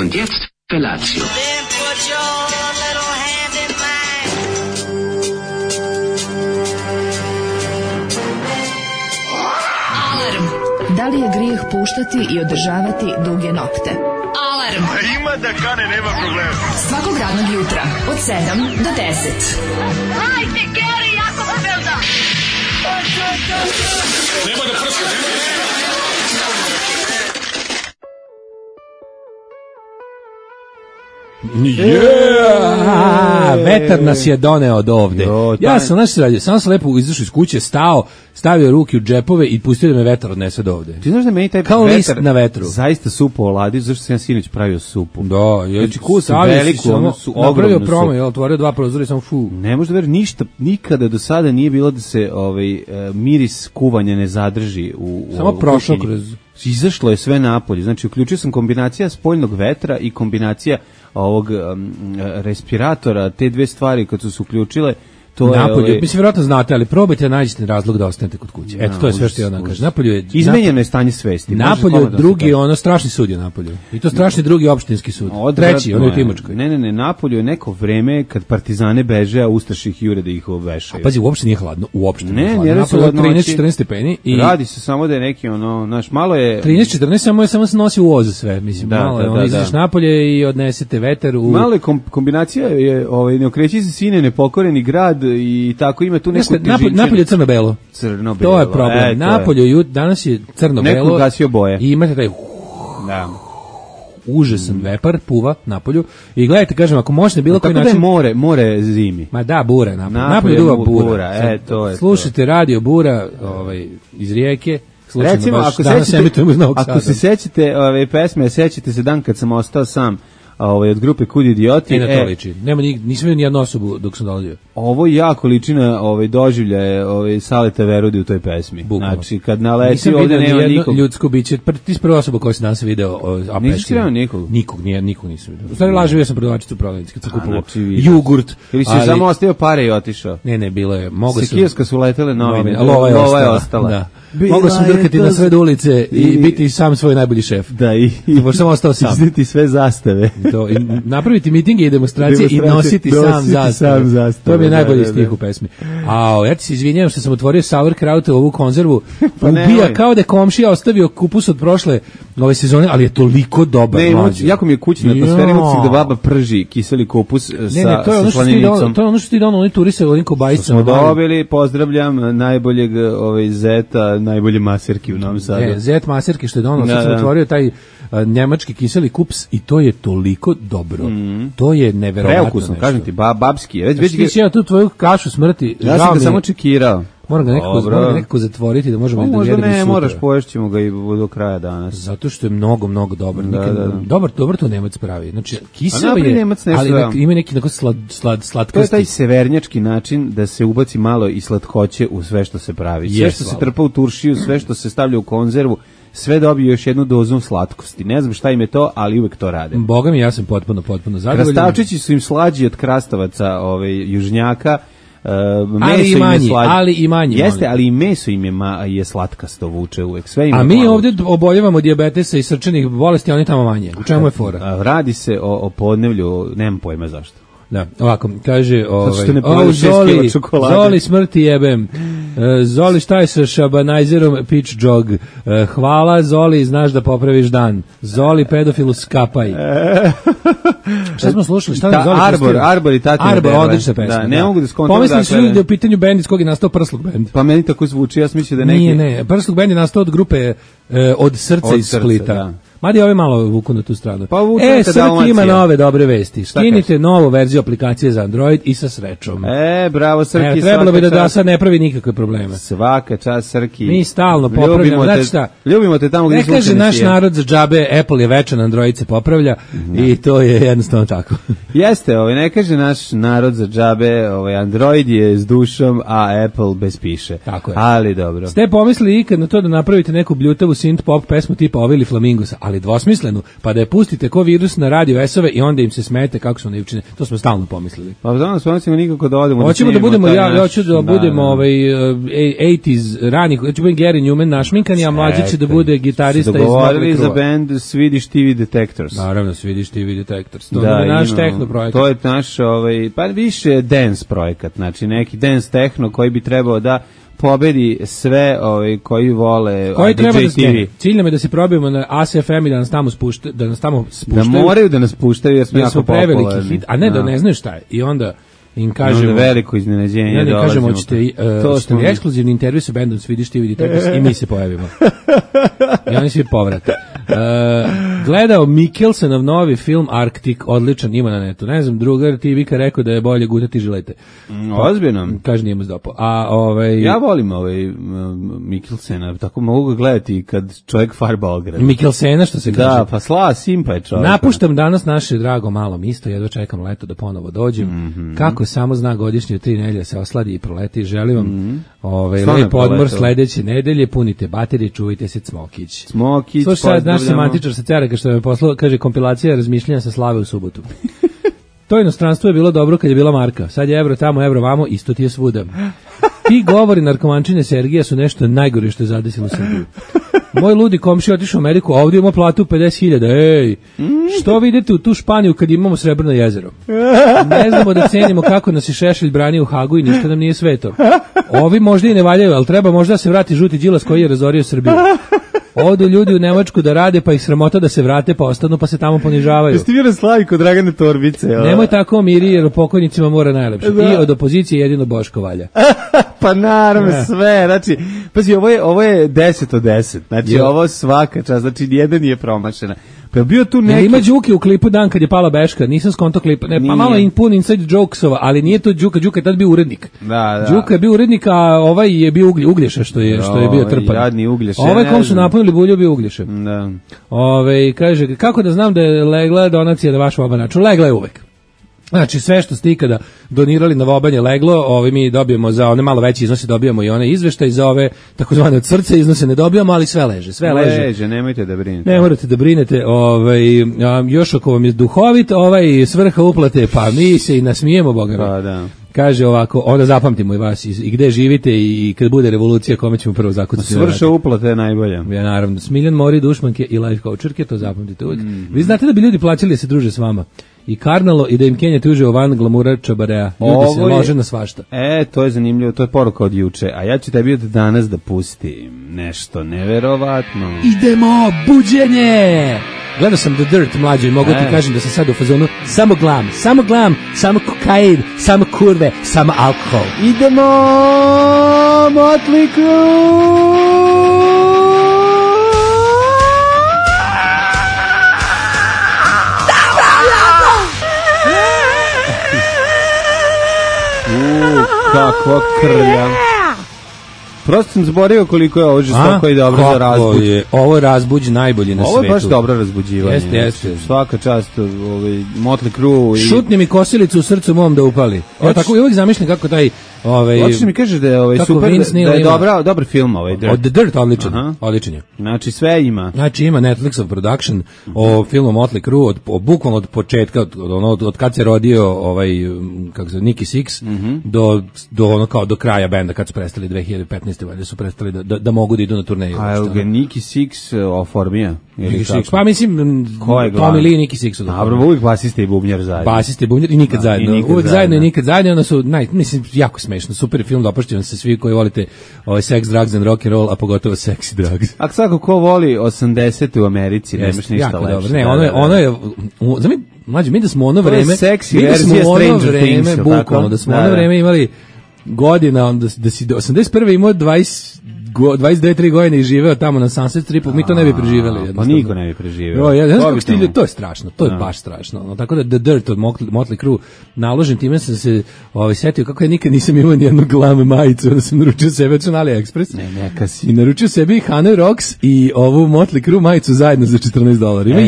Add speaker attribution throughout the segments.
Speaker 1: Und jetzt Felatio.
Speaker 2: Da li je grijeh puštati i održavati duge nokte? Alarm!
Speaker 3: Ima da kane, nema problema.
Speaker 2: Svakog radnog jutra, od 7 do 10.
Speaker 4: Hajde, Geri, jako se velda!
Speaker 3: Nema da prska,
Speaker 5: Vetar nas je doneo od ovde. Ja sam radio, samo sam lepo izašao iz kuće, stao, stavio ruke u džepove i pustio da me vetar odnese od ovde.
Speaker 6: Ti znaš da meni taj
Speaker 5: kao
Speaker 6: vetar
Speaker 5: list na vetru.
Speaker 6: Zaista supu oladi, zašto sam ja sinoć pravio supu.
Speaker 5: Da,
Speaker 6: znači kusam veliku, ono su
Speaker 5: napravio
Speaker 6: ogromnu
Speaker 5: promo, je otvorio 2 prozora i samo fu.
Speaker 6: Ne može da veri, ništa, nikada do sada nije bilo da se miris kuvanja ne zadrži u
Speaker 5: samo prošlo kroz.
Speaker 6: Izašlo je sve napolje, znači uključio sam kombinacija spoljnog vetra i kombinacija ovog respiratora, te dve stvari kad su se uključile, to
Speaker 5: napolju, mislim vjerojatno znate, ali probajte da nađete razlog da ostanete kod kuće. Eto, to je sve što ja vam kažem. Napolju je
Speaker 6: izmenjeno je stanje svesti.
Speaker 5: Napolju drugi, ono strašni sud je napolju. I to strašni drugi opštinski sud. Treći, ono je u Timočkoj.
Speaker 6: Ne, napolju je neko vreme kad partizane beže, a ustaše ih jure da ih obvešaju.
Speaker 5: Pazi, uopšte nije hladno, uopšte nije hladno.
Speaker 6: Napolju je
Speaker 5: 13-14 stepeni.
Speaker 6: Radi se samo da je neki, znaš, malo je...
Speaker 5: 13-14, samo se nosi u voz sve, mislim, malo je, izađeš napolje i odnesete vetar u...
Speaker 6: Malo je kombinacija, ne okreći se sine, nepokoreni grad i tako ima tu neku težinčinu.
Speaker 5: Napolje je crno-belo.
Speaker 6: Crno-belo.
Speaker 5: To je problem. Napolje danas je crno-belo.
Speaker 6: Neko gasio boje.
Speaker 5: I imate taj užasan vepar, puva napolju. I gledajte, kažem, ako možete bilo koji način...
Speaker 6: Tako da je more zimi.
Speaker 5: Ma da, bura napolje duva bura.
Speaker 6: To je
Speaker 5: slušajte radio Bura iz Rijeke.
Speaker 6: Recimo, ako se sećate ove pesme, sećate se dan kad sam ostao sam od grupe Kud idioti.
Speaker 5: Na to liči. Nisam vidio ni jednu osobu dok sam dolazio.
Speaker 6: Ovo jako liči na doživljaje Saleta Verudi u toj pesmi.
Speaker 5: Bukvalno.
Speaker 6: Znači, kad naleti ovde nema nikog.
Speaker 5: Ljudsko biće. Ti si prva osoba koja se danas video.
Speaker 6: Nisi skreo nikog?
Speaker 5: Nikog nisam vidio. U stvari laživio sam prodavačicu u prodavnici kad sam kupovao jogurt.
Speaker 6: Ili si samo ostavio pare i otišao?
Speaker 5: Ne, bilo je.
Speaker 6: Sekirska su letele novine.
Speaker 5: Lova je ostala. Da. Mogao sam drkati na sred ulice i biti sam svoj najbolji šef.
Speaker 6: Da, i
Speaker 5: sam ostao sam.
Speaker 6: Izniti sve zastave.
Speaker 5: I napraviti mitinge i demonstracije i nositi sam zastave. To mi je najbolji stih u pesmi. Ja ti se izvinjam što sam otvorio sauerkraut ovu konzervu. Ubija kao da je komšija ostavio kupus od prošle ove sezone, ali je toliko dobar.
Speaker 6: Jako mi je kućna atmosfera, imam da baba prži kiseli kupus sa slaninicom.
Speaker 5: To je ono što ti donao, oni turiste, onim kobajicama.
Speaker 6: Smo dobili, pozdravljam najboljeg zeta, najbolje maserki u Novom Sadu.
Speaker 5: Zet maserki što je donao, sad sam otvorio taj njemački kiseli kups i to je toliko dobro. To je neverovatno.
Speaker 6: Preukusno, kažem ti, babski.
Speaker 5: Ti si ja tu tvoju kašu smrti.
Speaker 6: Ja sam ga samo čekirao.
Speaker 5: Moram ga nekako zatvoriti da možemo da jedemo sutra.
Speaker 6: Možda ne, moraš, poješćemo ga i do kraja danas.
Speaker 5: Zato što je mnogo dobar. Dobar to Nemac pravi. Znači, kiseo je, ali ima neki slatkosti.
Speaker 6: To je taj severnjački način da se ubaci malo i slatkoće u sve što se pravi. Sve što se trpa u turšiju, sve što se stavlja u konzervu, sve dobije još jednu dozu slatkosti. Ne znam šta im je to, ali uvek to rade.
Speaker 5: Boga mi, ja sam potpuno zadovoljan.
Speaker 6: Krastavčići su im slađi od krastavaca južnjaka,
Speaker 5: ali i manje.
Speaker 6: Jeste, ali i meso im je slatkasto, vuče uvek. Sve ima.
Speaker 5: A mi ovdje oboljevamo dijabetesa i srčanih bolesti, a oni tamo manje. U čemu je fora?
Speaker 6: Radi se o podnevlju, nemam pojma zašto.
Speaker 5: Da, ovako, kaže Zoli smrti jebem. Zoli, šta je sa šabanajzerom pitch jog? Hvala Zoli, znaš da popraviš dan. Zoli, pedofilu skapaj. Šta smo slušali?
Speaker 6: Arbor i Tatjana
Speaker 5: Arbor, odlična pesma.
Speaker 6: Da, ne mogu da skontam.
Speaker 5: Pomislili su ljudi da je u pitanju bend iz kog je nastao Prsluk bend.
Speaker 6: Pa meni tako zvuči, ja sam mislio da neki...
Speaker 5: Ne, Prsluk bend je nastao od grupe Od srca iz Splita. Da. Mada je ove malo vuku na tu stranu.
Speaker 6: Pa
Speaker 5: Srki ima nove dobre vesti. Skinite novu verziju aplikacije za Android i sa srećom.
Speaker 6: Bravo Srki.
Speaker 5: Trebalo bi da sad ne pravi nikakve probleme.
Speaker 6: Svaka čast Srki.
Speaker 5: Mi stalno popravljamo.
Speaker 6: Ljubimo te tamo gdje
Speaker 5: ne kaže naš narod za džabe, Apple je večan, Android se popravlja i to je jednostavno tako.
Speaker 6: Jeste, ne kaže naš narod za džabe, Android je s dušom, a Apple bez piše.
Speaker 5: Tako je.
Speaker 6: Ali dobro.
Speaker 5: Ste pomislili ikad na to da napravite neku bljutavu synth pop pesmu tipa Ovili Flamingosa, ali ali dvosmislenu, pa da je pustite ko virus na radio S-ove i onda im se smete kako su naivčine. To smo stalno pomislili.
Speaker 6: Pa danas pomislimo nikako da odemo.
Speaker 5: Hoćemo da budemo, ja hoću da budemo 80s ranih, hoću budem Gary Newman našminkani, a mlađi će da bude gitarista iz
Speaker 6: dogovorili za band Swedish TV Detectors.
Speaker 5: Naravno, Swedish TV Detectors. To je naš techno projekat.
Speaker 6: To je naš, pa više dance projekat, znači neki dance techno koji bi trebao da pobedi sve koji vole
Speaker 5: koji treba da TV. Cilj nam je da se probijemo na ASFM i da nas tamo spuštaju.
Speaker 6: Da moraju da nas puštaju jer smo jako popularni.
Speaker 5: Hit, a ne da ne znaju šta je. I onda im kažemo
Speaker 6: veliko iznenađenje.
Speaker 5: Ja ne kažemo hoćete ekskluzivni intervju sa bendom Swedish TV Detectors i mi se pojavimo. I oni svi povrate. Gledao Mikkelsenov novi film Arctic, odličan, ima na netu. Ne znam, drugar ti Vika rekao da je bolje gutati žilete.
Speaker 6: Ozbiljno.
Speaker 5: Kaže nije mu zdopao.
Speaker 6: Ja volim Mikkelsena, tako mogu ga gledati kad čovjek farba ograd.
Speaker 5: Mikkelsena što se kaže.
Speaker 6: Da, pa simpa je čovjek.
Speaker 5: Napuštam danas naše drago malo misto, jedva čekam leto da ponovo dođem. Kako samo zna godišnje 3 nedelje se osladi i proleti. Želim vam lep odmor sledeće nedelje, punite baterije, čuvajte se Cmokić. Slušaj, naš semantičar sa Cereka što me poslao, kaže kompilacija razmišljanja sa slave u subotu. To inostranstvo je bilo dobro kad je bila marka. Sad je evro tamo, evro vamo, isto ti je svuda. Ti govori narkomančine Sergija su nešto najgore što je zadesilo Srbiju. Moj ludi komšija otišao u Ameriku, a ovdje ima platu 50.000. Ej, što vidite u tu Španiju kad imamo Srebrno jezero? Ne znamo da cenimo kako nas je Šešelj branio u Hagu i ništa nam nije sveto. Ovi možda i ne valjaju, ali treba možda se vrati žuti Đilas koji je razorio Srbiju. Odu ljudi u Nemačku da rade, pa ih sramota da se vrate, pa ostanu, pa se tamo ponižavaju.
Speaker 6: Jeste vi raslavi kod Dragane Torbice?
Speaker 5: Nemoj tako miri, jer pokojnicima mora najlepše. I od opozicije jedino Boško valja.
Speaker 6: Pa naravno sve, znači, pazi, ovo je 10 od 10, znači ovo svaka čast, znači nijedan nije promašena. Pa bio tu neki...
Speaker 5: Ima Đuke u klipu dan kad je pala Beška, nisam skonto klipa, ne, pa malo pun inside jokesova, ali nije to Đuka, Đuka je tad bio urednik.
Speaker 6: Da.
Speaker 5: Đuka je bio urednik, a ovaj je bio Uglješa, što je bio trpan.
Speaker 6: Jadni Uglješa.
Speaker 5: Ovaj kom su napunili bulju bio Uglješa.
Speaker 6: Da.
Speaker 5: Kaže, kako da znam da je legla donacija da vaš obanaču? Legla je uvek. Znači, sve što ste ikada donirali na vobanje leglo, mi dobijemo za one malo veće iznose, dobijamo i one izveštaje, za ove takozvane od srca iznose ne dobijamo, ali sve leže,
Speaker 6: leže, nemojte da brinete.
Speaker 5: Ne morate da brinete, još ako vam je duhovit, svrha uplate, pa mi se i nasmijemo, Boga.
Speaker 6: Pa da.
Speaker 5: Kaže ovako, onda zapamtimo i vas i gde živite i kad bude revolucija kome ćemo prvo zakucati.
Speaker 6: Svrša uplate je najbolja.
Speaker 5: Ja, naravno, Smiljan Mori, Dušmanke i life coacherke, to zapamtite uvijek. Vi znate da bi ljudi plaćali da se druže s vama. I Karnalo i da im Kenja tuže van glamura Čabarea. Ljudi se lože na svašta.
Speaker 6: To je zanimljivo, to je poruka od juče. A ja ću tebi od danas da pustim nešto neverovatno.
Speaker 5: Idemo, buđenje! Gledao sam The Dirt mlađe i mogu ti kažem da sam sad u fazonu samo glam, samo kokain, samo kurve, samo alkohol.
Speaker 6: Idemo, Motley Crue! Kakva krlja. Prosto sam zborio koliko je ovo žestoko i dobro za razbuđ.
Speaker 5: Ovo je razbuđ najbolji na svetu.
Speaker 6: Ovo je baš dobro razbuđivanje.
Speaker 5: Jeste.
Speaker 6: Svaka čast Motley Crue.
Speaker 5: Šutni mi kosilicu u srcu mom da upali. Tako i uvijek zamišljam kako taj...
Speaker 6: Hoćeš mi kažeš da je super, da je dobar film Dirt.
Speaker 5: Od The Dirt odličan je.
Speaker 6: Znači sve ima.
Speaker 5: Znači ima Netflixov production o filmu Motley Crue, bukvalno od početka, od kad se rodio kako se Nicky Six, do kraja benda, kad su prestali 2015. valjda su prestali da mogu da idu na turneju.
Speaker 6: A je ga Nicky Six oformija?
Speaker 5: Pa mislim, Tommy Lee i Nicky Six.
Speaker 6: Dobro, uvijek basista i bubnjar zajedno.
Speaker 5: Basista i bubnjar i nikad zajedno. Uvijek zajedno i nikad zajedno, onda su, mislim, jako smešno, super film, dopušćam se svi koji volite sex, drugs and rock and roll, a pogotovo sexy drugs.
Speaker 6: A svako ko voli 80. u Americi, nemaš ništa lepše.
Speaker 5: Ne, ono je, mlađe, mi da smo ono vreme, bukvalno, da smo ono vreme imali godina, da si do 81. imao 29-3 godine i živeo tamo na Sunset Stripu, mi to ne bi preživeli.
Speaker 6: Pa niko ne bi preživeo.
Speaker 5: To je strašno, to je baš strašno. Tako da The Dirt od Motley Crue naložim, time sam se setio kako ja nikad nisam imao nijednu glam majicu, da sam naručio sebe na AliExpress.
Speaker 6: Neka si.
Speaker 5: I naručio sebi Hanoi Rocks i ovu Motley Crue majicu zajedno za $14. Ima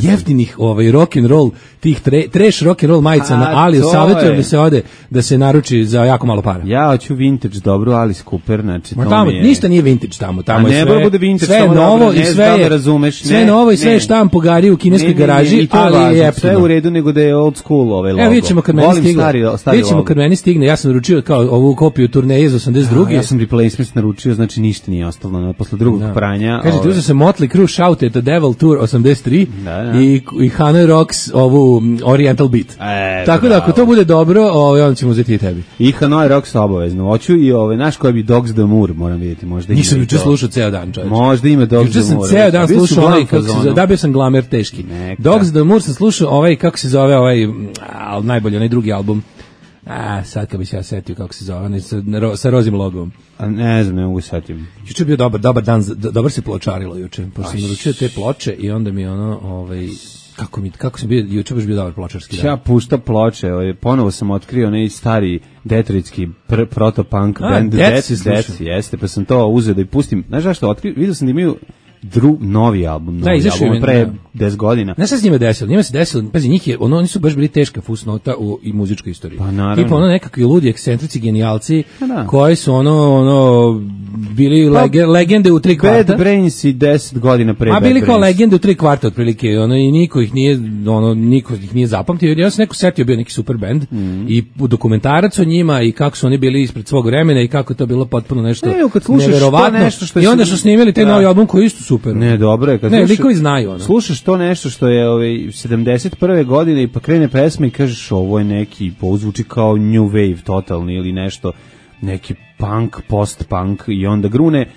Speaker 5: jeftinih rock and roll, tih trash rock and roll majica na Ali, savjetujem da se ode, da se naruči za jako malo para.
Speaker 6: Ja hoću vintage dobru Alice Cooper, znači
Speaker 5: tamo tamo ništa nije vintage tamo je sve.
Speaker 6: Bude vintage,
Speaker 5: sve je novo i sve je
Speaker 6: razumeš.
Speaker 5: Sve novo i sve je štamp po gari u kineskoj garaži, ali je
Speaker 6: sve u redu nego da je old school ovaj logo.
Speaker 5: Evo vidimo kad meni stigne, ja sam naručio kao ovu kopiju turneje iz 82.
Speaker 6: Ja sam replacements naručio, znači ništa nije ostalo posle drugog pranja.
Speaker 5: Kažete, uzeo se Motley Crue Shout at the Devil Tour 83 i Hanoi Rocks ovu Oriental Beat. Tako da ako to bude dobro, onda ćemo uzeti i tebi.
Speaker 6: I Hanoi Rocks obavezno. Hoću i naš koji bi Dogs the Moor, moram vidjeti, možda ima.
Speaker 5: Nisam juče slušao ceo dan, čovječe.
Speaker 6: Možda ima Dogs the Moor.
Speaker 5: Juče sam ceo dan slušao ovaj, da bio sam glamer teški. Dogs the Moor sam slušao ovaj, kako se zove najbolji, onaj drugi album. Sad kad bi se ja setio kako se zove, sa rozim logom.
Speaker 6: Ne znam, ne mogu setim.
Speaker 5: Juče je bio dobar dan, dobar se pločarilo juče, pošto sam naručio te ploče i onda mi kako sam bio, juče baš bio dobar pločarski dan.
Speaker 6: Ja pušta ploče, ponovo sam otkrio onaj stari detroitski protopunk band Death, jeste, pa sam to uzeo da i pustim. Znaš zašto otkrio? Vidio sam da imaju novi album pre 10 godina.
Speaker 5: Znaš šta s njima desilo? Njima se desilo, pazi, oni su baš bili teška fusnota i muzičkoj istoriji.
Speaker 6: Pa naravno.
Speaker 5: Tipa nekakvi ludi, ekscentrici, genijalci, koji su bili legende u 3 kvarta.
Speaker 6: Bad Brains i 10 godina pre Bad Brains.
Speaker 5: Bili kao legende u 3 kvarta otprilike, i niko ih nije zapamtio. Ja sam neko setio, bio neki super band i dokumentarac o njima i kako su oni bili ispred svog vremena i kako je to bilo potpuno nešto neverovatno. I onda su snimili taj novi album koji isto super.
Speaker 6: Ne, dobro je.
Speaker 5: Likovi znaju.
Speaker 6: Slušaš to nešto što je 71. godine i pa krene pesma i kažeš ovo je neki, zvuči kao new wave totalni ili nešto, neki punk, post-punk i onda grune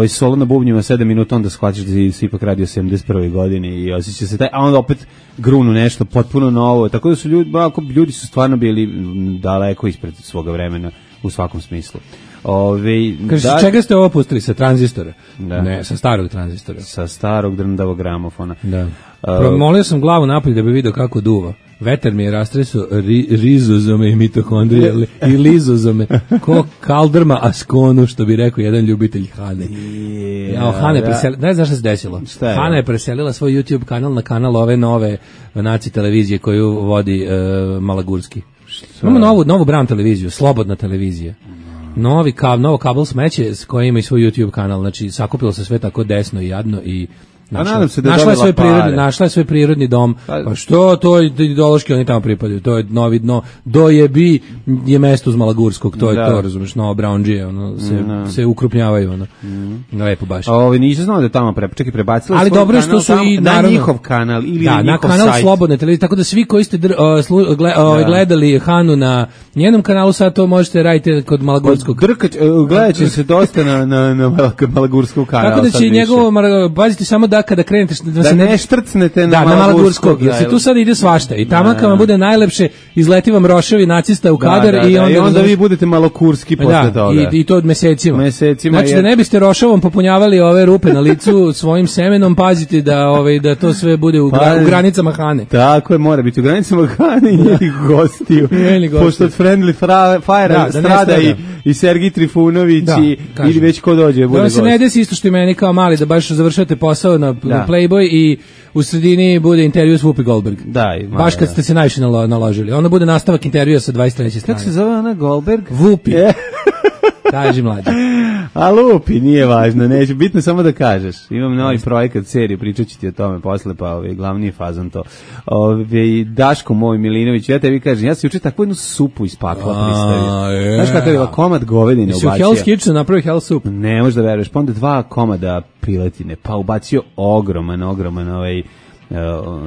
Speaker 6: solo na bubnjima 7 minuta, onda shvaćaš da si ipak radio 71. godine i osjeća se taj, a onda opet grunu nešto potpuno novo, tako da su ljudi su stvarno bili daleko ispred svoga vremena u svakom smislu.
Speaker 5: Kaže, čega ste ovo pustili? Sa tranzistora? Ne, sa starog tranzistora.
Speaker 6: Sa starog drndavog gramofona.
Speaker 5: Da. Promolio sam glavu napolje da bi vidio kako duva. Vetar mi je rastresao rizozome i mitohondrije i lizozome, ko kaldrma askonu, što bi rekao jedan ljubitelj Hane. Hane preselila, ne znaš šta se desilo? Hana je preselila svoj YouTube kanal na kanal ove nove naci televizije koju vodi Malagurski. Imamo novu Brown televiziju, slobodna televizija. Novo kabel smeće koji ima i svoj YouTube kanal, znači sakupilo se sve tako desno i jadno i našla je svoj prirodni dom. Pa što, to je ideološki, oni tamo pripadaju, to je novi dno, dojebi je mesto uz Malagurskog, to je to, razumeš, novo Brownđije, se ukrupnjavaju, lepo baš.
Speaker 6: Nisam znao da tamo prebacila
Speaker 5: ali dobro je što su i
Speaker 6: na njihov kanal ili njihov sajt. Na kanal
Speaker 5: Slobodne televizije, tako da svi koji ste gledali Hanu na njenom kanalu, sad to možete raditi kod Malagurskog.
Speaker 6: Gledat će se dosta na Malagurskog kanalu.
Speaker 5: Tako da će njegovo, pazite samo da kada krenete
Speaker 6: da se ne štrcnete na
Speaker 5: Malagurskog, jer se tu sad ide svašta i tamo kad vam bude najlepše izleti vam roševi nacista u kadar i onda
Speaker 6: vi budete malokurski posle toga.
Speaker 5: I to od mesecima. Znači da ne biste rošavom popunjavali ove rupe na licu svojim semenom, pazite da to sve bude u granicama Hane.
Speaker 6: Tako je, mora biti u granicama Hane i njenih gostiju. Pošto od Friendly Fire strada i Sergij Trifunović ili već ko dođe bude gost.
Speaker 5: Da se ne desi isto što i meni kao mali, da baš završate posao na Playboy i u sredini bude intervju s Whoopi Goldberg. Baš kad ste se najviše naložili. Onda bude nastavak intervjua sa 23. strane.
Speaker 6: Kako se zove ona Goldberg?
Speaker 5: Whoopi. Kaži mlađe.
Speaker 6: A lupi, nije važno, neće, bitno samo da kažeš. Imam novi projekat, seriju, pričat ću ti o tome posle, pa glavni je fazon to. Daško moj Milinović, ja tebi kažem, ja sam juče takvu jednu supu iz pakla pristavio. Znaš kako je komad govedine ubacio?
Speaker 5: Si u Hell's Kitchen napravio Hell Soup?
Speaker 6: Ne, možda veruješ, pa onda 2 komada piletine, pa ubacio ogroman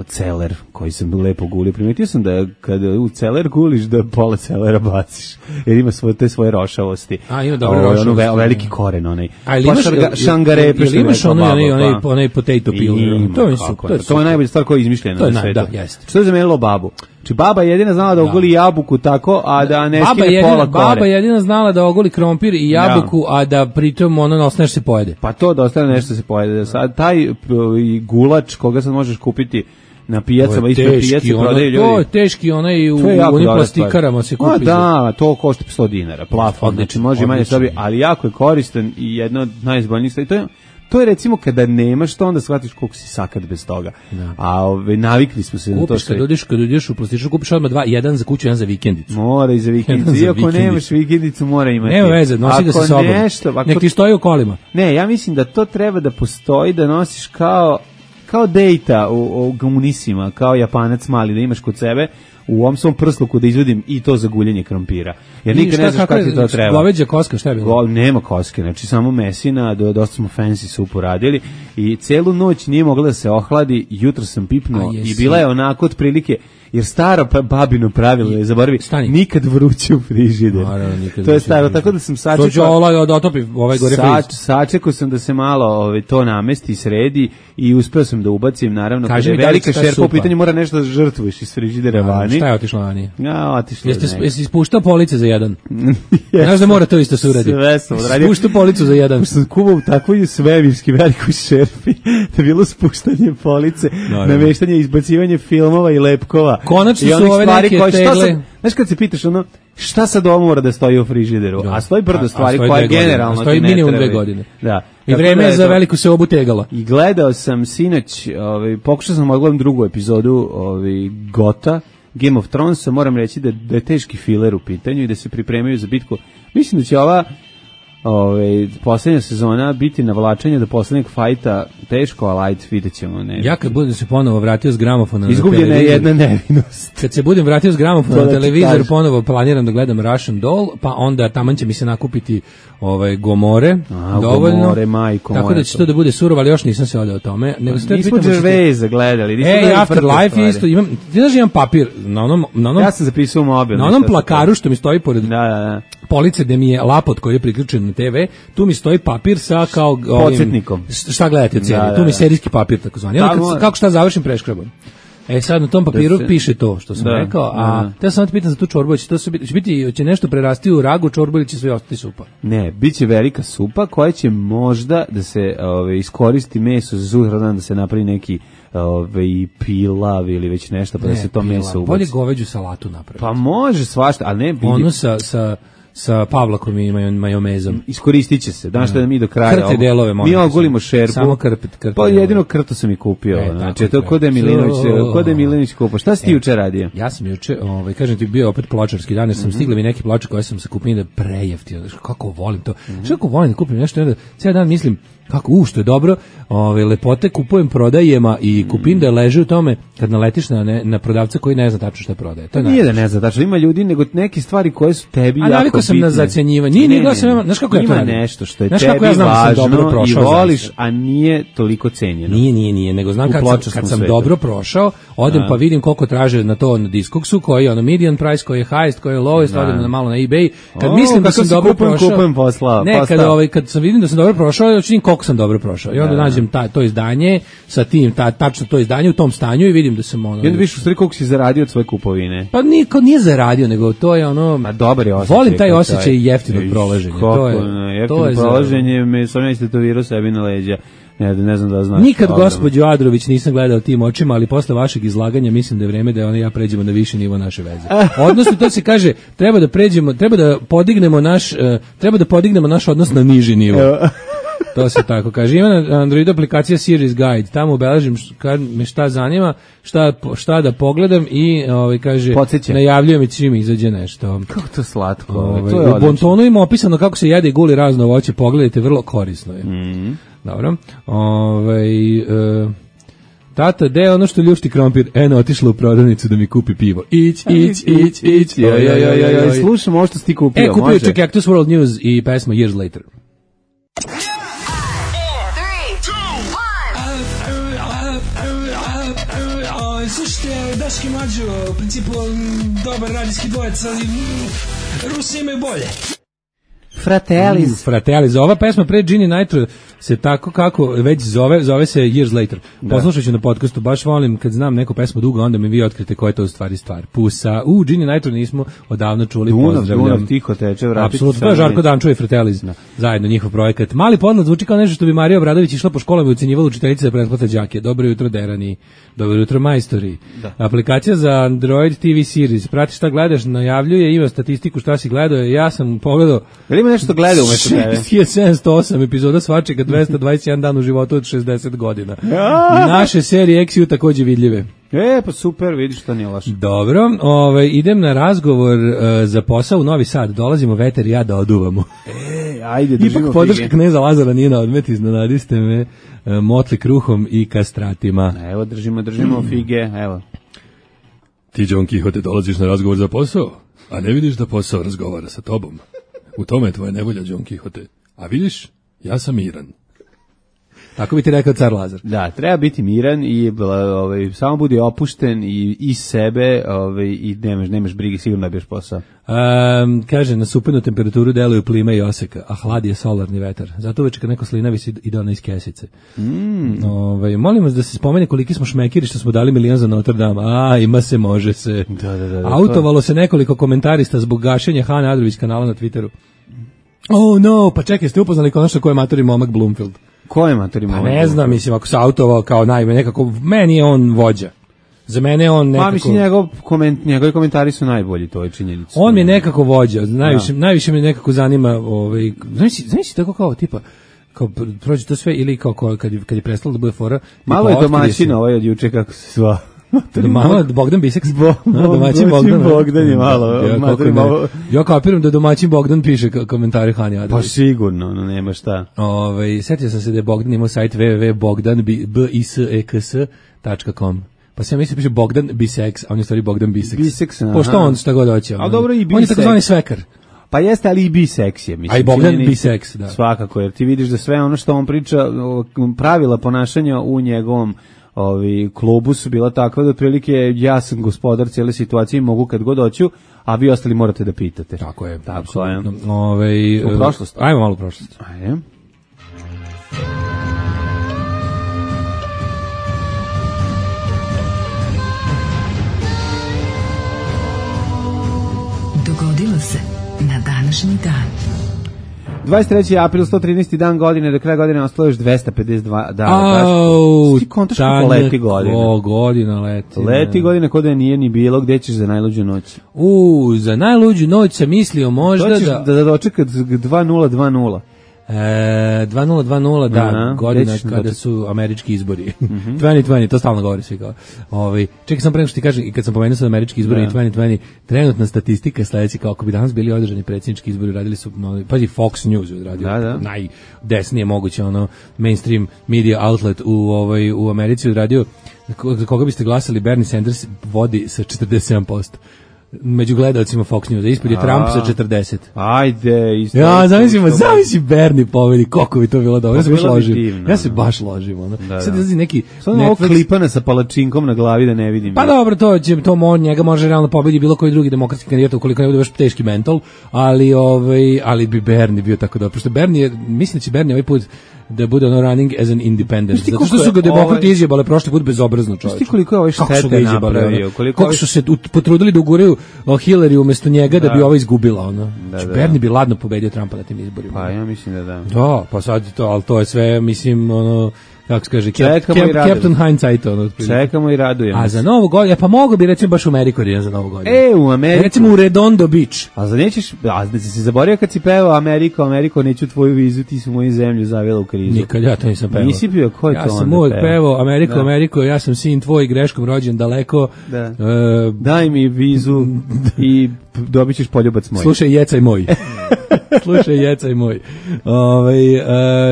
Speaker 6: celer koji sam lepo gulio. Primetio sam da kada u celer guliš da pola celera baciš, jer ima svoje rošavosti.
Speaker 5: Ima dobre rošavosti.
Speaker 6: Veliki koren onaj.
Speaker 5: Šangarepe. Ili imaš onaj potato peel.
Speaker 6: To je najbolja stvar koja je izmišljena na svijetu. Što je zamenilo babu? Či baba jedina znala da oguli jabuku tako, a da ne skine pola kore.
Speaker 5: Baba jedina znala da oguli krompir i jabuku, a da pritom ostane se pojede.
Speaker 6: Pa to da ostane nešto se pojede. Sad taj gulač koga sad možeš kupiti na pijacama, ispred pijace prodaju ljudi.
Speaker 5: To je teški, onaj u onim plastikarama se kupi.
Speaker 6: Da, to košta 100 dinara, plafon, znači može manje sebi, ali jako je koristan i jedno od najizboljnijih stvari. to je recimo kada nemaš to, onda shvatiš koliko si sakat bez toga. Da. A navikli smo se na to sve.
Speaker 5: Kad ideš u plastičnu, kupiš odmah jedan za kuću, jedan za vikendicu.
Speaker 6: Mora i za vikendicu. Iako nemaš vikendicu, mora imati.
Speaker 5: Nema veze, nosi ga sa sobom. Nek ti stoji u kolima.
Speaker 6: Ne, ja mislim da to treba da postoji, da nosiš kao dejta u komunisima, kao Japanac mali, da imaš kod sebe u ovom svom prsluku da izvodim i to za guljenje krompira. Jer nikad ne znaš kako ti to treba.
Speaker 5: Goveđa koska, šta je bilo?
Speaker 6: Nema koske, znači samo mesina, dosta smo fancy supu radili i celu noć nije mogla da se ohladi, jutro sam pipnuo i bila je onako otprilike, jer staro babino pravilo je, zaboravi, nikad vruće u frižider. To je staro, tako da sam sačekao sam da se malo to namesti, sredi i uspeo sam da ubacim, naravno, kada je velika šerpa u pitanju, mora nešto da žrtvuješ iz frižidera vani.
Speaker 5: Šta je otišlo vani?
Speaker 6: Otišlo je.
Speaker 5: Jesi ispuštao police za jedan? Znaš da mora to isto se uradi.
Speaker 6: Sve sam odradio.
Speaker 5: Ispuštao policu za jedan.
Speaker 6: Sam kubao u takvoj svemirski velikoj šerpi da je bilo spuštanje police, nameštanje, izbacivanje filmova i lepkova.
Speaker 5: Konačno su ove neke tegle.
Speaker 6: Znaš kad se pitaš šta sad ovo mora da stoji u frižideru? A stoji brdo stvari koje generalno ti ne treba.
Speaker 5: Stoji minimum 2 godine.
Speaker 6: Da.
Speaker 5: I vreme je za veliku seobu tegala.
Speaker 6: I gledao sam sinoć, pokušao sam odgledam drugu epizodu Gota, Game of Thronesa, moram reći da je teški filer u pitanju i da se pripremaju za bitku. Mislim da će ova poslednja sezona biti navlačenje do poslednjeg fajta teško, a light vidjet ćemo.
Speaker 5: Ja kad budem se ponovo vratio s gramofona
Speaker 6: izgubljena je jedna nevinost.
Speaker 5: Kad se budem vratio s gramofona na televizor, ponovo planiram da gledam Russian Doll, pa onda taman će mi se nakupiti Gomore, dovoljno.
Speaker 6: Gomore, majko
Speaker 5: tako da će to da bude surovo, ali još nisam se odao o tome.
Speaker 6: Nismo Gervaisa gledali.
Speaker 5: Afterlife je isto. Ti znaš, imam papir na onom...
Speaker 6: Ja sam zapisao mobil.
Speaker 5: Na onom plakaru što mi stoji pored police gde mi je lapot koji je priključen na TV, tu mi stoji papir sa kao
Speaker 6: podsjetnikom.
Speaker 5: Šta gledate cijeli? Tu mi serijski papir takozvani. Kako šta završim preškrabom. Sad na tom papiru piše to što sam rekao, a te sam te pitam za tu čorbu, će nešto prerasti u ragu čorbu ili će sve ostati supa?
Speaker 6: Ne, biće velika supa koja će možda da se iskoristi meso za sutradan, da se napravi neki pilav ili već nešto, pa da se to meso ubaci.
Speaker 5: Bolje goveđu salatu napraviti.
Speaker 6: Pa može svašta, ali ne...
Speaker 5: Ono sa pavlakom i majomezom.
Speaker 6: Iskoristit će se. Danas što da mi do kraja...
Speaker 5: Krte delove,
Speaker 6: mi ogulimo šerpu.
Speaker 5: Samo krte.
Speaker 6: Pa jedino krto sam i kupio. Znači, to kod je Milinović kupio. Šta si ti juče radio?
Speaker 5: Ja sam juče, kažem ti, bio opet pločarski dan, jer sam stigla mi neki ploče koje sam se kupio da prejeftio. Kako volim to. Kako volim da kupim nešto, onda cijel dan mislim, kako, što je dobro, lepote kupujem prodajema i kupim da leže u tome kad naletiš na prodavca koji ne zna tačno šta prodaje. To
Speaker 6: nije da ne zna tačno, ima ljudi, nego neke stvari koje su tebi jako bitne. A navikao
Speaker 5: sam na zacenjivanje. Znaš kako ja to radim?
Speaker 6: Ima nešto što je tebi važno i voliš, a nije toliko cenjeno.
Speaker 5: Nije, nego znam kad sam dobro prošao, odem pa vidim koliko traže na to na Discogsu, koji je median price, koji je highest, koji je lowest, odem na malo na eBay. Kad mislim da sam dobro prošao, kad sam vidim da sam dobro prošao, koliko sam dobro prošao. I onda nađem to izdanje sa tim, tačno to izdanje u tom stanju i vidim da sam
Speaker 6: I onda vidiš u stvari koliko si zaradio od svoje kupovine.
Speaker 5: Pa niko nije zaradio, nego to je
Speaker 6: dobar je osjećaj.
Speaker 5: Volim taj osjećaj jeftinog prolaženja.
Speaker 6: Jeftino prolaženje me sam ja istetovirao sebi na leđa. Ne znam da znaš.
Speaker 5: Nikad gospođo Adrović nisam gledao tim očima, ali posle vašeg izlaganja mislim da je vreme da ja pređemo na viši nivo naše veze. Odnosno to se kaže, treba da podignemo naš odnos na niži nivo. To se tako kaže. Ima na Android aplikacija Series Guide. Tamo obeležim kad me šta zanima, šta da pogledam i kaže najavljuje mi čim izađe nešto.
Speaker 6: Kako to slatko.
Speaker 5: U Bontonu ima opisano kako se jede i guli razno voće. Pogledajte, vrlo korisno je. Dobro. Tata, gde je ono što ljušti krompir? Otišla u prodavnicu da mi kupi pivo. Ić.
Speaker 6: Slušam ovo što si ti kupio.
Speaker 5: Kupio je Cactus World News i pesma Years Later.
Speaker 1: Slušajte, Daški Mađo, u principu dobar radijski dvojec, ali Rusi imaju bolje.
Speaker 6: Fratellis.
Speaker 5: Ova pesma pre Ginny Nitro se tako kako već zove se Years Later. Poslušat ću na podcastu, baš volim kad znam neku pesmu dugo, onda mi vi otkrite koja je to u stvari stvar. Pusa, Ginny Nitro nismo odavno čuli, pozdravljam.
Speaker 6: Dunav tiho teče, vratiti.
Speaker 5: Apsolutno, to je Žarko Dančo i Fratellis, zajedno njihov projekat. Mali podlad zvuči kao nešto što bi Marija Obradović išla po školama i ucenjivala učiteljice da pretplate đake. Dobro jutro Derani, dobro jutro majstori. Aplikacija za Android TV series, prati šta gledaš, najavljuje, ima statistiku šta si gledao, ja sam pogledao.
Speaker 6: Nešto gleda umesto tebe.
Speaker 5: 708 epizoda svačega, 221 dan u životu od 60 godina. Naše serije XU takođe vidljive.
Speaker 6: Pa super, vidiš što nije loše.
Speaker 5: Dobro, idem na razgovor za posao u Novi Sad. Dolazimo Veter i ja da oduvamo.
Speaker 6: Ajde, držimo
Speaker 5: ipak podrška kneza Lazara nije na odmet, iznenadiste me motli kruhom i kastratima.
Speaker 6: Evo, držimo fige, evo.
Speaker 5: Ti, Don Kihote, dolaziš na razgovor za posao, a ne vidiš da posao razgovara sa tobom. U tome je tvoja nevolja, Don Kihote. A vidiš, ja sam miran. Tako bi ti rekao car Lazar.
Speaker 6: Da, treba biti miran i samo budi opušten i iz sebe i nemaš brige, sigurno da biješ posao.
Speaker 5: Kaže, na supenu temperaturu deluju plima i oseka, a hlad je solarni vetar. Zato uveče kad neko slinavi si ide ona iz kesice. Molim vas da se spomene koliki smo šmekiri što smo dali milion za Notre Dame. Ima se, može se.
Speaker 6: Da,
Speaker 5: autovalo se nekoliko komentarista zbog gašenja Hane Adrović kanala na Twitteru. Oh no, pa čekaj, ste upoznali konačno ko je matori momak Bloomfield?
Speaker 6: Ko je matori momak?
Speaker 5: Pa ne znam, mislim, ako se autovao kao nekako, meni je on vođa. Za mene je on nekako...
Speaker 6: Pa mislim, njegovi komentari su najbolji, to je činjenica.
Speaker 5: On mi je nekako vođa, najviše me nekako zanima, znaš tako kao, tipa, kao prođe to sve, ili kao kad je prestalo da bude fora...
Speaker 6: Malo je domaćin od juče, kako se sva...
Speaker 5: Malo Bogdan Biseks.
Speaker 6: Domaćin Bogdan je malo.
Speaker 5: Ja kapiram da domaćin Bogdan piše komentare Hani Adrović.
Speaker 6: Pa sigurno, nema šta.
Speaker 5: Setio sam se da je Bogdan imao sajt www.bogdanbiseks.com. Pa se ja mislim piše Bogdan Biseks, a on je stvari Bogdan Biseks. Pošto on šta god hoće.
Speaker 6: A dobro i Biseks.
Speaker 5: On je takozvani svekar.
Speaker 6: Pa jeste, ali i biseks je. Mislim,
Speaker 5: a i Bogdan biseks, da.
Speaker 6: Svakako, jer ti vidiš da sve ono što on priča, pravila ponašanja u njegovom klubu su bila takva da otprilike ja sam gospodar cijele situacije i mogu kad god hoću, a vi ostali morate da pitate.
Speaker 5: Tako je.
Speaker 6: Tako je.
Speaker 5: U prošlost. Ajmo malo u prošlost.
Speaker 6: Ajde.
Speaker 2: Dogodilo se na današnji dan.
Speaker 6: 23. april, 113. dan godine, do kraja godine ostalo još 252 dana. Ti kontaš kako leti godina.
Speaker 5: Godina leti.
Speaker 6: Leti godina kod da nije ni bilo, gde ćeš za najluđu noć?
Speaker 5: Za najluđu noć sam mislio možda
Speaker 6: da dočekat 2020.
Speaker 5: 2020, da, godina kada su američki izbori. 2020, to stalno govori svi kao. Čekaj sam pre nego što ti kažem, i kad sam pomenuo sa američki izbori i 2020, trenutna statistika je sledeća, kao ako bi danas bili održani predsjednički izbori, radili su, pazi, Fox News je odradio, najdesnije moguće, mainstream media outlet u Americi odradio, za koga biste glasali, Bernie Sanders vodi sa 47%. Među gledalcima Fox News, ispod je Trump sa 40.
Speaker 6: Ajde, isto.
Speaker 5: Ja, zamisli Bernie pobedi, koliko bi to bilo dobro. Ja se baš ložim. Sad izlazi neki
Speaker 6: Netflix klipana sa palačinkom na glavi da ne vidim.
Speaker 5: Pa dobro, njega može realno pobedi bilo koji drugi demokratski kandidat ukoliko ne bude baš teški mental, ali bi Bernie bio tako dobro. Pošto Bernie, mislim da će Bernie ovaj put da bude running as an independent. Zato što su ga demokrati izjebale prošli put bezobrazno, čovječe.
Speaker 6: Šti koliko je ovaj štete napravio?
Speaker 5: Koliko su se potrudili da uguraju Hillary umjesto njega da bi ova izgubila. Bernie bi ladno pobedio Trumpa na tim izborima.
Speaker 6: Pa ja mislim da da.
Speaker 5: Da, pa sad to, ali to je sve, mislim, kako se kaže, Captain Hindsight.
Speaker 6: Čekamo i radujemo.
Speaker 5: A za Novu godinu, pa mogu bi recimo baš u Ameriku za Novu godinu.
Speaker 6: U Ameriku.
Speaker 5: Recimo u Redondo Beach.
Speaker 6: A nećeš, da si zaboravio kad si pevao Ameriko, neću tvoju vizu, ti su moju zemlju zavela u krizu.
Speaker 5: Nikad ja to nisam pevao.
Speaker 6: Nisi bio, ko je to onda
Speaker 5: pevao? Ja sam uvijek pevao Ameriko, ja sam sin tvoj, greškom rođen daleko.
Speaker 6: Da. Daj mi vizu i dobit ćeš poljubac moj.
Speaker 5: Slušaj, jecaj moj.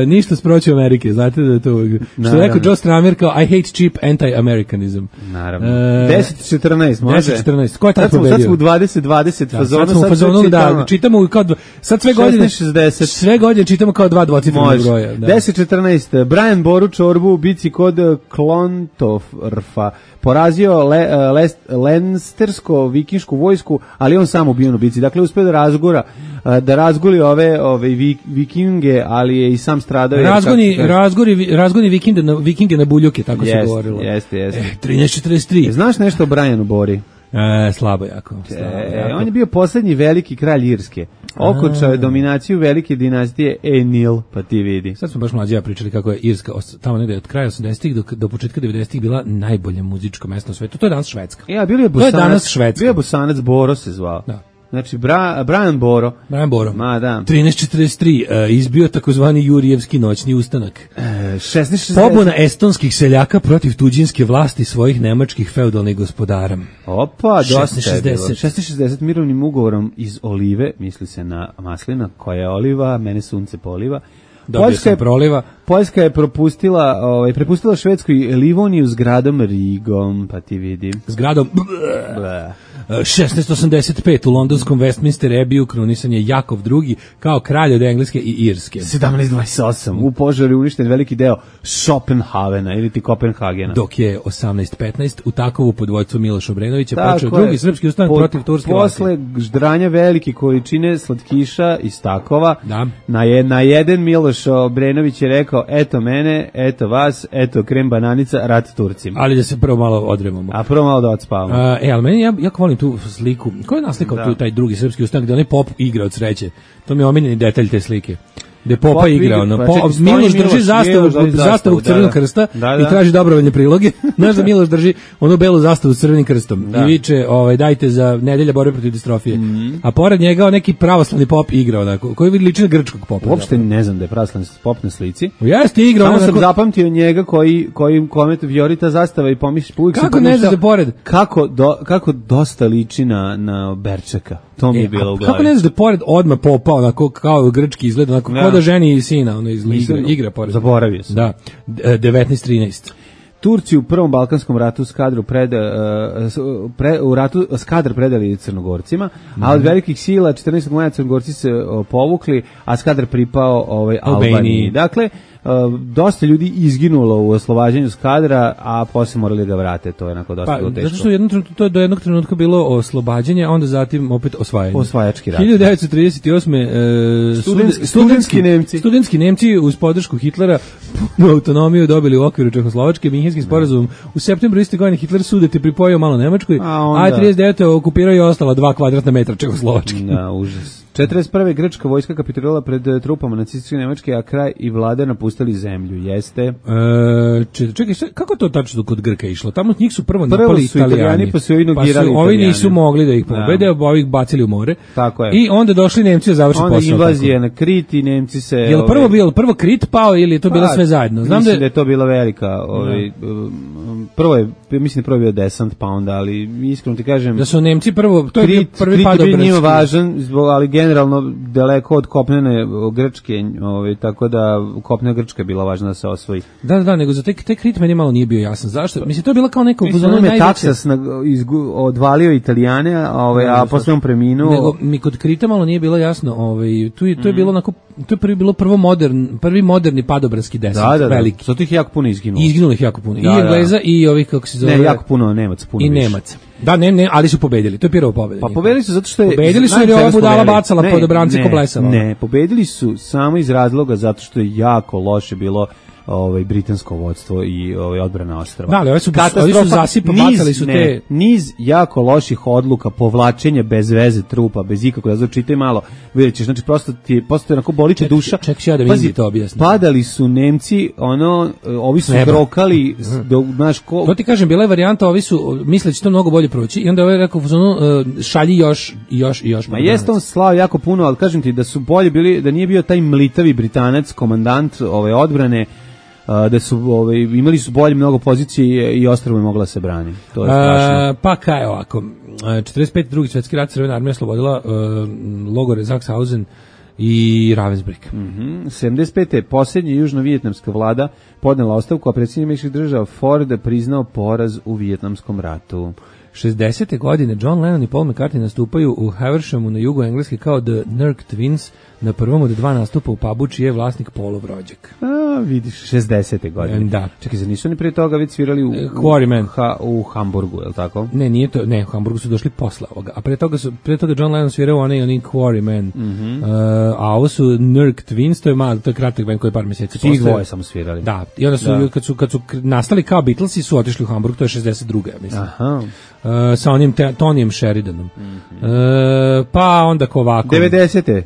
Speaker 5: Ništa sproći Amerike, znate da je to... Što je rekao Joe Stramer kao I hate cheap anti-Americanism.
Speaker 6: Naravno. 10-14, može?
Speaker 5: 10-14. Ko je tad pobedio?
Speaker 6: Sad smo u 20-20 fazonu.
Speaker 5: Sad smo u fazonu, da, čitamo kao... Sad sve godine...
Speaker 6: 16-60.
Speaker 5: Sve godine čitamo kao dva dvocifrena broja.
Speaker 6: 10-14. Brian Boru Čorbu u bici kod Klontorfa porazio Lenstersko vikinšku vojsku, ali on sam ubijen u bici. Dakle, uspio da razguli ove vikinge, ali je i sam stradao.
Speaker 5: Razgoni vikinge na buljuke, tako se govorilo.
Speaker 6: Jeste.
Speaker 5: 1343.
Speaker 6: Znaš nešto o Brianu Bori?
Speaker 5: Slabo jako.
Speaker 6: On je bio posljednji veliki kralj Irske. Okončao je dominaciju velike dinastije Enil, pa ti vidi.
Speaker 5: Sad smo baš mlađi pričali kako je Irska tamo negde od kraja 80-ih do početka 90-ih bila najbolje muzičko mesto na svetu. To je danas Švedska.
Speaker 6: Bio je Bosanac Boro se zvao.
Speaker 5: Da.
Speaker 6: Znači, Brian Boro.
Speaker 5: Brian Boro.
Speaker 6: Ma, da.
Speaker 5: 1343, izbio takozvani Jurijevski noćni ustanak.
Speaker 6: 1660.
Speaker 5: Pobuna estonskih seljaka protiv tuđinske vlasti svojih nemačkih feudalnih gospodara.
Speaker 6: Opa, dosta je bilo.
Speaker 5: 1660.
Speaker 6: Mirovnim ugovorom iz olive, misli se na maslina, koja je oliva, mene sunce poliva. Poljska je prepustila Švedskoj Livoniju s gradom Rigom, pa ti vidi.
Speaker 5: S gradom 1685 u londonskom Westminster Abbey krunisan je Jakov II kao kralj od Engleske i Irske.
Speaker 6: 1728 u požaru je uništen veliki deo Schopenhavena ili ti Kopenhagena.
Speaker 5: Dok je 1815 u Takovu pod vođstvom Miloša Obrenovića počeo drugi srpski ustanak protiv turske vlasti.
Speaker 6: Posle ždranja velike količine slatkiša iz Takova, na jedan Miloš Obrenović je rekao, eto mene, eto vas, eto krem bananica, rat Turcima.
Speaker 5: Ali da se prvo malo odremamo.
Speaker 6: A prvo malo da odspavamo.
Speaker 5: Ali meni, ja volim tu sliku. Ko je naslikao tu taj drugi srpski ustanak gde onaj pop igra od sreće? To mi je omiljeni detalj te slike. Gde Popa igra, Miloš drži zastavu Crvenog krsta i traži dobrovoljne priloge. Znaš da Miloš drži onu belu zastavu s Crvenim krstom i viče, dajte za nedelja borbe protiv distrofije. A pored njega neki pravoslavni pop igra onako, koji liči na grčkog popa.
Speaker 6: Uopšte ne znam da je pravoslavni pop na slici.
Speaker 5: Jeste igra
Speaker 6: onako. Samo sam zapamtio njega koji komet vjorita zastava i pomisli uvijek
Speaker 5: kako ne znaš da pored?
Speaker 6: Kako dosta liči na Berčeka. To mi je bilo u glavi.
Speaker 5: Kako ne znaš da pored odmah Popa, onako kao grčki izgleda, onako kao da ženi i sina, ono igra pored.
Speaker 6: Zaboravio sam.
Speaker 5: Da, 1913.
Speaker 6: Turci u Prvom Balkanskom ratu Skadar predali Crnogorcima, a od velikih sila 14. maja Crnogorci se povukli, a Skadar pripao Albaniji. Dakle, dosta ljudi izginulo u oslobađanju Skadra, a posle morali ga vrate, to je onako dosta teško.
Speaker 5: Zato što to je do jednog trenutka bilo oslobađanje, a onda zatim opet osvajanje.
Speaker 6: Osvajački rat.
Speaker 5: 1938. Studentski Nemci uz podršku Hitlera punu autonomiju dobili u okviru Čehoslovačke. Minhenskim sporazumom u septembru iste godine Hitler sudeti pripojio malo Nemačkoj, a 39. okupirao i ostala 2 kvadratna metra Čehoslovačke.
Speaker 6: Da, užas. 41. grčka vojska kapitulirala pred trupama nacističke Nemačke, a kraj i vlada napustili zemlju. Jeste.
Speaker 5: Čekaj, kako to tačno kod Grka išlo? Tamo njih su prvo napali Italijani,
Speaker 6: pa su inogirali
Speaker 5: ovi nisu mogli da ih pobede, ovi ih bacili u more.
Speaker 6: Tako je.
Speaker 5: I onda došli Nemci da završe posao.
Speaker 6: Onda invazija na Krit i Nemci se...
Speaker 5: Jel prvo Krit pao ili je to bilo sve zajedno?
Speaker 6: Znam da je to bila velika... Mislim da prvo je bio desant, pa onda, ali iskreno ti kažem...
Speaker 5: Da su Nemci prvo... To je bio prvi pad
Speaker 6: Krit je njima važan, ali generalno daleko od kopnene Grčke, tako da kopnena Grčka je bila važna da se osvoji.
Speaker 5: Da, nego za te Krit meni malo nije bio jasan. Zašto? Mislim, to je bila kao neko...
Speaker 6: Mislim, Taksas odvalio Italijane, a posle on preminuo...
Speaker 5: Nego mi kod Krita malo nije bilo jasno. To je bilo onako... To je bilo prvi moderni padobranski desant, veliki.
Speaker 6: Zato ih jako puno izginulo.
Speaker 5: Izginulo ih jako puno. I Engleza i ovih, kako se zove...
Speaker 6: Ne, jako puno Nemaca, puno
Speaker 5: i više. I Nemaca. Da, ne, ali su pobedili. To je prva pobeda.
Speaker 6: Pa pobedili su zato što je...
Speaker 5: Pobedili su jer je ova budala bacala podobrance ko blesava.
Speaker 6: Ne, pobedili su samo iz razloga zato što je jako loše bilo britansko vodstvo i odbrana ostrva.
Speaker 5: Da, ali ovi su bacali su te...
Speaker 6: Niz jako loših odluka, povlačenja bez veze trupa, bez ikako, da čitaj malo, vidjet ćeš, znači prosto je onako bolite duša.
Speaker 5: Ček ja da vidim to objasnim.
Speaker 6: Padali su Nemci, ovi su grokali, znaš ko...
Speaker 5: To ti kažem, bila je varijanta, ovi su misleći to mnogo bolje proći i onda ovaj rekao, šalji još.
Speaker 6: Ma jeste on slao jako puno, ali kažem ti da su bolje bili, da nije bio taj mlitavi Britanac, komandant ove odbrane, da su imali su bolje mnogo pozicije i ostrvo je mogla se brani. To je strašno.
Speaker 5: Pa kaj ovako, 45. drugi svjetski rat, Crvena armija oslobodila logore Sachsenhausen i Ravensbrück.
Speaker 6: 75. posljednja južno-vijetnamska vlada podnela ostavku, a predsjednik Američkih država Ford priznao poraz u Vijetnamskom ratu.
Speaker 5: 60. godine John Lennon i Paul McCartney nastupaju u Havershamu na jugu Engleske kao The Nurk Twins na prvom od 2 nastupa u pubu čiji je vlasnik Paulov rođak.
Speaker 6: Vidiš, 60. godine.
Speaker 5: Da.
Speaker 6: Čekaj, nisu oni prije toga već svirali u Hamburgu, je li tako?
Speaker 5: Ne, nije to, u Hamburgu su došli posle ovoga, a prije toga John Lennon svirao onaj Quarrymen. A ovo su Nurk Twins, to je kratak band koji je par mjeseci posle.
Speaker 6: Tih dvoje samo svirali.
Speaker 5: Da, i onda su, kad su nastali kao Beatlesi, su otišli u Hamburg, to je 62. mislim.
Speaker 6: Aha.
Speaker 5: Sa onim Tonijem Sheridanom. Pa onda ovako.
Speaker 6: 90.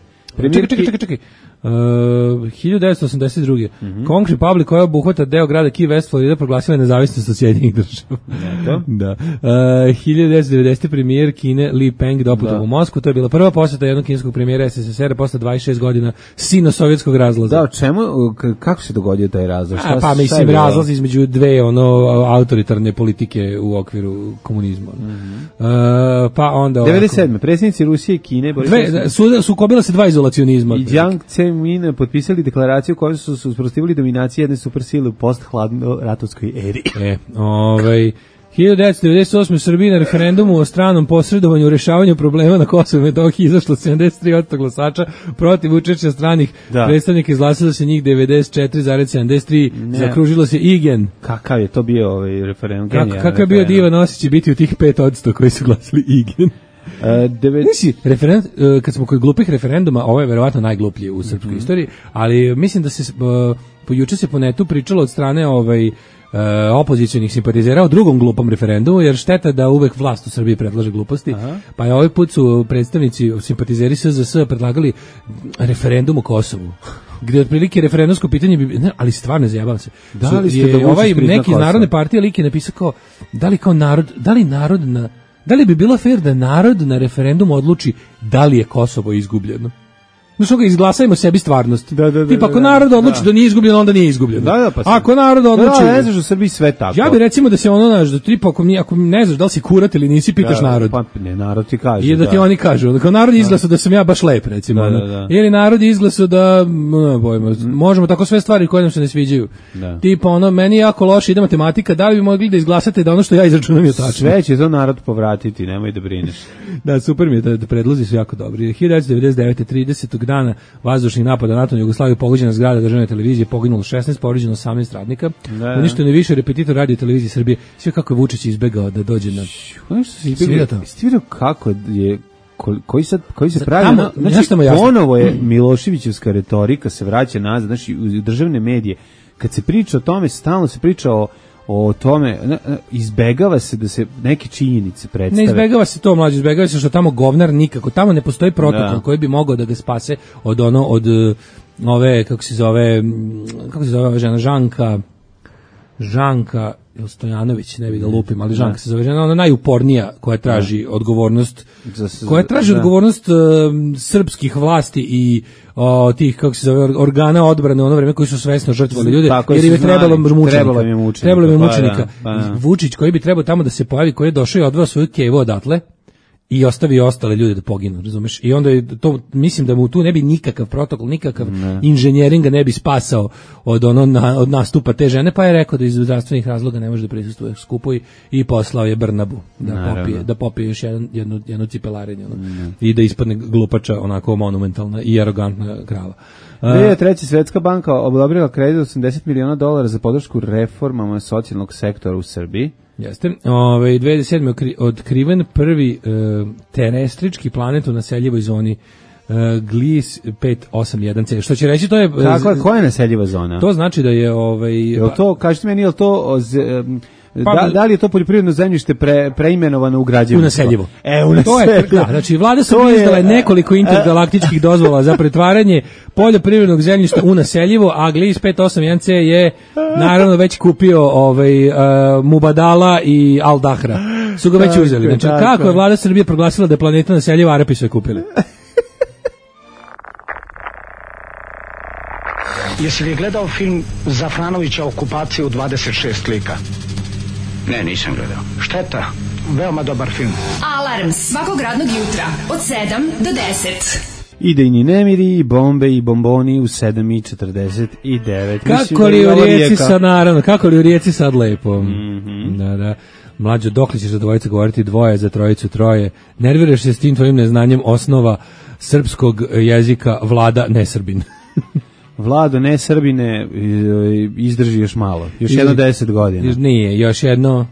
Speaker 5: Čekaj. 1982. Conch Republic, koja obuhvata deo grada Key West, Florida, proglasila je nezavisnost od Sjedinjenih država. Da. 1990. premijer Kine Li Peng doputovao u Moskvu. To je bila prva poseta jednog kineskog premijera SSSR posle 26 godina sino-sovjetskog razlaza.
Speaker 6: Da, kako se dogodio taj razlaz?
Speaker 5: Pa mislim, razlaz između dve autoritarne politike u okviru komunizma. Pa onda
Speaker 6: 97. predsjednici Rusije i Kine
Speaker 5: sukobila se dva izolacionizma.
Speaker 6: I Jiang Zemin potpisali deklaraciju kojom su usprotivili dominaciju jedne supersile u post-hladno-ratovskoj eri.
Speaker 5: 1998. u Srbiji na referendumu o stranom posredovanju u rešavanju problema na Kosovu i Metohiji izašlo 73% glasača protiv učešća stranih predstavnika, izglasilo se njih 94,73%, zakružilo se Igen.
Speaker 6: Kakav je to bio referendum?
Speaker 5: Kakav je bio divan osjećaj biti u tih 5% koji su glasili Igen? Kad smo kod glupih referenduma, ovo je verovatno najgluplji u srpskoj istoriji, ali mislim da se juče se po netu pričalo od strane opozicionih simpatizera o drugom glupom referendumu, jer šteta da uvek vlast u Srbiji predlaže gluposti. Pa je ovaj put su predstavnici simpatizeri SZS predlagali referendum o Kosovu, gde otprilike referendumsko pitanje bi, ne, ali stvarno zajebavam se. Neki iz Narodne partije lik je napisao kao, da li bi bilo fair da narod na referendumu odluči da li je Kosovo izgubljeno? Znači ga izglasajmo sebi stvarnost. Tipa ako narod odluči da nije izgubljeno, onda nije izgubljeno. Ako narod odluči,
Speaker 6: ne znaš u Srbiji sve tako.
Speaker 5: Ja bih recimo da se ono tipa ako ne znaš da li si kurat ili nisi, pitaš narod.
Speaker 6: Pa ne, narod ti kaže.
Speaker 5: I da ti oni kažu, kao narod izglasao da sam ja baš lep, recimo. Ili narod izglasao da možemo tako sve stvari koje nam se ne sviđaju. Tipa meni jako loše ide matematika, da li bi mogli da izglasate da ono što ja izračunam je tačno.
Speaker 6: Sve će to narod povratiti, nemoj da brineš.
Speaker 5: Da, super mi je, da predlozi su jako dobri. 1999. 30. dana vazdušnih napada NATO na Jugoslaviju, pogođena zgrada državne televizije, poginulo 16, povređeno 18 radnika. Uništeno je više repetitor radio televizije Srbije. Sve kako je Vučić izbegao da dođe na...
Speaker 6: Sviđa kako je... Koji se pravi... Ponovo je Miloševićevska retorika se vraća nazad, znači u državne medije. Kad se priča o tome, stalno se priča o tome, izbegava se da se neke činjenice predstave.
Speaker 5: Ne izbegava se to, mlađe, izbegava se što tamo govnar nikako, tamo ne postoji protokol koji bi mogao da ga spase od ove, kako se zove ova žena, Žanka Stojanović, ne bih da lupim, ali Žanka se zove žena, ona najupornija koja traži odgovornost, odgovornost srpskih vlasti i tih, kako se zove, organa odbrane u ono vreme koji su svesno žrtvovali ljude, jer im je trebalo mučenika. Vučić koji bi trebao tamo da se pojavi, koji je došao i odveo svoju kevu odatle i ostavio ostale ljude da poginu, razumeš? I onda je to, mislim da mu tu ne bi nikakav protokol, nikakav inženjeringa ne bi spasao od nastupa te žene, pa je rekao da iz zdravstvenih razloga ne može da prisustvuje skupu i poslao je Brnabu da popije još jednu cipelarenje i da ispadne glupača, onako monumentalna i arogantna krava.
Speaker 6: 2003. Svetska banka odobrila kredit $80 miliona za podršku reformama socijalnog sektora u Srbiji.
Speaker 5: Jeste. 2007. otkriven prvi terestrički planet u naseljivoj zoni Gliese 581c. Što će reći, to je...
Speaker 6: Koja je naseljiva zona?
Speaker 5: To znači da je...
Speaker 6: Kažete meni, je li to... Da li je to poljoprivredno zemljište preimenovano u građevinsko?
Speaker 5: U naseljivo. U naseljivo. Znači, vlada Srbije izdala je nekoliko intergalaktičkih dozvola za pretvaranje poljoprivrednog zemljišta u naseljivo, a Gliese 581c je naravno već kupio Mubadala i Al Dahra. Su ga već uzeli. Znači, kako je vlada Srbije proglasila da je planeta naseljiva, Arapi su je kupili.
Speaker 7: Jesi li gledao film Zafranovića Okupacija u 26 lika?
Speaker 3: Ne, nisam gledao.
Speaker 7: Šteta, veoma dobar film.
Speaker 2: Alarm svakog radnog jutra od 7 do 10.
Speaker 6: Idejni nemiri, i bombe i bomboni u 7:49.
Speaker 5: Kako li u Rijeci sad, naravno, kako li u Rijeci sad lepo. Da. Mlađo, dok li ćeš za dvojice govoriti dvoje, za trojicu troje? Nerviraš se s tim tvojim neznanjem osnova srpskog jezika, Vlada Nesrbin.
Speaker 6: Vlado, ne Srbine, izdrži još malo. Još jedno 10 godina.
Speaker 5: Nije, još jedno...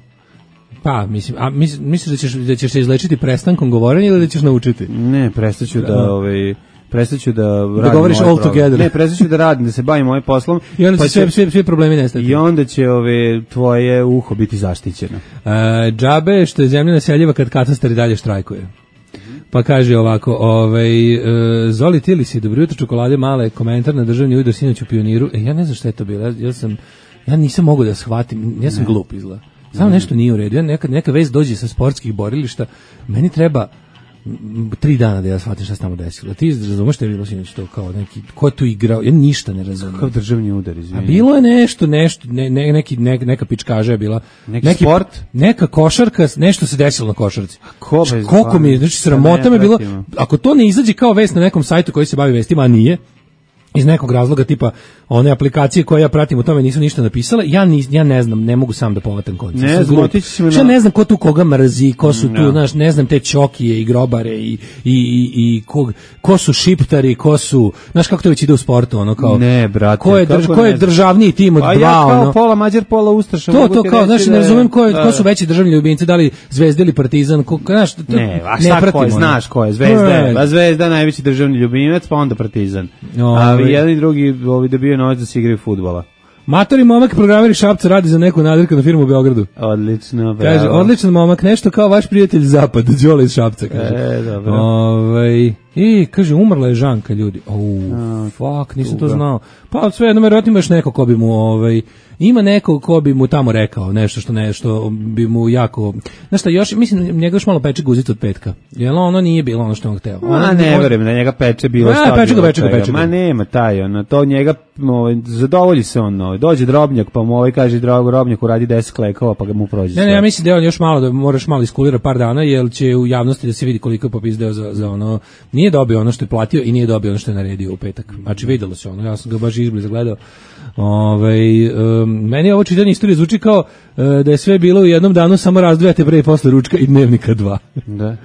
Speaker 5: Pa, mislim, a misliš da ćeš se izlečiti prestankom govorenja ili da ćeš naučiti?
Speaker 6: Ne, prestaću da
Speaker 5: radim govoriš all together.
Speaker 6: Ne, prestaću da radim, da se bavim ovim poslom.
Speaker 5: I onda će svi problemi nestati.
Speaker 6: I onda će tvoje uho biti zaštićeno.
Speaker 5: Džabe što je zemlja naseljiva kad katastar i dalje štrajkuje. Pa kaže ovako, Zoli Tilisi, dobro jutro, čokolade male, komentar na državni udar sinoć u Pioniru. Ja ne znam šta je to bilo, ja nisam mogao da shvatim, ja sam glup izgleda. Samo nešto nije u redu. Ja neka vez dođe sa sportskih borilišta, meni treba 3 dana da ja shvatim šta se tamo desilo. Ti razumeš šta je bilo sinoć to kao neki, ko je tu igrao? Ja ništa ne razumem.
Speaker 6: Kao državni udar, izvini.
Speaker 5: A bilo je nešto, neka pičkaža je bila.
Speaker 6: Neki sport?
Speaker 5: Neka košarka, nešto se desilo na košarci. Koliko mi je, znači sramota me bilo, ako to ne izađe kao vest na nekom sajtu koji se bavi vestima, a nije, iz nekog razloga tipa one aplikacije koje ja pratim o tome nisu ništa napisale, ja ne znam, ne mogu sam da povatam konce. Ne znam ko tu koga mrzi, ko su tu, znaš, ne znam te čokije i grobare i ko su šiptari, ko su, znaš kako to već ide u sportu, ono kao,
Speaker 6: ne, brate,
Speaker 5: ko je državniji tim od dva,
Speaker 6: ja kao pola Mađar, pola Ustaša.
Speaker 5: To kao, znaš, ne razumem ko su veći državni ljubimci, da li Zvezda ili Partizan, znaš,
Speaker 6: ne, a šta ko je, znaš ko je, Zvezda najveći državni ljubimac, pa onda Partizan. A jedan i drugi dobio novac da se igraju fudbala.
Speaker 5: Matori momak programeri Šapca radi za neku nadrkanu firmu u Beogradu.
Speaker 6: Odlično, bravo.
Speaker 5: Kaže, odličan momak, nešto kao vaš prijatelj Zapad, Đole iz Šapca, kaže.
Speaker 6: Dobro.
Speaker 5: I kaže, umrla je Žanka, ljudi. Fuck, nisam to znao. Pa sve jedno, verovatno imaš neko ko bi mu, ima neko ko bi mu tamo rekao nešto bi mu jako, znaš šta, još, mislim, njega još malo peče guzica od petka. Jel ono nije bilo ono što on hteo.
Speaker 6: Ne verujem da njega peče bilo što peče. Ma nema taj, to njega, zadovolji se on, dođe Drobnjak, pa mu kaže, Drobnjak uradi 10 klekova, pa ga mu prođe sve.
Speaker 5: Ne, ja mislim da je on još malo, da moraš malo iskulira par dana, jer će u javnosti da se vidi koliko je popizdeo za ono, nije dobio ono što je platio i nije dobio ono što je naredio u petak. Znači videlo se ono, ja sam ga baš izbliza gledao. Meni ovo čitanje istorije zvuči kao da je sve bilo u jednom danu, samo razdvajate pre i posle ručka i Dnevnika 2.
Speaker 6: Da.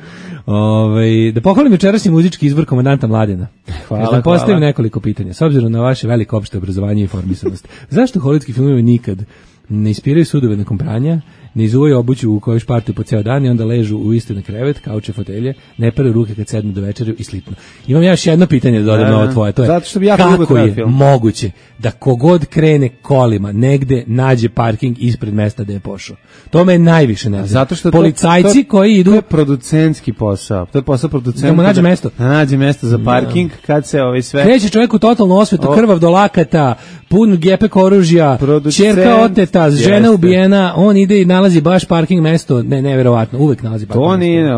Speaker 5: Da pohvalim večerašnji muzički izbor komandanta Mladena.
Speaker 6: Hvala.
Speaker 5: Postavim nekoliko pitanja. S obzirom na vaše veliko opšte obrazovanje i informisanost, zašto hollywoodski filmovi nikad ne ispiraju sudove nakon pranja, ne izuvaju obuću u kojoj špartuju po ceo dan i onda ležu u isti na krevet, kauče, fotelje, ne peraju ruke kad sednu do večeri i slitno. Imam ja još jedno pitanje da dodam na ovo tvoje, to je kako je moguće da kogod krene kolima negde nađe parking ispred mesta gde je pošao. To me najviše nervira.
Speaker 6: Zato što
Speaker 5: policajci koji idu,
Speaker 6: to je producentski posao. To je posao producenta.
Speaker 5: Da mu nađe mesto.
Speaker 6: Da nađe mesto za parking kad se sve.
Speaker 5: Kreće čovjek u totalnu osvetu, krvav do lakata, pun gepek oružja, ćerka oteta, žena ubijena, on ide i nalazi baš parking mesto, neverovatno, uvek nalazi parking mesto.
Speaker 6: To nije,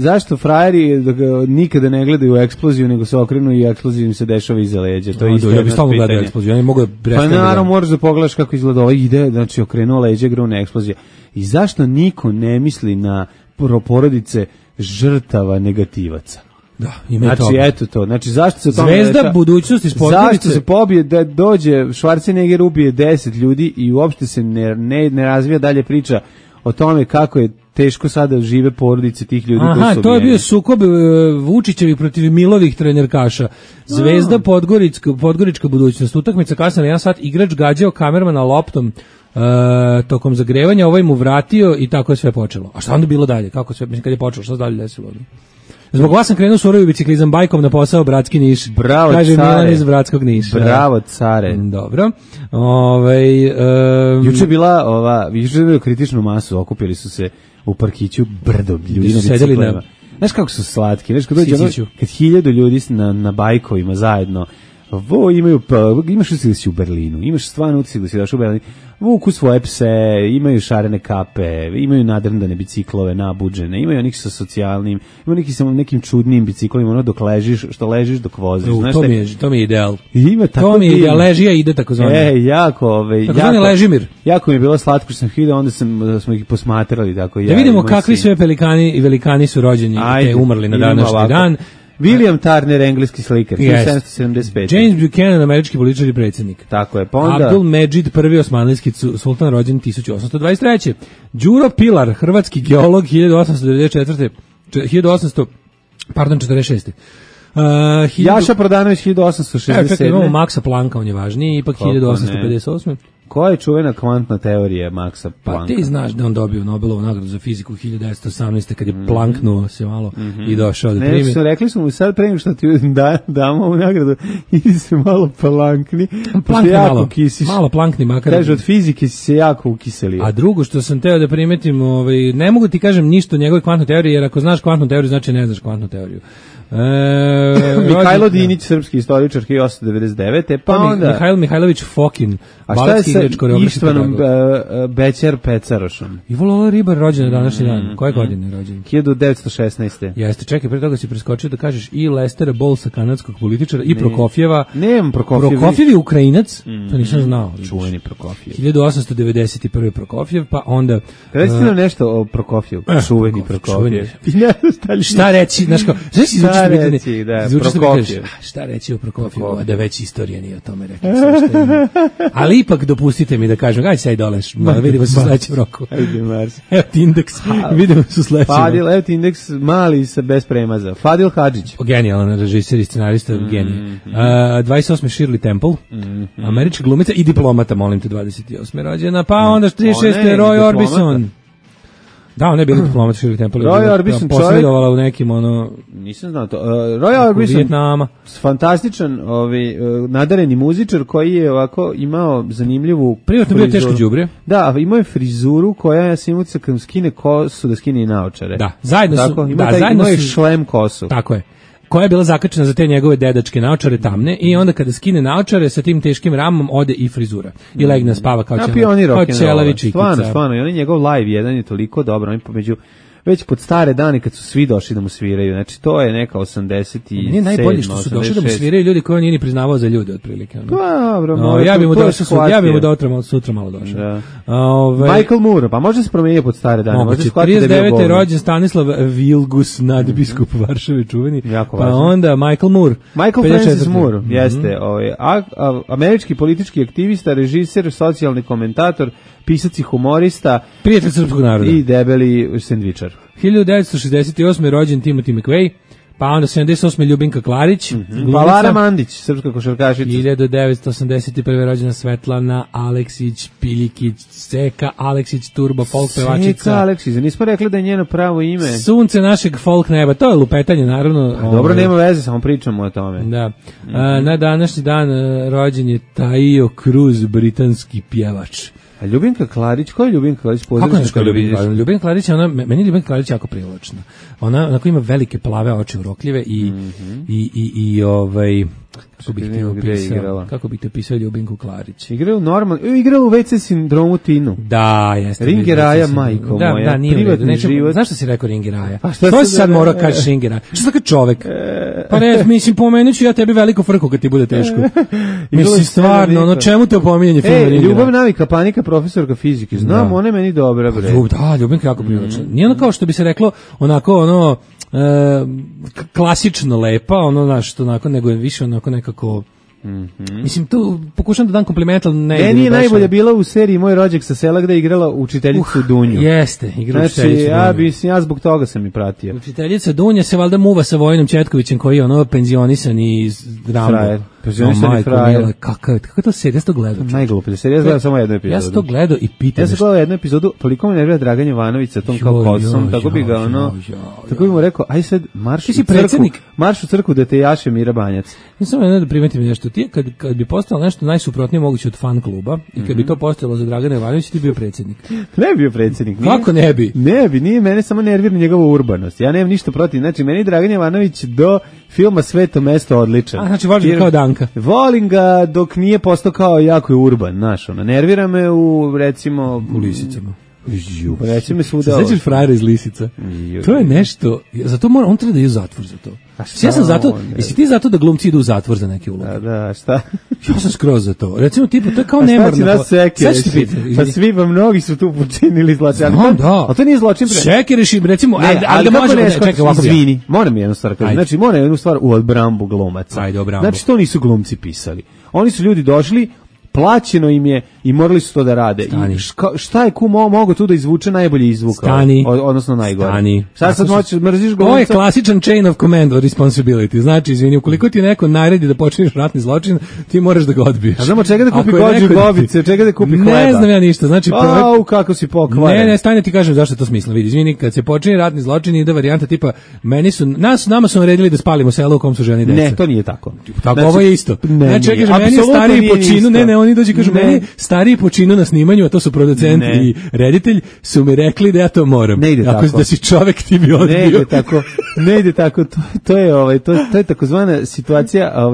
Speaker 6: zašto frajeri nikada ne gledaju u eksploziju, nego se okrenu i eksplozija im se dešava iza leđa. To je isto jedno pitanje. Ja bih stalno gledao eksploziju, ja ne mogu da prestanem. Pa naravno moraš da pogledaš kako izgleda ovaj ide, znači okrenuo leđa, grune eksplozija. I zašto niko ne misli na porodice žrtava negativaca?
Speaker 5: Da, ima
Speaker 6: znači,
Speaker 5: toga.
Speaker 6: Eto to. Znači, zašto se to
Speaker 5: Zvezda budućnosti sportnice.
Speaker 6: Zašto se pobije da dođe Schwarzenegger ubije 10 ljudi i uopšte se ne razvija dalje priča o tome kako je teško sada žive porodice tih ljudi koji su ubijeni.
Speaker 5: To je bio sukob Vučićevih protiv Milovih trenerkaša. Zvezda Podgorička budućnost. Utakmica kasna na 1 sat, igrač gađao kamermana loptom tokom zagrevanja, ovaj mu vratio i tako je sve počelo. A šta onda bilo dalje? Kako sve, mislim, kad je počelo, šta se dalje desilo? Zbog vas sam krenuo surovi biciklizam bajkom na posao Bratski Niš.
Speaker 6: Bravo,
Speaker 5: kaže
Speaker 6: care.
Speaker 5: Milan iz Bratskog Niša.
Speaker 6: Bravo, care.
Speaker 5: Dobro.
Speaker 6: Juče je bilo kritičnu masu, okupili su se u parkiću brdo ljudi na biciklima. Znaš kako su slatki, znaš kad dođe kad 1000 ljudi na bajkovima zajedno, imaš utisak da si u Berlinu, imaš stvarno utisak da si došao u Berlinu, vuku svoje pse, imaju šarene kape, imaju nadrndane biciklove, nabuđene, imaju onih sa socijalnim, imaju neki sa nekim čudnim biciklima, ono dok ležiš dok voziš.
Speaker 5: To mi je ideal.
Speaker 6: Ima tako
Speaker 5: to mi je ideal, ležija ide tako zvane.
Speaker 6: Jako mi je bilo slatko što sam vidio, onda smo ih posmatrali tako.
Speaker 5: Da vidimo kakvi sve pelikani i velikani su rođeni te umrli na današnji dan.
Speaker 6: William Turner, engleski slikar, 1775.
Speaker 5: James Buchanan, američki političar i predsjednik.
Speaker 6: Tako je, pa onda
Speaker 5: Abdul Medžid, prvi osmanlijski sultan, rođen 1823. Đuro Pilar, hrvatski geolog, 1846.
Speaker 6: Jaša Prodanović, 1867.
Speaker 5: Imamo Maksa Planka, on je važniji, ipak 1858.
Speaker 6: Koja je čuvena kvantna teorija Maxa Plancka?
Speaker 5: Pa ti znaš da on dobio Nobelovu nagradu za fiziku 1918. kad je planknuo se malo i došao da primi.
Speaker 6: Ne, rekli smo mu sad prema što ti damo ovu nagradu, idi se malo plankni.
Speaker 5: Plankni malo plankni makar.
Speaker 6: Kaže, od fizike si se jako ukiselio.
Speaker 5: A drugo što sam teo da primetim, ne mogu ti kažem ništa o njegovoj kvantnoj teoriji, jer ako znaš kvantnu teoriju, znači ne znaš kvantnu teoriju.
Speaker 6: Mihajlo Dinić, srpski istoričar 1899. Pa onda
Speaker 5: Mihajlo Mihajlović Fokin.
Speaker 6: A šta je sa Ištvanom Bećar Pecarošom?
Speaker 5: Ivo Lola Ribar rođen na današnji dan. Koje godine je rođen?
Speaker 6: 1916.
Speaker 5: Jeste, čekaj, pre toga si preskočio da kažeš i Lestera Bolsa, kanadskog političara, i Prokofjeva.
Speaker 6: Nemam Prokofjev.
Speaker 5: Prokofjev je Ukrajinac, to nisam znao.
Speaker 6: Čuveni Prokofjev.
Speaker 5: 1891. Prokofjev, pa onda...
Speaker 6: Recite nam nešto o Prokofjevu. Čuveni Prokofjev.
Speaker 5: Šta reći, znaš kao,
Speaker 6: šta reći, da, Prokofjev.
Speaker 5: Šta reći o Prokofjevu, a da već istorija nije o tome rekla. Ali ipak dopustite mi da kažem, aj sad doleš, vidimo se u sledećem roku.
Speaker 6: Ajde, Mars.
Speaker 5: Evo ti indeks, vidimo se u sledećem roku.
Speaker 6: Fadil, evo ti indeks mali bez premaza. Fadil Hadžić.
Speaker 5: Genijalan režiser i scenarista, genije. 28. Shirley Temple, američka glumica i diplomata, molim te, 28. rođena, pa onda 36. Roy Orbison. Da, on je bio diplomat Shirley Temple.
Speaker 6: Roy Orbison
Speaker 5: posredovala u nekim,
Speaker 6: nisam znao to. Roy Orbison,
Speaker 5: Vijetnama.
Speaker 6: Fantastičan, nadareni muzičar koji je ovako imao zanimljivu
Speaker 5: privatno bio teško đubre.
Speaker 6: Da, imao je frizuru koja je simuca kad skine kosu, da skine i naočare.
Speaker 5: Da, zajedno su.
Speaker 6: Tako, imao je šlem kosu.
Speaker 5: Tako je. Koja je bila zakačena za te njegove dedačke naočare tamne i onda kada skine naočare sa tim teškim ramom ode i frizura. I legne spava kao Čelavić.
Speaker 6: Stvarno, i on je njegov live jedan je toliko dobro, on je pomeđu već pod stare dane kad su svi došli da mu sviraju. Znači to je neka 87.
Speaker 5: Nije najbolje što su došli da mu sviraju ljudi koji on nije ni priznavao za ljude otprilike.
Speaker 6: Dobro,
Speaker 5: ja bih mu došao sutra malo došao.
Speaker 6: Da. Michael Moore, pa može se promijeniti pod stare dane.
Speaker 5: Može 39. je rođen Stanislav Vilgus, nadbiskup Varšave čuveni. Pa onda Michael Moore.
Speaker 6: Michael Francis Moore, jeste. Američki politički aktivista, režiser, socijalni komentator, pisac i humorista,
Speaker 5: prijatelj srpskog naroda
Speaker 6: i debeli sendvičar.
Speaker 5: 1968. rođen Timothy McVeigh, pa onda 78. Ljubinka Klarić,
Speaker 6: pa Lara Mandić, srpska košarkašica.
Speaker 5: 1981. rođena Svetlana Aleksić, Piljikić, Seka Aleksić, turbo folk pevačica.
Speaker 6: Seka Aleksić, nismo rekli da je njeno pravo ime.
Speaker 5: Sunce našeg folk neba, to je lupetanje naravno.
Speaker 6: Dobro, nema veze, samo pričamo o tome.
Speaker 5: Da. Na današnji dan rođen je Taio Cruz, britanski pjevač.
Speaker 6: A Ljubinka Klarić, ko je Ljubinka Klarić?
Speaker 5: Kako je Ljubinka Klarić? Meni je Ljubinka Klarić jako privlačna. Ona onako ima velike plave oči urokljive i kako bih te opisao Ljubinku Klarić?
Speaker 6: Igrala u WC sindromu Tinu.
Speaker 5: Da, jeste.
Speaker 6: Ringeraja, majko moja.
Speaker 5: Da, nije
Speaker 6: privatni život.
Speaker 5: Znaš što si rekao Ringeraja? To si sad morao kažeš Ringeraja. Što tako čovek? Pa ne, mislim, pomenut ću ja tebi veliko frku kad ti bude teško. Mislim, stvarno, čemu te opominjanje filma Ringeraja?
Speaker 6: Ljubav, navika, panika, profesorka fizike. Znam, ona je meni dobra, bre.
Speaker 5: Da, Ljubinka jako privlačna. Nije ono kao što bi se reklo, onako, klasično lepa, nego je više onako nekako... Mislim, tu pokušam da dam kompliment, ali ne...
Speaker 6: Meni je najbolja bila u seriji Moj rođak sa sela gde je igrala učiteljicu Dunju.
Speaker 5: Jeste, igrala učiteljicu Dunju.
Speaker 6: Ja zbog toga sam i pratio.
Speaker 5: Učiteljica Dunja se valjda muva sa Vojinom Četkovićem koji je penzionisan iz Rambo.
Speaker 6: Penzionisan iz frajer.
Speaker 5: Kako to serija, ja sam to gledao?
Speaker 6: Najgluplje serija, ja sam gledao samo jednu epizodu.
Speaker 5: Ja sam to gledao i pitam.
Speaker 6: Ja sam gledao jednu epizodu, toliko me nervira Dragan Jovanović sa tom kao kosom, tako bi ga tako bi mu rekao, aj sad marš u crkvu da te jaše Mira Banjac.
Speaker 5: Ja sam da primetim nešto, ti kad bi postalo nešto najsuprotnije moguće od fan kluba i kad bi to postalo za Dragana Jovanovića, ti bio predsjednik.
Speaker 6: Ne bi bio predsjednik.
Speaker 5: Kako ne bi?
Speaker 6: Ne bi, nije mene samo nervira njegova urbanost. Ja nemam ništa protiv. Znači, meni Dragan Jovanović do filma Sveto mesto odličan.
Speaker 5: Znači, voliš ga kao Danka.
Speaker 6: Volim ga dok nije postao kao jako je urban, znaš, nervira me recimo
Speaker 5: u Lisicama.
Speaker 6: Recimo svuda.
Speaker 5: Sećaš frajera iz Lisica? To je nešto, zato on treba da je u zatvor za to. Ja sam zato, jesi ti zato da glumci idu u zatvor za neke uloge?
Speaker 6: Da, šta?
Speaker 5: Ja sam skroz za to. Recimo, tipu, to je kao nemorno.
Speaker 6: Pa svi, mnogi su tu počinili zločin.
Speaker 5: Ali
Speaker 6: to nije zločin.
Speaker 5: Šeke reši, recimo, ali da možemo, čekaj, ovako
Speaker 6: izvini, moram jednu stvar kažem. Znači, moram jednu stvar u odbrambu glumaca.
Speaker 5: Ajde, odbrambu.
Speaker 6: Znači, to nisu glumci pisali. Oni su ljudi došli, plaćeno im je i morali su to da rade. I šta je mogo tu da izvuče najbolji izvuk? Odnosno najgore.
Speaker 5: Stani.
Speaker 6: Šta sad mrziš glumca?
Speaker 5: To je klasičan chain of command or responsibility. Znači, izvini, ukoliko ti neko naredi da počiniš ratni zločin, ti moraš da ga odbiješ.
Speaker 6: A znamo čega da kupi gođu bobice, čega da kupi hleba?
Speaker 5: Ne znam ja ništa. Znači,
Speaker 6: kako si pokvaren.
Speaker 5: Ne, stani ti kažem zašto je to smisla. Vidi, izvini, kad se počini ratni zločin ide varijanta tipa nama su naredili da spalimo selo u kom su žene i deca.
Speaker 6: Ne, to nije tako.
Speaker 5: Tako ovo je isto. Znači, ja kažem, meni je stariji po činu, ne, oni dođu i kažu, meni stariji po činu na snimanju, a to su producent i reditelj, su mi rekli da ja to moram.
Speaker 6: Ne ide tako.
Speaker 5: Da si čovek ti bi odbio.
Speaker 6: Ne ide tako. To je takozvana situacija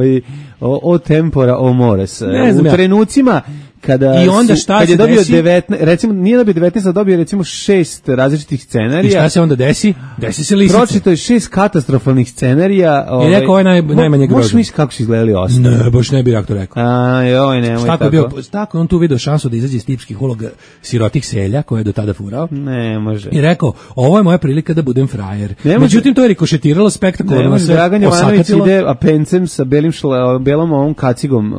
Speaker 6: o tempora o mores. U trenucima kad je dobio 19, recimo nije dobio 19, a dobio recimo 6 različitih scenarija.
Speaker 5: I šta se onda desi? Desi se lisica.
Speaker 6: Pročito je 6 katastrofalnih scenarija.
Speaker 5: I rekao je najmanje grozno.
Speaker 6: Možeš misliti kako su izgledali ostali?
Speaker 5: Ne, baš ne bi ja to rekao.
Speaker 6: Nemoj tako.
Speaker 5: Tako on tu vidio šansu da izađe iz tipskih uloga sirotih selja koje je do tada furao.
Speaker 6: Ne, može.
Speaker 5: I rekao, ovo je moja prilika da budem frajer. Međutim, to je rikošetiralo spektakularno.
Speaker 6: Dragan Jovanović ide apencem sa belom ovom kacigom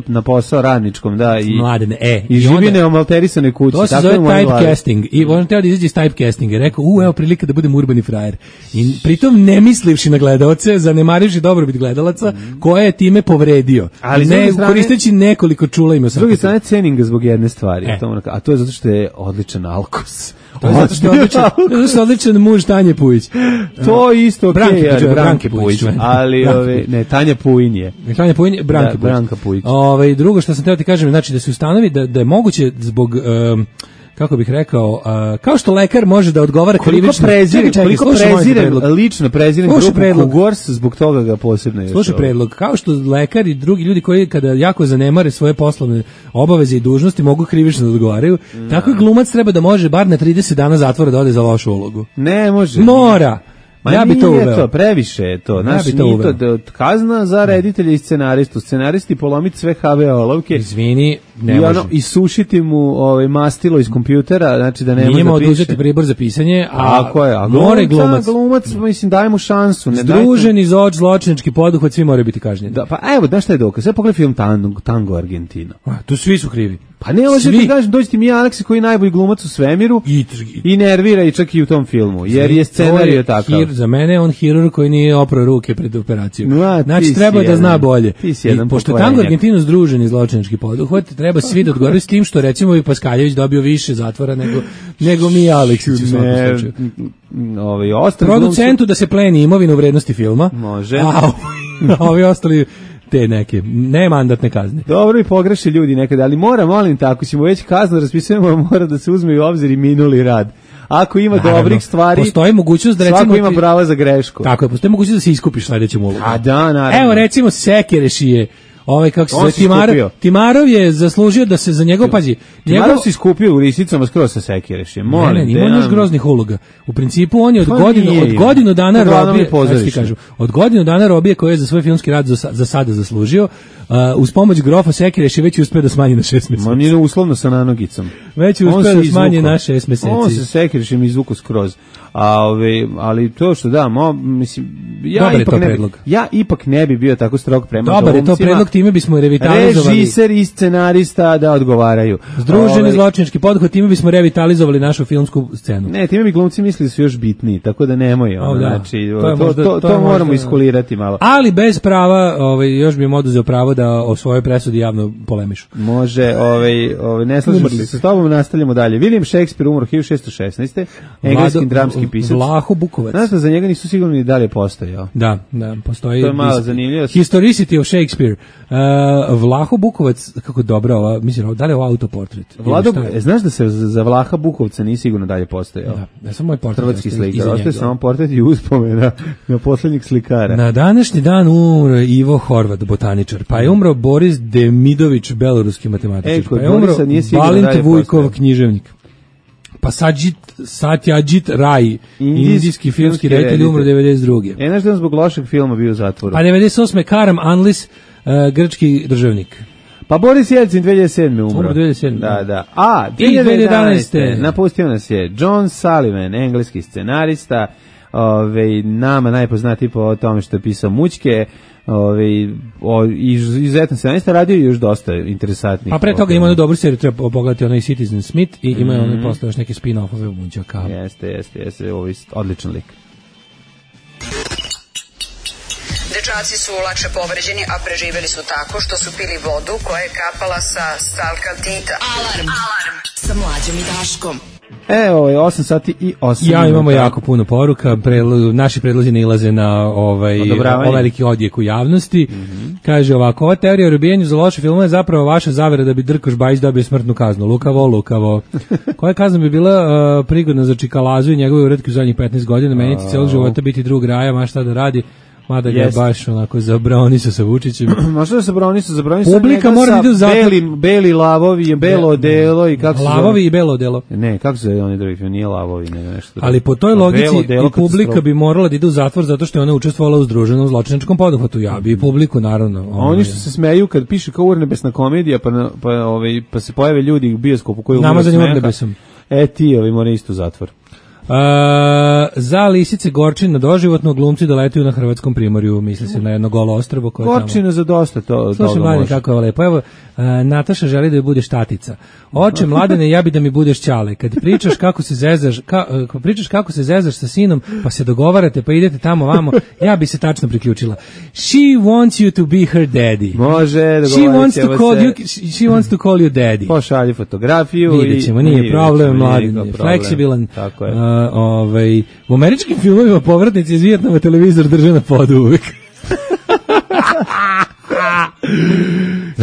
Speaker 6: na posao radničkom, da,
Speaker 5: Mladene,
Speaker 6: i živi neomalterisanoj kući.
Speaker 5: To se zove typecasting. I on teo da izađe iz typecastinga. Rekao, evo prilika da budem urbani frajer. I pritom ne mislivši na gledaoce, zanemarivši dobrobit gledalaca, koje je time povredio. Ali koristeći nekoliko čula ima.
Speaker 6: S druge strane, cenim ga zbog jedne stvari. A to je zato što je odličan alkos.
Speaker 5: To je zato što je odličan muž Tanje Pujić.
Speaker 6: To je isto okej.
Speaker 5: Branke Pujić.
Speaker 6: Ali, ne, Tanja Pujin je.
Speaker 5: Tanja Pujin, Branka Pujić. Drugo što sam teo ti kažem, znači da se ustanovi da je moguće zbog kako bih rekao, kao što lekar može da odgovara krivično.
Speaker 6: Koliko lično prezirem grupu Kugors, zbog toga ga posebno još.
Speaker 5: Slušaj predlog, kao što lekar i drugi ljudi koji kada jako zanemare svoje poslovne obaveze i dužnosti mogu krivično da odgovaraju, tako i glumac treba da može bar na 30 dana zatvora da ode za lošu ulogu.
Speaker 6: Ne može.
Speaker 5: Mora. Ja bi to uveo.
Speaker 6: Previše je to. Kazna za reditelja i scenaristu. Scenaristi polomiti sve HV olovke.
Speaker 5: Izvini, ne može.
Speaker 6: I sušiti mu mastilo iz kompjutera, znači da ne može da piše.
Speaker 5: Njima oduzeti pribor za pisanje, a
Speaker 6: more glumac, mislim, daj mu šansu.
Speaker 5: Združeni zločinački poduhvat, svi moraju biti kažnjeni.
Speaker 6: Da, pa evo, znaš šta je dokaz? Sve pogledaj film Tango Argentina.
Speaker 5: Tu svi su krivi.
Speaker 6: Pa ne može ti kažem, dođi ti Mija Aleksi koji je najbolji glumac u svemiru i nervira i čak i u tom filmu, jer je scenarij takav.
Speaker 5: Za mene je on hirurg koji nije oprao ruke pred operaciju. Znači treba da zna bolje. Pošto Tango Argentinu združeni zločinački poduhvat, treba svi da odgovaraju s tim što recimo i Paskaljević dobio više zatvora nego Mija Aleksić u svakom slučaju. Producentu da se pleni imovinu vrednosti filma.
Speaker 6: Može.
Speaker 5: A ovi ostali te neke, ne mandatne kazne.
Speaker 6: Dobro, i pogreše ljudi nekada, ali molim tako, ćemo već kaznu raspisujemo, mora da se uzme u obzir i minuli rad. Ako ima dobrih stvari,
Speaker 5: postoji mogućnost da recimo
Speaker 6: svako ima pravo za grešku.
Speaker 5: Tako je, postoji mogućnost da se iskupiš sledećem ulogu.
Speaker 6: A da, naravno.
Speaker 5: Evo recimo Sekirešije. Kako se zove, Timarov je zaslužio da se za njegov, pazi.
Speaker 6: Timarov se iskupio u Lisicama skroz sa Sekirešem.
Speaker 5: Ne, ima još groznih uloga. U principu on je od godinu dana robije, od godinu dana robije koje je za svoj filmski rad za sada zaslužio, uz pomoć grofa Sekireš je već uspeo da smanji na 6 meseci.
Speaker 6: On je uslovno sa nanogicom.
Speaker 5: Već je uspeo da smanji na 6 meseci.
Speaker 6: On se Sekirešem izvuku skroz. Ali to što mislim, ja ipak ne bi bio tako strog prema glumcima.
Speaker 5: Dobar je to predlog, time bismo revitalizovali.
Speaker 6: Režiser i scenarista da odgovaraju.
Speaker 5: Združeni zločinački poduhvat, time bismo revitalizovali našu filmsku scenu.
Speaker 6: Ne, time bi glumci mislili da su još bitniji, tako da nemoj. Znači, to moramo iskulirati malo.
Speaker 5: Ali bez prava, još bi im oduzeo pravo da o svojoj presudi javno polemišu.
Speaker 6: Može, ne slažemo se sa tobom, nastavljamo dalje. William Shakespeare umro 1616. Engleski dramski pisac.
Speaker 5: Vlaho Bukovac.
Speaker 6: Znaš da za njega nisu sigurno ni dalje postojao.
Speaker 5: Da, postoji.
Speaker 6: To je malo zanimljivo.
Speaker 5: Historicity of Shakespeare. Vlaho Bukovac, kako dobra ova, mislim, da li je ovo autoportret?
Speaker 6: Znaš da se za Vlaha Bukovca nije sigurno dalje postojao?
Speaker 5: Da, samo moj portret.
Speaker 6: Hrvatski slikar, ostaje samo portret i uspomena na poslednjeg slikara.
Speaker 5: Na današnji dan umro Ivo Horvat, botaničar, pa je umro Boris Demidović, beloruski matematičar, pa je umro Balint Vujkov, književnik. Pa Satyajit Ray, indijski filmski reditelj, umro 92.
Speaker 6: Znaš da on zbog lošeg filma bio u zatvoru?
Speaker 5: Pa 98. Karam Anlis, grčki državnik.
Speaker 6: Pa Boris Jelcin 2007. umro.
Speaker 5: 2007.
Speaker 6: Da. A, 2011. napustio nas je John Sullivan, engleski scenarista, nama najpoznatiji po tome što je pisao Mućke, izuzetno scenarista, radio je još dosta interesantnih.
Speaker 5: A pre toga ima jednu dobru seriju, treba pogledati onaj Citizen Smith i ima onaj posle još neke spin-offove u Mućaka.
Speaker 6: Jeste, ovo je odličan lik.
Speaker 8: Dečaci su lakše povređeni, a preživeli su tako što su pili vodu koja je kapala sa stalkaltita.
Speaker 2: Alarm sa Mlađom i Daškom.
Speaker 6: Evo je 8 sati i 8 minuta.
Speaker 5: Imamo jako puno poruka, naši predlozi nailaze na veliki odjek u javnosti. Kaže ovako, ova teorija o robijenju za loše filmove je zapravo vaša zavera da bi Drkoš Bajić dobio smrtnu kaznu. Lukavo. Koja kazna bi bila prigodna za Čikalazu i njegove uretke u zadnjih 15 godina? Meni će cijelo života biti drug raja, ma šta da radi? Mada ga je baš onako zabraonisu sa Vučićem.
Speaker 6: Možda da zabraonisu
Speaker 5: publika mora da ide u zatvor.
Speaker 6: Beli lavovi, belo odelo i kako se zove?
Speaker 5: Lavovi i belo odelo.
Speaker 6: Ne, kako se zove oni drugi film? Nije lavovi, nego nešto.
Speaker 5: Ali po toj logici i publika bi morala da ide u zatvor zato što je ona učestvovala u združenom zločinačkom poduhvatu. Ja bi i publiku, naravno.
Speaker 6: Oni što se smeju kad piše kao urnebesna komedija, pa se pojave ljudi u bioskopu koji umiru smeha.
Speaker 5: Urnebesom.
Speaker 6: Ti moraju isto u zatvor.
Speaker 5: Za lisice Gorčin na doživotno, glumci doletuju na hrvatskom primorju, misli se na jedno golo ostrvo koje
Speaker 6: Gorčina
Speaker 5: tamo...
Speaker 6: za dosta to.
Speaker 5: Slušaj, Mladen, kako je lepo. Evo, Nataša želi da budeš tatica. Oče, Mladene, ja bi da mi budeš ćale. Kad pričaš kako se zezaš sa sinom, pa se dogovarate, pa idete tamo vamo, ja bi se tačno priključila. She wants you to be her daddy.
Speaker 6: Može,
Speaker 5: she wants to call you daddy.
Speaker 6: Pošalji fotografiju.
Speaker 5: Vidjet ćemo, nije problem, Mladen je fleksibilan.
Speaker 6: Tako je.
Speaker 5: U američkim filmovima povratnici iz Vijetnama televizor drže na podu uvijek.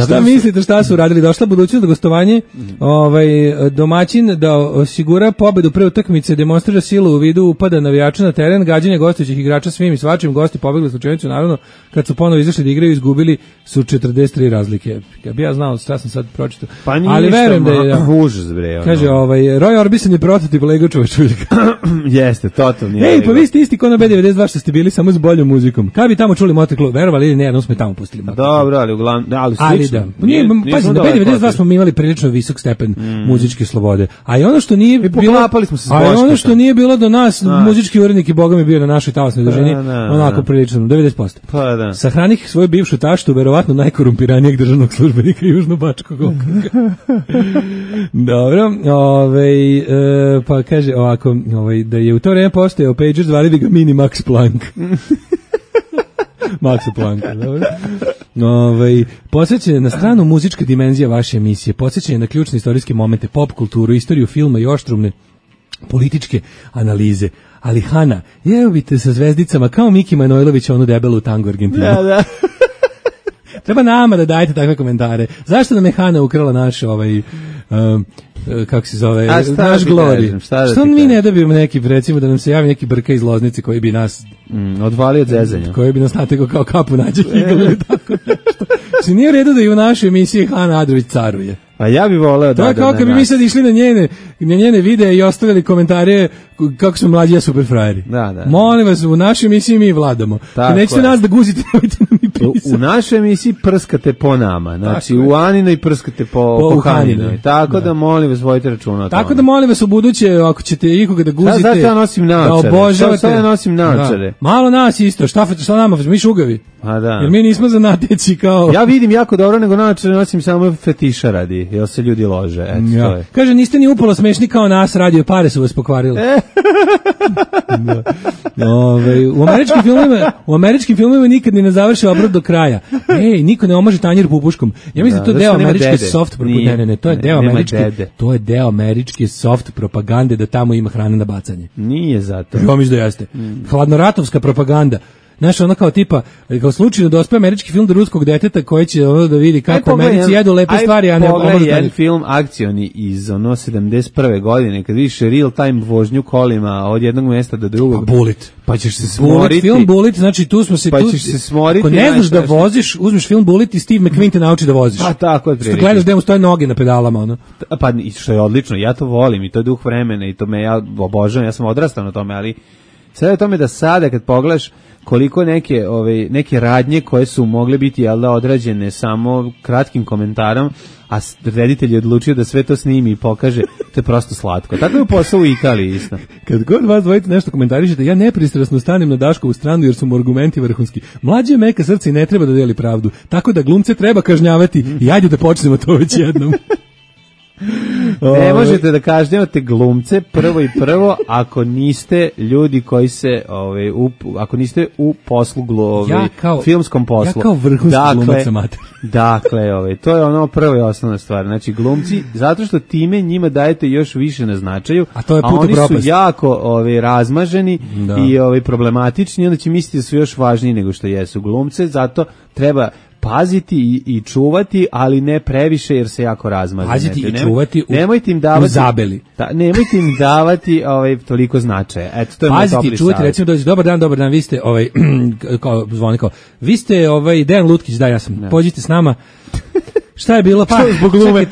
Speaker 5: Šta mislite šta su uradili? Došla budućnost do gostovanje, domaćin da osigura pobedu pre utakmice, demonstrira silu u vidu upada navijača na teren, gađanje gostujućih igrača svim i svačim, gosti pobegli slučajnicu, naravno kad su ponovo izašli da igraju izgubili su 43 razlike. Ja bi znao šta sam sad pročitao.
Speaker 6: Pa ali verujem da je užas bre.
Speaker 5: Kaže Roy Orbison je prototip Legočeva čuljka.
Speaker 6: Jeste, totalni.
Speaker 5: Ej, pa vi ste isti ko na B92 što ste bili samo s boljom muzikom. Kad bi tamo čuli Motorklub, verovali ili ne, jednom smo tamo pustili.
Speaker 6: Dobro, ali uglavnom,
Speaker 5: da. Pazi, na B92 smo imali prilično visok stepen muzičke slobode. A i ono što nije bilo do nas, muzički urednik i boga mi bio na našoj talasnoj dužini, onako prilično 90%.
Speaker 6: Pa da.
Speaker 5: Sahranih svoju bivšu taštu, verovatno najkorumpiranijeg državnog službenika Južnobačkog okruga. Dobro, pa kaže ovako, da je u to vreme postojao pager, zvali bi ga Mini Max Planck. Maxa Plancka, dobro. Podsjećanje na stranu muzička dimenzija vaše emisije, podsjećanje na ključne istorijske momente, pop kulturu, istoriju filma i oštrumne političke analize. Ali Hana, jevite sa zvezdicama kao Miki Manojlović onu debelu tango Argentinu.
Speaker 6: Da.
Speaker 5: Treba nama da dajete takve komentare. Zašto nam je Hana ukrala naš kako se zove, naš glori? Što mi ne dobijemo neki, recimo da nam se javi neki brka iz Loznice koji bi nas
Speaker 6: odvalio od zezanja.
Speaker 5: Koji bi nas nategao kao kapu nađe ili tako nešto. Znači nije u redu da i u našoj emisiji Hana Adrović caruje.
Speaker 6: A ja bih voleo da...
Speaker 5: To je kao kad bi mi sad išli na njene videe i ostavili komentare kako smo mlađi, ja super frajeri.
Speaker 6: Da.
Speaker 5: Molim vas, u našoj emisiji mi vladamo. Nećete nas da guzite, nemojte nam i pisati.
Speaker 6: U našoj emisiji prskate po nama. Znači, u Aninoj prskate po Haninoj. Tako da molim vas, vojite računa o tome.
Speaker 5: Tako da molim vas u buduće, ako ćete ikoga da guzite...
Speaker 6: Sad ja nosim naočare. Sad ja nosim naočare.
Speaker 5: Malo nas isto, šta nama, mi šugavi.
Speaker 6: A da.
Speaker 5: Jer mi nismo za nateći kao...
Speaker 6: Ja vidim jako dobro, nego naočare nosim samo fetiša radi, jer se ljudi lože. To je.
Speaker 5: Kaže, niste ni upolo smešni kao nas, radio pare su vas pokvarile. U američkim filmovima nikad ni ne završe obrad do kraja. Niko ne omaže tanjir pupuškom. Ja mislim da to je deo američke soft propagande. Ne, to je deo američke soft propagande da tamo ima hrane na bacanje.
Speaker 6: Nije zato.
Speaker 5: Ja mislim da jeste. Hladnoratovska propaganda. Znaš, ono kao tipa, kao slučajno da ospe američki film do ruskog deteta koji će da vidi kako u Americi jedu lepe stvari, a ne
Speaker 6: pogledaj jedan film akcioni iz 71. godine, kad vidiš real time vožnju kolima od jednog mjesta do drugog.
Speaker 5: Bullet.
Speaker 6: Pa ćeš se smoriti.
Speaker 5: Film Bullet, znači tu smo se...
Speaker 6: Pa ćeš se smoriti.
Speaker 5: Ako ne znaš da voziš, uzmeš film Bullet i Steve McQueen te nauči da voziš.
Speaker 6: Pa tako,
Speaker 5: što gledaš da mu stoje noge na pedalama, ono.
Speaker 6: Pa što je odlično, ja to volim i to je duh vremena i to me ja obožavam, ja sam odrastao na tome, ali Sada je tome da sada kad pogledaš koliko neke radnje koje su mogle biti odrađene samo kratkim komentarom, a reditelj je odlučio da sve to snimi i pokaže, to je prosto slatko. Tako je u posao u Italiji isto.
Speaker 5: Kad god vas dvojite nešto komentarišete, ja nepristrasno stanem na Daškovu stranu jer su mu argumenti vrhunski. Mlađe meka srce i ne treba da deli pravdu, tako da glumce treba kažnjavati i ajde da počnemo to već jednom.
Speaker 6: Ne možete da kažnjavate glumce prvo ako niste ljudi koji se ako niste u poslu filmskom poslu.
Speaker 5: Ja kao vrhunski glumac amater.
Speaker 6: Dakle, to je ono prva i osnovna stvar. Znači glumci, zato što time njima dajete još više na značaju,
Speaker 5: a oni
Speaker 6: su jako razmaženi i problematični, onda će misliti da su još važniji nego što jesu glumce, zato treba paziti i čuvati, ali ne previše jer se jako razmaže.
Speaker 5: Paziti i čuvati
Speaker 6: u zabeli. Nemojte im davati toliko značaja. Eto, to je moj topli savjet. Paziti i čuvati, recimo dođe, dobar dan, vi ste vi ste Dejan Lutkić, da, ja sam. Pođite s nama. Šta je bilo? Pa zbog glume.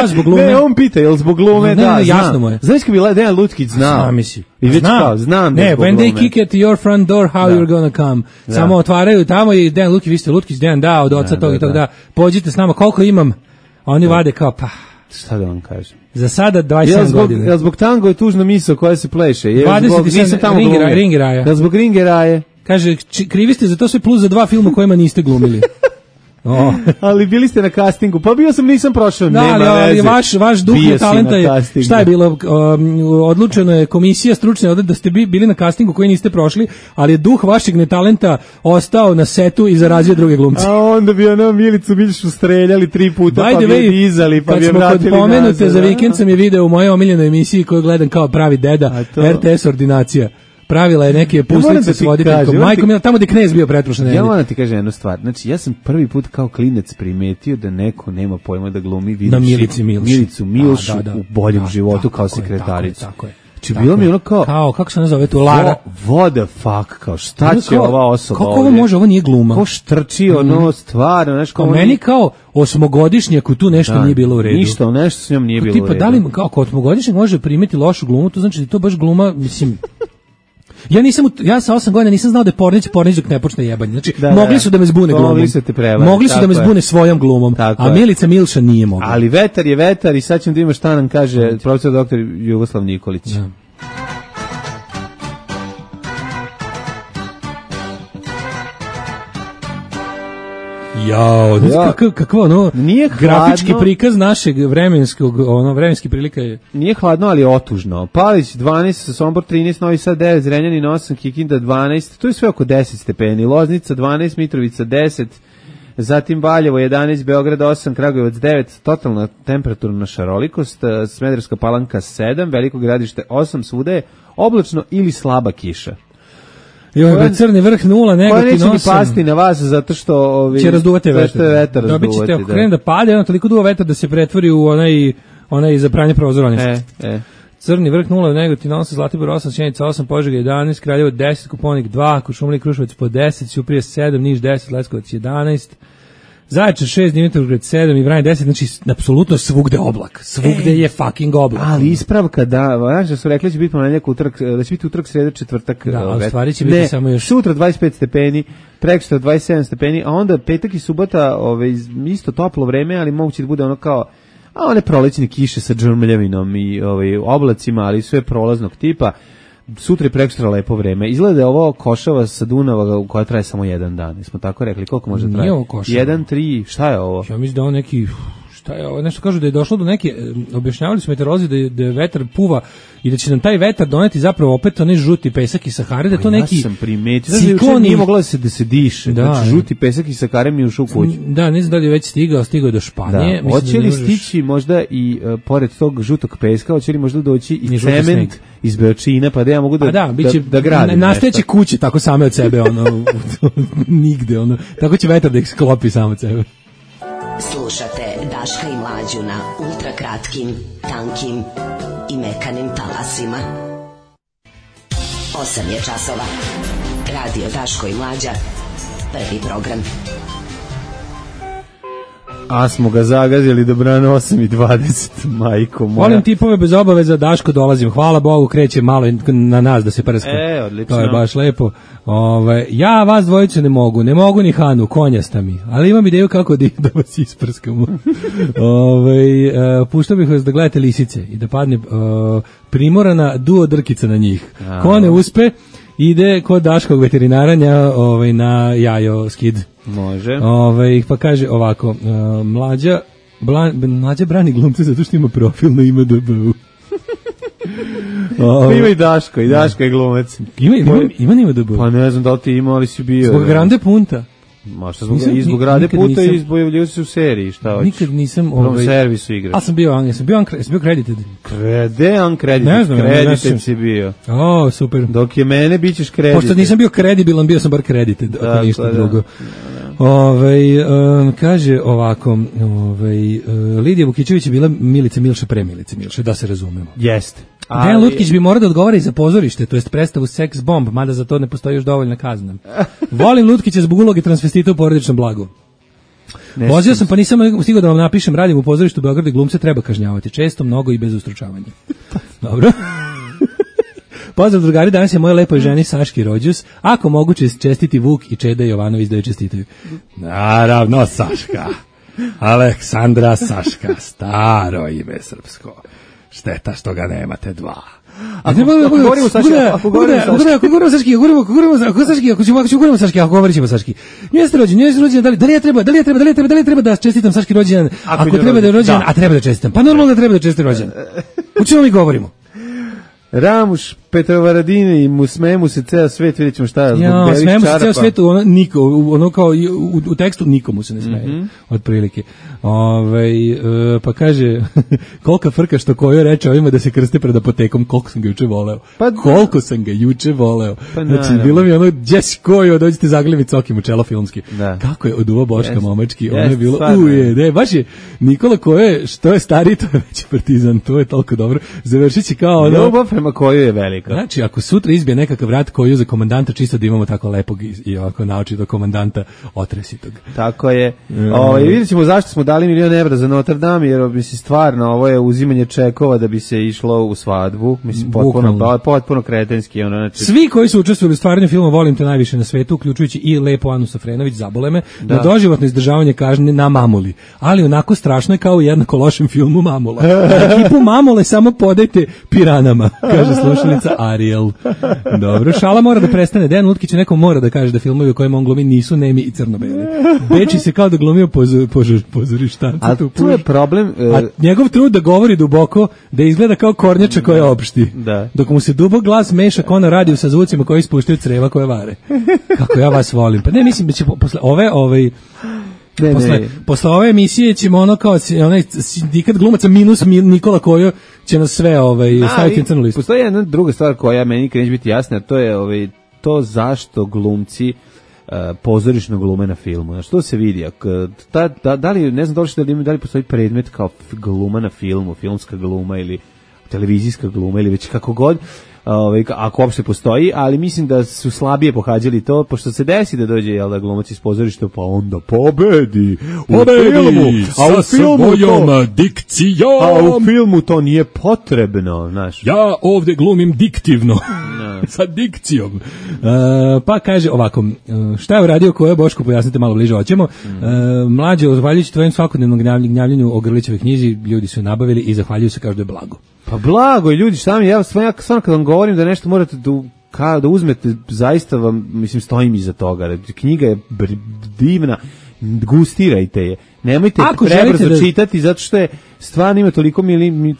Speaker 5: Zbog glume.
Speaker 6: Ne, on pita, jel zbog glume?
Speaker 5: Da, jasno mu je.
Speaker 6: Znaš kad bila Dejan Lutkić znao? Znam.
Speaker 5: Ne, when they kick at your front door, how you're gonna come. Samo otvaraju tamo i Dejan Lutkić, vi ste Lutkić, Dejan da, od oca tog i tog da. Pođite s nama, koliko imam? Oni vade kao, pa...
Speaker 6: Šta da vam kažem?
Speaker 5: Za sada 27 godina.
Speaker 6: Jel zbog tango je tužno misao koja se pleše?
Speaker 5: 27 Ringi raja.
Speaker 6: Jel zbog Ringi raje?
Speaker 5: Kaže, krivi ste za to sve plus za 2 filma kojima niste glumili.
Speaker 6: Ali bili ste na castingu, pa bio sam, nisam prošao, nema
Speaker 5: veze. Vaš duh i talenta je, šta je bilo, odlučeno je komisija stručne da ste bili na castingu koji niste prošli, ali je duh vašeg netalenta ostao na setu i zarazio druge glumce.
Speaker 6: A onda bi Milicu Biljšu streljali 3 puta, pa bi je dizali, pa bi je vratili nazad.
Speaker 5: Kad smo kod pomenute, za vikend sam je video u mojoj omiljenoj emisiji koju gledam kao pravi deda, RTS ordinacija. Pravila je neke puslice s voditeljkom. Majko Mila, tamo gde knez bio pretprošle nedelje.
Speaker 6: Ja moram ti kažem jednu stvar. Znači, ja sam prvi put kao klinec primetio da neko nema pojma da glumi Milicu Milšu u Boljem životu kao sekretaricu.
Speaker 5: Tako je.
Speaker 6: Znači, bilo mi ono kao...
Speaker 5: Kako se nazove tu, Lara?
Speaker 6: What the fuck, kao šta će ova osoba ovdje?
Speaker 5: Kako ovo može, ovo nije gluma.
Speaker 6: Ko štrči, stvarno, znaš kao...
Speaker 5: Meni kao 8-godišnjaku tu nešto nije bilo u redu.
Speaker 6: Ništa, nešto s njom nije bilo u redu.
Speaker 5: Da li kao 8-godišnjak može primiti lošu glumu, to znači da to baš gluma, mislim... Ja sa 8 godina nisam znao da je Pornić dok ne počne jebanje. Znači, mogli su da me zbune glumom. Mogli su da me zbune svojom glumom, a Milica Milša nije mogla.
Speaker 6: Ali vetar je vetar i sad ćemo da ima šta nam kaže profesor doktor Jugoslav Nikolić. Da.
Speaker 5: Kakvo grafički prikaz našeg vremenski prilika je.
Speaker 6: Nije hladno, ali otužno. Palić 12, Sombor 13, Novi Sad 9, Zrenjanin 8, Kikinda 12, to je sve oko 10 stepeni. Loznica 12, Mitrovica 10, zatim Valjevo 11, Beograd 8, Kragujevac 9, totalna temperaturna šarolikost, Smederevska Palanka 7, Veliko Gradište 8, svuda je oblačno ili slaba kiša.
Speaker 5: Crni vrh 0, negativno 8.
Speaker 6: Koja neće ni pasti na vas zato što
Speaker 5: će razduvati
Speaker 6: vetar.
Speaker 5: Dobit ćete, ako krene da pade, toliko duva vetar da se pretvori u onaj za pranje prozora. Crni vrh 0, negativno 8, Zlatibor 8, Sjenica 8, Požega 11, Kraljevo 10, Koponik 2, Kuršumlija i Kruševac po 10, Ćuprija 7, Niš 10, Leskovac 11, Zaječar 6, Dimitrovgrad 7 i Vranje 10, znači apsolutno svugde oblak. Svugde je fucking oblak.
Speaker 6: Ali ispravka znaš da su rekli da će biti ponedjeljak utorak, da će biti utorak, sreda, četvrtak.
Speaker 5: Da, ali stvari će biti samo još.
Speaker 6: Sutra 25 stepeni, prekosutra 27 stepeni, a onda petak i subota isto toplo vreme, ali moguće da bude ono kao one prolećne kiše sa džrmljavinom i oblacima, ali sve prolaznog tipa. Sutra je prekosutra lepo vreme. Izgleda je ovo košava sa Dunava koja traje samo jedan dan. Smo tako rekli, koliko može trajati?
Speaker 5: Nije ovo košava.
Speaker 6: 1, 3, šta je ovo?
Speaker 5: Ja mislim da ovo neki... Šta je ovo? Nešto kažu da je došlo do neke... Objašnjavali su meteorolozi da je vetar puva i da će nam taj vetar doneti zapravo opet onaj žuti pesak iz Sahare, da je to neki...
Speaker 6: Ja sam primetio. Ciklon nije moglo da se diše. Znači, žuti pesak iz Sahare mi je ušao u kuću.
Speaker 5: Da, ne znam da li je već stigao je do Španije.
Speaker 6: Hoće li stići možda i pored tog žutog peska, hoće li možda doći i cement iz Beočina, pa da ja mogu da gradim.
Speaker 5: Nastajeće kuće tako same od sebe, nigde, tako će vetar da ih sklopi samo od sebe.
Speaker 9: Slušate Daška i Mlađu na ultrakratkim, tankim i mekanim talasima. 8 je časova. Radio Daško i Mlađa. Prvi program.
Speaker 6: A smo ga zagazili do brana 8:20, majko moja.
Speaker 5: Volim tipove bez obaveza, Daško dolazim, hvala Bogu, kreće malo na nas da se prska.
Speaker 6: Odlično.
Speaker 5: To je baš lepo. Ja vas dvojice ne mogu ni Hanu, konjasta mi, ali imam ideju kako da vas isprskamo. Puštao bih vas da gledate lisice i da padne primorana duo drkica na njih. Ko ne uspe, ide kod Daškog veterinaranja na jajo skid.
Speaker 6: Može.
Speaker 5: Pa kaže ovako, mlađa brani glumce zato što ima profil na IMDb-u.
Speaker 6: Ima i Daško je glumac.
Speaker 5: Ima na IMDb-u?
Speaker 6: Pa ne znam da li ti ima, ali si bio.
Speaker 5: Zbog Grande Punta.
Speaker 6: Možda zbog Grande Punta i izbojavljaju se u seriji, šta hoćeš?
Speaker 5: Nikad nisam...
Speaker 6: U servisu igraš.
Speaker 5: A sam bio credited.
Speaker 6: Gde uncredited?
Speaker 5: Ne znam.
Speaker 6: Credited si bio.
Speaker 5: Super.
Speaker 6: Dok je mene, bit ćeš credited.
Speaker 5: Pošto nisam bio kredibilan, bio sam bar credited, ako ništa drugo. Kaže ovako, Lidija Vukićević je bila Milica Milša pre Milice Milše, da se razumemo.
Speaker 6: Jeste.
Speaker 5: Dejan Lutkić bi morao da odgovara i za pozorište, to jest predstavu Sex Bomb, mada za to ne postoji još dovoljna kazna. Volim Lutkića zbog uloge transvestita u Porodičnom blagu. Vozio sam pa nisam stigao da vam napišem, radim u pozorištu u Beogradu i glumce treba kažnjavati, često, mnogo i bez ustručavanja. Dobro. Pozdrav drugari, danas je moje lepoj ženi Saški rođus. Ako moguće čestiti Vuk i Čeda Jovanović da joj čestitaju. Naravno Saška. Aleksandra Saška, staro ime srpsko. Šteta što ga nemate dva.
Speaker 6: Ako govorimo Saški, ako govorimo Saški, ako govorit ćemo Saški. Jeste rođen, da li treba da čestitam Saški rođendan? Ako treba da je rođendan, a treba da čestitam. Pa normalno da treba da čestitam rođendan. U čemu mi govorimo? Ramuš, Petrovaradine i smeje mu se ceo svet, vidjet ćemo šta je.
Speaker 5: Smeje mu se ceo svet, ono kao u tekstu nikomu se ne smeje, otprilike. Pa kaže, kolika frka što koju reče ovima da se krste pred apotekom, koliko sam ga juče voleo. Znači, bilo mi ono, Jess koju, dođete zagljevi cokim u čelo filmski. Kako je oduvo Boška momački, ono je bilo, baš je Nikola Kojo, što je stariji, to je veći partizan, to je toliko dobro. Završit će kao ono...
Speaker 6: Ljubav prema Koju je velika.
Speaker 5: Znači, ako sutra izbije nekakav rat Koju za komandanta, čisto da imamo tako lepog i ovako naočitog komandanta otresitog.
Speaker 6: Tako je. Vidjet ćemo zašto smo dali $1 milion za Notre Dame, jer mislim stvarno ovo je uzimanje čekova da bi se išlo u svadbu. Mislim, potpuno kretenski. Znači...
Speaker 5: Svi koji su učestvovali u stvaranju filma Volim te najviše na svetu, uključujući i lepo Anu Safrenović, zabole me, na doživotno izdržavanje kažnje na Mamuli. Ali onako strašno je kao u jednako lošem filmu Mamula. Ekipu Mamule samo podajte piranama, kaže slušalica Ariel. Dobro, šala mora da prestane. Dejan Lutkić nekom mora da kaže da filmovi u kojima on glumi nisu nemi i crno-beli. Beči se kao da glumio pozorištanci.
Speaker 6: A tu je problem...
Speaker 5: A njegov trud da govori duboko, da izgleda kao kornjača koja opšti. Dok mu se dubok glas meša kao na radiju sa zvucima koji ispuštaju creva koje vare. Kako ja vas volim. Pa ne, mislim da će posle posle ove emisije ćemo ono kao onaj sindikat glumaca minus Nikola Kojo će nas sve staviti na crnu listu.
Speaker 6: Postoji jedna druga stvar koja meni neće biti jasna, to je to zašto glumci pozorišno glume na filmu. Znači, to se vidi. Da li, ne znam da li postoji predmet kao gluma na filmu, filmska gluma ili televizijska gluma ili već kako god, ako uopšte postoji, ali mislim da su slabije pohađali to, pošto se desi da dođe glumac iz pozorišta, pa onda pobedi u filmu,
Speaker 5: sa svojom dikcijom.
Speaker 6: A u filmu to nije potrebno, znaš.
Speaker 5: Ja ovde glumim diktivno, sa dikcijom. Pa kaže ovako, šta je uradio Kojo, Boško, pojasnite malo bliže, hoćemo. Mlađe, zahvaljujući tvojim svakodnevnom gnjavljenju o Grlićevoj knjizi, ljudi su je nabavili i zahvaljuju se kao da je blago.
Speaker 6: Pa blago je, ljudi, šta mi, ja stvarno kad vam govorim da nešto morate da uzmete, zaista vam, mislim, stojim iza toga. Knjiga je divna, gustirajte je. Nemojte prebrzo čitati, zato što je stvarno ima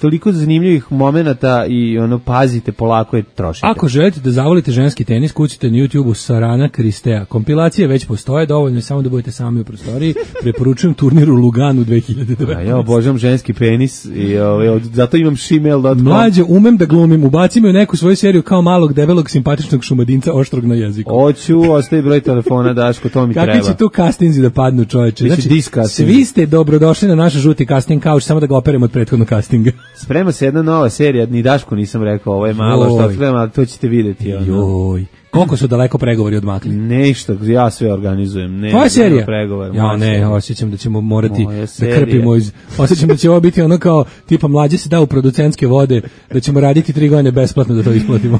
Speaker 6: toliko zanimljivih momenata i pazite, polako je trošite.
Speaker 5: Ako želite da zavolite ženski tenis, kucite na YouTube-u Sarana Kristea. Kompilacije već postoje, dovoljno je samo da budete sami u prostoriji. Preporučujem turnir u Luganu 2019.
Speaker 6: Ja obožavam ženski penis i zato imam shemale.com.
Speaker 5: Mlađe, umem da glumim, ubaci me u neku svoju seriju kao malog, debelog, simpatičnog šumadinca oštrog na jeziku.
Speaker 6: Hoću, ostavi broj telefona, Daško, to mi treba.
Speaker 5: Kakvi će tu castinzi da padnu, čoveče?
Speaker 6: Znači,
Speaker 5: svi ste dobrodošli na naš žuti casting couch, samo da ga operem od prethodnog castinga.
Speaker 6: Sprema se jedna nova serija, ni Daško nisam rekao, ovo je malo što otkrivam, ali to ćete vidjeti.
Speaker 5: Joj. Koliko su daleko pregovori odmakli?
Speaker 6: Nešto, ja sve organizujem.
Speaker 5: Tvoja serija? Ja ne, osjećam da ćemo morati da krpimo osjećam da će ovo biti ono kao tipa mlađe se da u producentske vode, da ćemo raditi 3 godine besplatno da to isplatimo.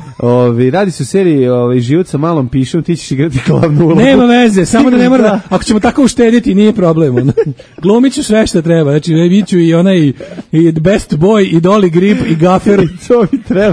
Speaker 6: Radi se u seriji Život sa malom pišom, ti ćeš igrati glavnu ulogu.
Speaker 5: Nema veze, samo da ne mora, ako ćemo tako uštediti, nije problem. Glumit ću sve što treba, znači biću i onaj i Best Boy, i Dolly Grip, i Gaffer,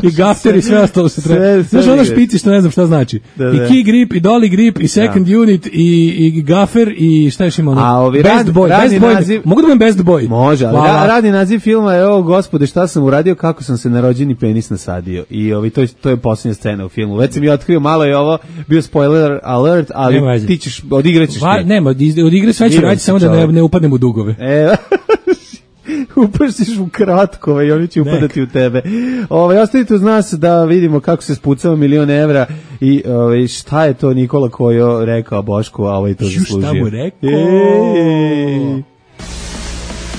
Speaker 5: i Gaffer i sve ostalo što treba. Znaš ono špici što ne znam šta znači.
Speaker 6: Da.
Speaker 5: I Key Grip, i Dolly Grip, i Second Unit, i Gaffer, i šta još ima ono? Best Boy.
Speaker 6: Naziv,
Speaker 5: mogu da budem Best Boy?
Speaker 6: Može, ali radni naziv filma je ovo, gospode, šta sam uradio, kako sam se na rođeni penis nasadio. I to je posljednja scena u filmu. Već sam je otkrio, malo je ovo, bio spoiler alert, ali ti ćeš, odigraćeš ti.
Speaker 5: Nema, odigre sve ću raditi, samo da ne upadnem u dugove.
Speaker 6: Upašćeš u kratkove i oni će upadati u tebe. Ostavite uz nas da vidimo kako se spucava $1.000.000 evra i šta je to Nikola Kojo rekao Bošku, a ovaj to zaslužio.
Speaker 5: Šta mu rekao?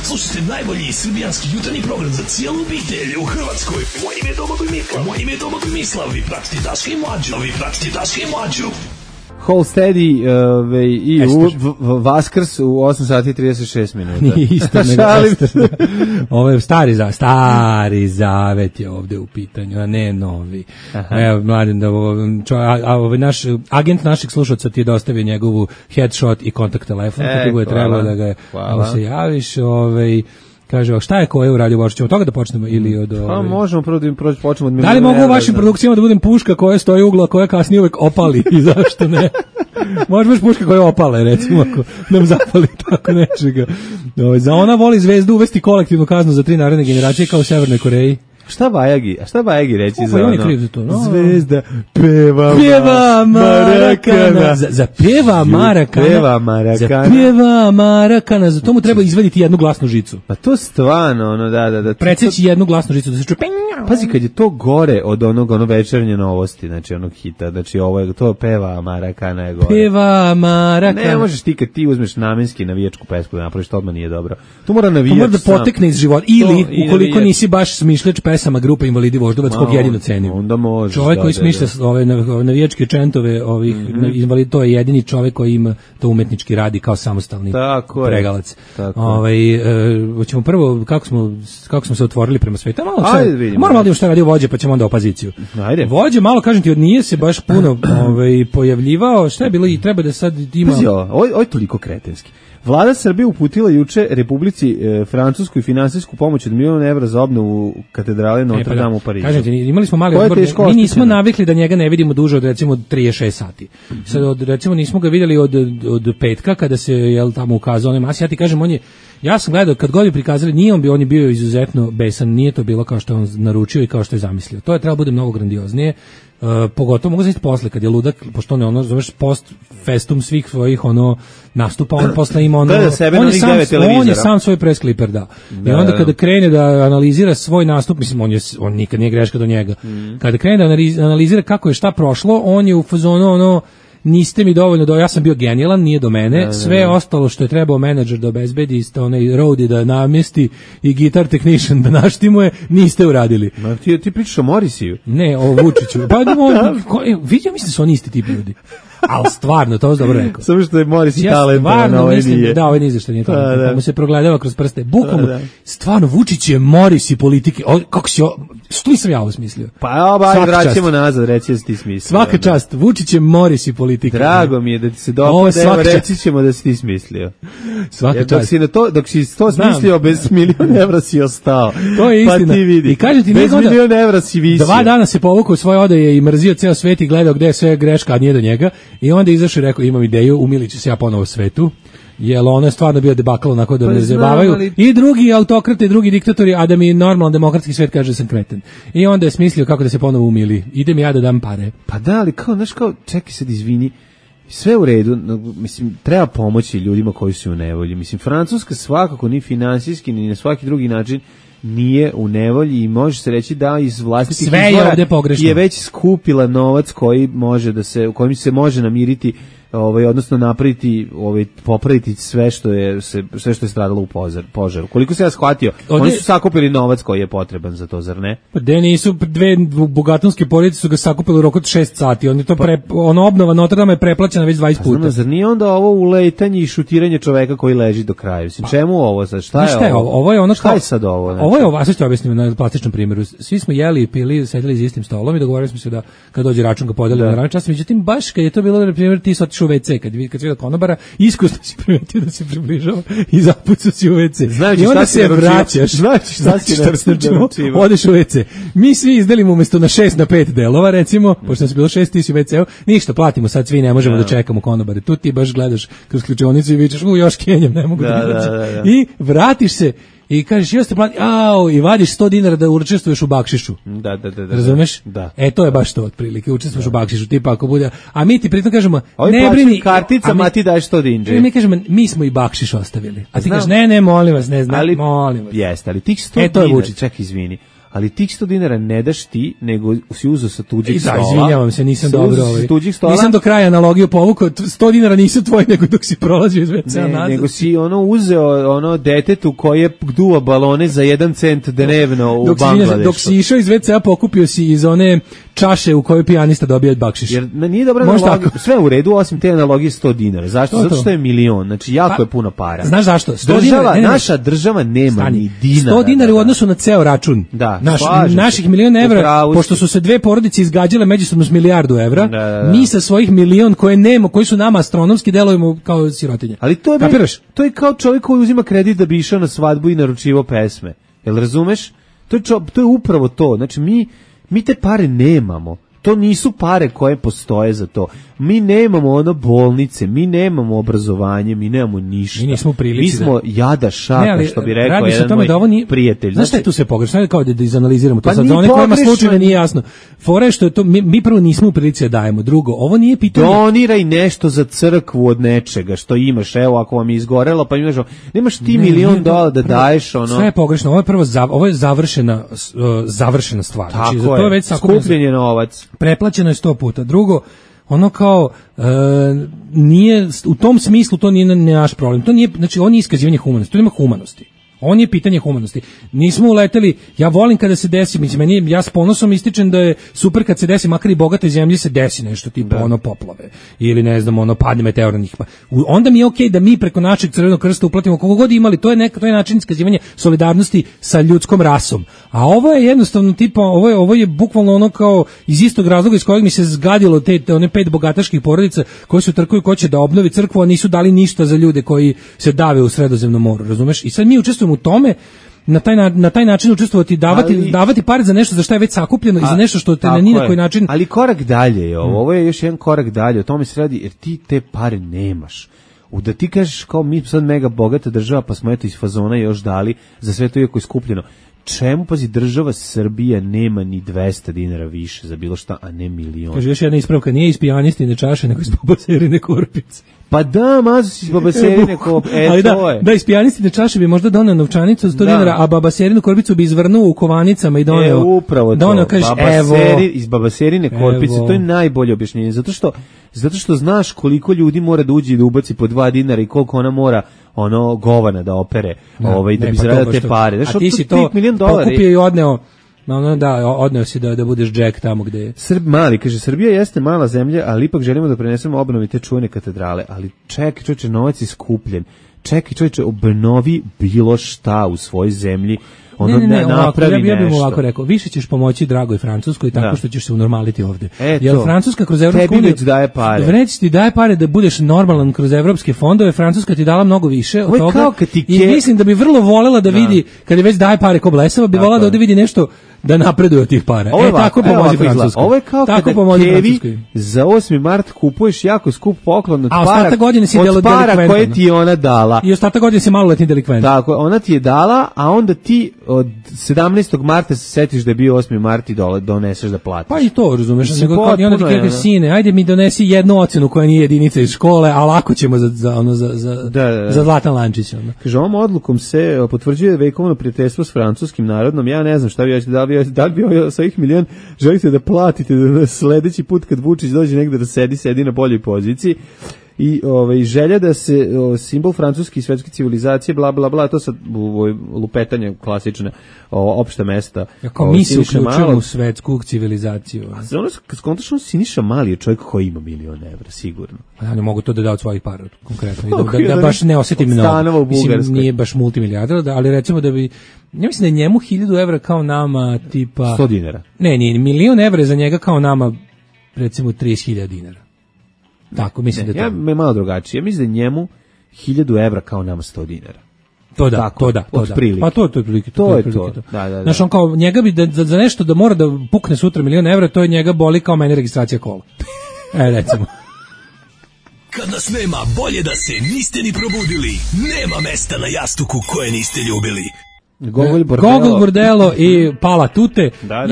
Speaker 1: Slušajte najbolji srbijanski jutarnji program za cijelu obitelj u Hrvatskoj. Moje ime je Domagoj Mislav. Vi pratite Daška i Mlađu.
Speaker 6: Whole Steady i Vaskrs u 8 sati 36 minuta.
Speaker 5: Nije isto nego ovo je stari zavet je ovde u pitanju, a ne novi. Evo, mladen, naš agent našeg slušalca ti je dostavio njegovu headshot i kontakt telefon, kako bude trebalo da ga se javiš. Kaže, šta je Koja uradio Božić? Ćemo toga da počnemo ili od...
Speaker 6: Pa možemo prvo da počnemo od...
Speaker 5: Da li mogu u vašim produkcijama da budem puška koja stoji ugla, koja kasnije uvek opali i zašto ne? Može baš puška koja opale, recimo, ako nam zapali tako nečega. Za ona voli zvezdu uvesti kolektivnu kaznu za 3 naredne generacije kao u Severnoj Koreji.
Speaker 6: Šta Bajagi reći za ono?
Speaker 5: Zvezda peva Marakana. Za peva Marakana. Za to mu treba izvaditi jednu glasnu žicu.
Speaker 6: Pa to stvarno, da.
Speaker 5: Preceći jednu glasnu žicu da se čuje.
Speaker 6: Pazi, kad je to gore od onog večernje novosti, znači onog hita, znači ovo je, to peva Marakana je gore.
Speaker 5: Peva Marakana.
Speaker 6: Ne možeš ti kad ti uzmeš namenski navijačku pesmu da napraviš, to odmah nije dobro. Tu mora navijač
Speaker 5: sam. Da potekne iz života. Ili, ukoliko nisi baš smišljač pesama grupe Invalidi Voždovac, kog jedino cenim.
Speaker 6: Onda možeš.
Speaker 5: Čovjek koji smišlja ove navijačke čentove, invalid, to je jedini čovjek koji ima to umetnički radi kao samostalni pregalac. Hoćemo prvo, kako smo se otvorili prema svetu. Moramo da šta radio Vođe, pa ćemo onda opoziciju.
Speaker 6: Ajde.
Speaker 5: Vođe, malo kažem ti, nije se baš puno pojavljivao. Šta je bilo i treba da sad ima...
Speaker 6: Ovo je toliko kretenski. Vlada Srbije uputila juče Republici Francuskoj finansijsku pomoć od $1.000.000 za obnovu katedrale Notre Dame u Parizu.
Speaker 5: Kažete, imali smo mali odbor, mi nismo navikli da njega ne vidimo duže od recimo 36 sati. Sad recimo nismo ga vidjeli od petka kada se tamo ukazao onaj mas. Ja ti kažem, ja sam gledao kad god je prikazali, on je bio izuzetno besan, nije to bilo kao što je on naručio i kao što je zamislio. To je trebalo bude mnogo grandioznije. Pogotovo mogu znači posle kad je ludak, pošto on zoveš post festum svih svojih nastupa, on posle ima on je sam svoj press kliper i onda kada krene da analizira svoj nastup, mislim on nikad nije greška do njega. Kada krene da analizira kako je šta prošlo, on je u fazonu niste mi dovoljno, ja sam bio genijalan, nije do mene, sve ostalo što je trebao menadžer da obezbedi, onaj roadie da namjesti i guitar technician da naštimuje, niste uradili.
Speaker 6: Ma ti pričaš o Morisiju?
Speaker 5: Ne, o Vučiću. Pa vidio, mislim da su oni isti tipi ljudi. Ali stvarno, to je dobro rekao.
Speaker 6: Samo što je Morisi talentovan,
Speaker 5: a ovaj nije. Da, ovaj nije zašto nije talentovan. Pa mu se progledava kroz prste. Bukvalno, stvarno, Vučić je Morisi politike. Kako si što sam ja ovo smislio?
Speaker 6: Pa vraćamo nazad, reći da si ti smislio.
Speaker 5: Svaka čast, Vučić je Morisi politike.
Speaker 6: Drago mi je da ti se dopada, evo reći ćemo da si ti smislio.
Speaker 5: Svaka čast.
Speaker 6: Dok si to smislio, bez $1.000.000 si ostao.
Speaker 5: To je istina.
Speaker 6: Pa ti vidi.
Speaker 5: I kažem ti,
Speaker 6: bez $1.000.000 si visio.
Speaker 5: 2 dana se povukao svoje odaje i mrzio ceo svet i gledao gde je sve greška, a nije do njega. I onda izašao i rekao, imam ideju, umilit ću se ja ponovo svetu. Jer ono je stvarno bio debakl onako da me zabavaju. I drugi autokrate, i drugi diktatori, a da mi normalan demokratski svet kaže da sam kreten. I onda je smislio kako da se ponovo umili. Idem ja da dam pare.
Speaker 6: Pa da, ali čekaj sad, izvini, sve u redu, mislim, treba pomoći ljudima koji su u nevolji. Mislim, Francuska svakako ni finansijski, ni na svaki drugi način nije u nevolji i može se reći da iz vlastitih izvora je već skupila novac kojim se može namiriti odnosno napraviti, popraviti sve što je stradalo u požaru. Koliko se ja shvatio, oni su sakupili novac koji je potreban za to, zar ne?
Speaker 5: Pa de nisu, dve bogatonske porodice su ga sakupili u roku od 6 sati. Oni to obnova Notre Dame je preplaćena već 20 puta.
Speaker 6: Zar nije onda ovo uletanje i šutiranje čoveka koji leži do kraja? Čemu ovo sad? Šta je ovo?
Speaker 5: Ovo je ono
Speaker 6: šta je sad ovo?
Speaker 5: Ovo je ovo, a sad ću objasniti na plastičnom primjeru. Svi smo jeli i pili, sedeli za istim stolom i dogovorili smo se da kad dođe račun ga podelimo na račun čas. Međutim, baš kad je to bilo, na primjer, ti si otišao u WC, kad si vidio konobara, iskusno si primetio da se približava i zapucao si u WC. I onda se vraćaš.
Speaker 6: Znači šta si naručivao?
Speaker 5: Odeš u WC. Mi svi izdelimo umjesto na 6 na 5 delova, recimo, pošto nas je bilo 6, ti si u WC-u, ništa, platimo, sad svi ne možemo da čekamo konobare. Tu ti baš gledaš kroz ključionicu i vičeš, još kenjam, ne mogu da. I vratiš se i kažeš, još te plati, i vadiš $100 da učestvuješ u bakšišu.
Speaker 6: Da.
Speaker 5: Razumeš?
Speaker 6: Da.
Speaker 5: To je baš to, otprilike, učestvuješ u bakšišu, tipa ako bude, a mi ti pritom kažemo, ne brini,
Speaker 6: karticama, a ti daješ $100.
Speaker 5: Mi kažemo, mi smo i bakšiš ostavili. A ti kažeš, ne, molim vas, ne znam, molim vas.
Speaker 6: Jeste, ali tih $100, ček, izvini. Ali tih $100 ne daš ti, nego si uzeo sa tuđih stola.
Speaker 5: Izvinjavam se, nisam dobro nisam do kraja analogiju povukao, $100 nisu tvoji, nego dok si prolazio iz WC-a nazad.
Speaker 6: Nego si uzeo detetu koje duva balone za 1 cent dnevno u Bangladešu.
Speaker 5: Dok si išao iz WC-a, pokupio si iz one čaše u kojoj pijanista dobija bakšiš.
Speaker 6: Jer nije dobra analogija, sve u redu, osim te analogije $100. Zašto? Zato što je milion, znači jako je puno para.
Speaker 5: Znaš zašto?
Speaker 6: Naša država nema ni dinara.
Speaker 5: $100 u odnosu na ceo račun.
Speaker 6: Da.
Speaker 5: Naših $1.000.000 evra, pošto su se dve porodice izgađale međusobno s $1.000.000 mi sa svojih $1.000.000 koje nema, koji su nama astronomski, delujemo kao sirotinje.
Speaker 6: Ali to je kao čovjek koji uzima kredit da bi išao na svadbu i naručivao pesme. Jel razumeš? To je upravo to. Znači mi te pare nemamo. To nisu pare koje postoje za to. Mi nemamo bolnice, mi nemamo obrazovanje, mi nemamo ništa.
Speaker 5: Mi nismo u prilici.
Speaker 6: Mi smo jada šaka, što bi rekao jedan moj prijatelj.
Speaker 5: Znaš šta je tu sve pogrešno? Kao da izanaliziramo to sad. Za one kojima slučajno nije jasno. Fora je što je to, mi prvo nismo u prilici da dajemo. Drugo, ovo nije pitanje.
Speaker 6: Doniraj nešto za crkvu od nečega što imaš. Evo, ako vam je izgorelo, pa imaš, nemaš ti $1.000.000 da daješ.
Speaker 5: Sve je pogrešno. Ovo je završena stvar.
Speaker 6: Tako je, skupljen je novac.
Speaker 5: Preplaćeno je 100 puta. Drugo, ono kao nije, u tom smislu to nije naš problem. To nije, znači on je iskazivanje humanosti, to nema humanosti. On je pitanje humanosti. Nismo uleteli, ja volim kada se desi, mislim, ja s ponosom ističem da je super kad se desi, makar i bogatoj zemlji se desi nešto tipa poplave ili ne znam, padne meteor na njih. Onda mi je okej da mi preko našeg Crvenog krsta uplatimo koliko god imali, to je način iskazivanja solidarnosti sa ljudskom rasom. A ovo je jednostavno tipa, ovo je bukvalno ono kao iz istog razloga iz kojeg mi se zgadilo one 5 bogataških porodica koji su trkuju ko će da obnovi crkvu, a nisu dali ništa za ljude koji se dave u Sredozemnom moru, razumeš? I sad mi učestvujemo u tome, na taj način učestvovati, davati pare za nešto za što je već sakupljeno i za nešto što te ni na koji način.
Speaker 6: Ali korak dalje je ovo je još jedan korak dalje, o tome se radi, jer ti te pare nemaš. Da ti kažeš kao mi sad mega bogata država, pa smo eto iz fazona još dali za sve to iako je skupljeno. Čemu, pazi, država Srbija nema ni $200 više za bilo šta, a ne $1.000.000.
Speaker 5: Kaže još jedna ispravka, nije iz pijanistine čaše, nego iz babaserine korpice.
Speaker 6: Pa da, mazu si iz babaserine korpice, to je.
Speaker 5: Da, iz pijanistine čaše bi možda doneo novčanicu od $100, a babaserinu korpicu bi izvrnuo u kovanicama i doneo.
Speaker 6: Upravo to, iz babaserine korpice, to je najbolje objašnjenje, zato što znaš koliko ljudi mora da uđe i da ubaci po $2 i koliko ona mora govana da opere, da bi zaradio te pare.
Speaker 5: A ti si to pokupio i odneo. Odneo si da budeš Jack tamo gde je.
Speaker 6: Srbija jeste mala zemlja, ali ipak želimo da prenesemo obnovi te čuvene katedrale, ali čekaj čovječe, novac je skupljen. Čekaj čovječe, obnovi bilo šta u svojoj zemlji. Ja bih ovako rekao, više ćeš pomoći dragoj Francuskoj tako što ćeš se unormaliti ovdje. Jer Francuska kroz Evropsku uniju daje pare.
Speaker 5: Već ti daje pare da budeš normalan kroz evropske fondove, Francuska ti dala mnogo više od toga. I mislim da bi vrlo volela da vidi, kad je već daje pare ko blesava, bi volela da ovdje vidi nešto da napreduje od tih para. Tako pomozi Francuskoj.
Speaker 6: Ovo je kao kada Kevi za 8. mart kupuješ jako skup poklon od para koje ti je ona dala.
Speaker 5: I ostatak godine si maloletni delikvent.
Speaker 6: Tako, ona ti je dala, a onda ti od 17. marta se setiš da je bio 8. mart i doneseš da platiš.
Speaker 5: Pa i to, razumeš. I onda ti kažeš, sine, ajde mi donesi jednu ocenu koja nije jedinica iz škole, a lako ćemo za zlatan lančić.
Speaker 6: Kaže, ovom odlukom se potvrđuje vekovno prijateljstvo s francuskim narodom. Ja ne znam šta bi da li bi sa ovih $1.000.000 želite da platite da sledeći put kad Vučić dođe negde da sedi na boljoj poziciji. I želja da se simbol francuske i svetske civilizacije, bla, bla, bla, to sad lupetanje klasične opšta mesta.
Speaker 5: Jako mi se uključujemo u svetsku civilizaciju.
Speaker 6: A za ono, skontačno Siniša Mali je čovjek koji ima $1.000.000, sigurno.
Speaker 5: Ja ne mogu to da od svojih para, konkretno. Da baš ne osetim mnogo. Mislim, nije baš multimilijarder, ali recimo da bi, ja mislim da je njemu $1.000 kao nama tipa...
Speaker 6: $100.
Speaker 5: Ne, nije, $1.000.000 za njega kao nama, recimo $30.000. Tako, mislim da to...
Speaker 6: Ja me malo drugačije. Ja mislim da njemu $1.000 kao nama $100.
Speaker 5: To da,
Speaker 6: tako,
Speaker 5: to da. Pa to je prilike.
Speaker 6: To je to. Da.
Speaker 5: Znaš, on kao, njega bi za nešto da mora da pukne sutra $1.000.000, to je njega boli kao mene registracija kola. Recimo.
Speaker 1: Kad nas nema, bolje da se niste ni probudili. Nema mesta na jastuku koje niste ljubili.
Speaker 5: Gogol Bordello i Pala Tute.
Speaker 6: Da.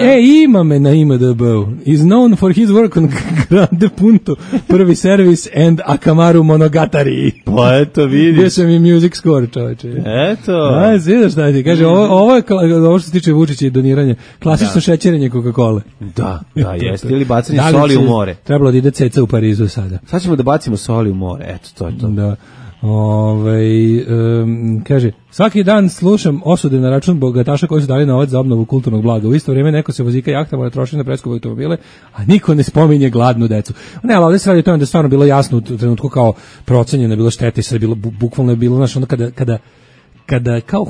Speaker 5: Ima me na IMDb-u. Is known for his work on Grande Punto, Prvi servis and Akamaru Monogatari.
Speaker 6: Pa eto, vidiš.
Speaker 5: Gdje sam i music score, čoveče.
Speaker 6: Eto.
Speaker 5: Vidiš šta ti kaže, ovo što se tiče Vučića i doniranja, klasično šećerenje Coca-Cola.
Speaker 6: Da, jeste. Ili bacanje soli u more.
Speaker 5: Trebalo da ide ceca u Parizu sada.
Speaker 6: Sad ćemo da bacimo soli u more, eto, to je to.
Speaker 5: Da. Kaže, svaki dan slušam osude na račun bogataša koji su dali novac za obnovu kulturnog blaga. U isto vrijeme neko se vozika jahtama da troši na preskupe automobile, a niko ne spominje gladnu decu. Ne, ali ovdje se radi o tome da je stvarno bilo jasno u trenutku kao procenjeno je bilo štete i sad je bilo, bukvalno je bilo, znaš, onda kada kao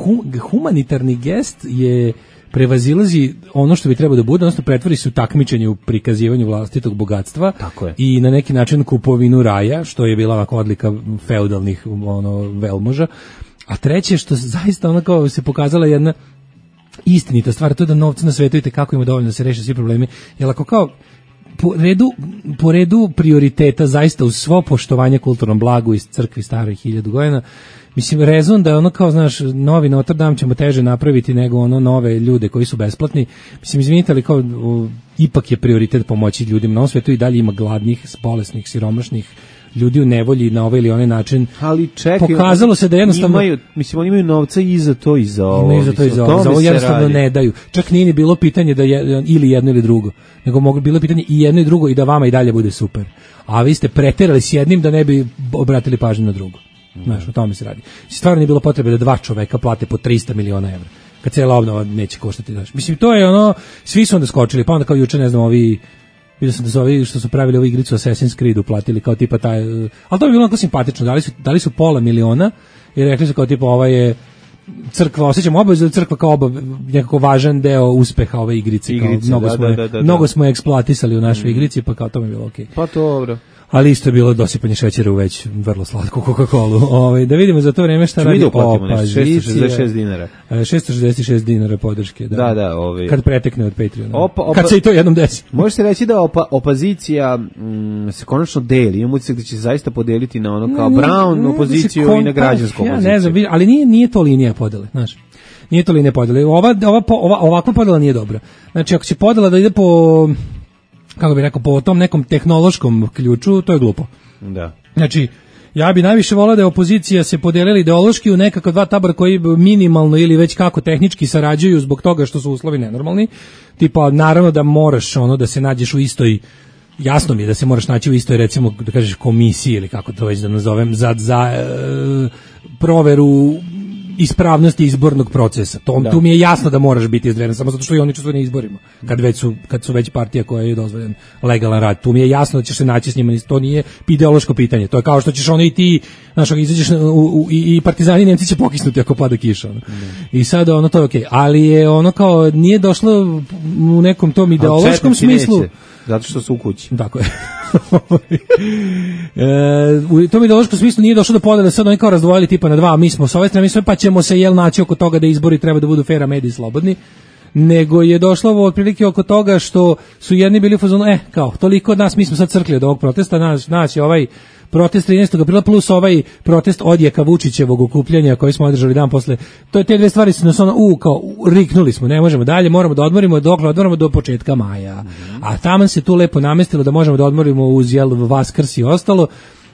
Speaker 5: humanitarni gest je prevazilazi ono što bi trebalo da bude, odnosno pretvori se u takmičenje u prikazivanju vlastitog bogatstva.
Speaker 6: Tako je.
Speaker 5: I na neki način kupovinu raja, što je bila ovako odlika feudalnih velmoža. A treće, što zaista ono kao se pokazala jedna istinita stvar, to je da novca na svetu i kako ima dovoljno da se reše svi problemi. Jer ako kao po redu prioriteta zaista uz svo poštovanje kulturnom blagu iz crkvi starih 1000 godina, mislim, rezon da ono kao, znaš, novi Notre Dame ćemo teže napraviti nego ono nove ljude koji su besplatni. Mislim, izvinite, ali kao ipak je prioritet pomoći ljudima na ovom svetu i dalje ima gladnih, bolesnih, siromašnih ljudi u nevolji na ovaj ili onaj način.
Speaker 6: Ali čekaj,
Speaker 5: pokazalo se da jednostavno
Speaker 6: oni imaju novca i za to i za ovo.
Speaker 5: Imaju za to i za ovo. Za ovo jednostavno ne daju. Čak nije ni bilo pitanje da je ili jedno ili drugo, nego bilo pitanje i jedno i drugo i da vama i dalje bude super. A vi ste preterali s jednim da ne bi obratili pažnju na drugo. Znaš, o tome se radi. Stvarno nije bilo potrebe da dva čoveka plate po 300 miliona evra. Kad cijela obnova neće koštati. Znaš. Mislim, to je ono, svi su onda skočili, pa onda kao juče, ne znam, vidio sam da su ovi što su pravili ovu igricu Assassin's Creed uplatili kao tipa taj, ali to je bilo onako simpatično, dali su $500.000 i rekli su kao tipa ova je crkva, osjećam obavezu da crkva kao nekako važan deo uspeha ove igrice. Mnogo smo eksploatisali u našoj igrici, pa kao to mi je bilo okej.
Speaker 6: Pa to dobro.
Speaker 5: Ali isto je bilo dosipanje šećera u već vrlo slatku Coca-Colu. Da vidimo za to vreme šta radi
Speaker 6: opozicija. $666.
Speaker 5: $666 podrške.
Speaker 6: Da.
Speaker 5: Kad pretekne od Patreona. Kad se i to jednom desi.
Speaker 6: Može se reći da opozicija se konačno deli. Imamo utisak da će se zaista podeliti na ono kao Brown opoziciju i na građansku opoziciju.
Speaker 5: Ja ne znam, ali nije to linija podele, znaš. Nije to linija podele. Ovakva podela nije dobra. Znači, ako će podela da ide po, kako bih rekao, po tom nekom tehnološkom ključu, to je glupo.
Speaker 6: Da.
Speaker 5: Znači, ja bi najviše volao da je opozicija se podelila ideološki u nekako dva tabora koji minimalno ili već kako tehnički sarađuju zbog toga što su uslovi nenormalni. Tipa, naravno da moraš da se nađeš u istoj, jasno mi je da se moraš naći u istoj, recimo, da kažeš komisiji ili kako to već da nazovem, za proveru ispravnosti izbornog procesa. Tu mi je jasno da moraš biti izdvojen, samo zato što i oni učestvuju na izborima. Kad su već partija koja je dozvoljen legalan rad. Tu mi je jasno da ćeš se naći s njima, to nije ideološko pitanje. To je kao što ćeš i ti, znaš, izađeš i partizani Nemci će pokisnuti ako pada kiša. I sad to je okej. Ali je kao nije došlo u nekom tom ideološkom smislu.
Speaker 6: Zato što su u kući.
Speaker 5: Tako je. U tom ideološkom smislu nije došlo do podele, sad oni kao razdvojili tipa na dva, mi smo s ove strane, mi sve, pa ćemo se naći oko toga da izbori treba da budu fair, a mediji slobodni, nego je došlo otprilike oko toga što su jedni bili u fazonu, kao, toliko od nas, mi smo sad crkli od ovog protesta, naš je ovaj protest 13. aprila plus ovaj protest odjeka Vučićevog okupljanja koji smo održali dan posle. To je te dve stvari su nas kao riknuli smo, ne možemo dalje, moramo da odmorimo do početka maja. A taman se tu lepo namestilo da možemo da odmorimo uz Vaskrs i ostalo.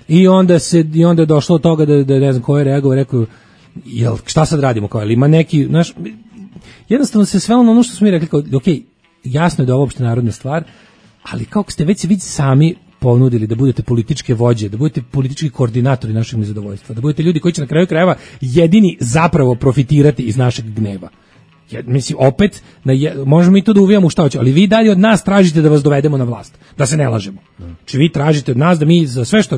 Speaker 5: I onda je došlo od toga da ne znam ko je reagovao, rekao, šta sad radimo, kao, ili ima neki, znaš, jednostavno se sve ono što smo mi rekli, kao, okej, jasno je da je ovo opšte narodna stvar, ali kako ste već sami ponudili da budete političke vođe, da budete politički koordinatori našeg nezadovoljstva, da budete ljudi koji će na kraju krajeva jedini zapravo profitirati iz našeg gneva. Mislim, opet, možemo mi to da uvijamo u šta hoće, ali vi dalje od nas tražite da vas dovedemo na vlast, da se ne lažemo. Znači vi tražite od nas da mi za sve što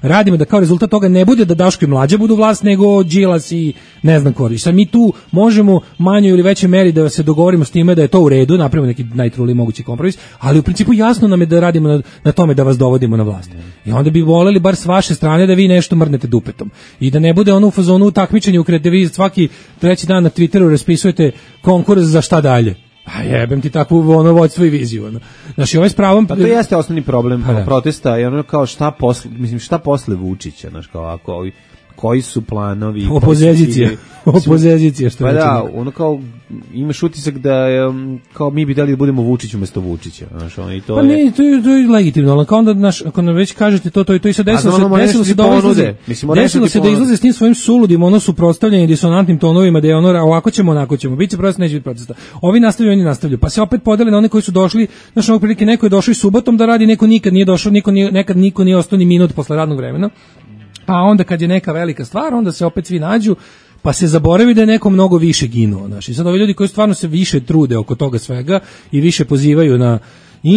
Speaker 5: radimo da kao rezultat toga ne bude da Daško i Mlađa budu vlast, nego Đilas i ne znam ko. Sad mi tu možemo manjoj ili većoj meri da se dogovorimo s time da je to u redu, napravimo neki najtruliji mogući kompromis, ali u principu jasno nam je da radimo na tome da vas dovodimo na vlast. I onda bi voleli bar s vaše strane da vi nešto mrnete dupetom. I da ne bude ono u fazonu takmičenja u kredite, vi svaki treći dan na Twitteru raspisujete konkurs za šta dalje. A jebem ti takvu vođstvo i viziju. Znači, ovaj s pravom...
Speaker 6: Pa to jeste osnovni problem protesta, je ono kao šta posle Vučića, znaš, kao ako koji su planovi... Opozicija, što
Speaker 5: pa
Speaker 6: da, ono kao, imaš utisak da kao mi bi dali da budemo Vučić umesto Vučića, znaš, ono, i to
Speaker 5: pa
Speaker 6: je...
Speaker 5: ne, to je legitimno, ali kao onda, znaš, ako nam već kažete to i sad desilo se da izlaze s tim svojim suludim, ono suprotstavljanje disonantnim tonovima, da je ono, ovako ćemo, onako ćemo, bit će protesta, neće biti protesta. Ovi nastavljaju, oni nastavljaju, pa se opet podele na one koji su došli, znaš, ovog prilike, neko je došao i subotom da radi, neko nikad nije došao, nekad niko nije ostao ni minut posle radnog vremena. A onda kad je neka velika stvar, onda se opet svi nađu, pa se zaboravi da je neko mnogo više ginuo. Znači, sad ovi ljudi koji stvarno se više trude oko toga svega i više pozivaju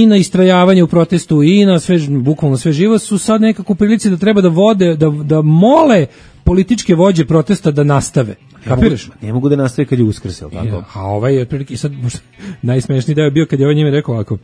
Speaker 5: na istrajavanje u protestu i na sve, bukvalno sve živo, su sad nekako u prilici da treba da vode, da mole političke vođe protesta da nastave. Kapiraš?
Speaker 6: Ne mogu da nastave kad je Uskrs, jel tako?
Speaker 5: A ovaj je otprilike, sad najsmešniji deo je bio kad je ovaj njime rekao ovako.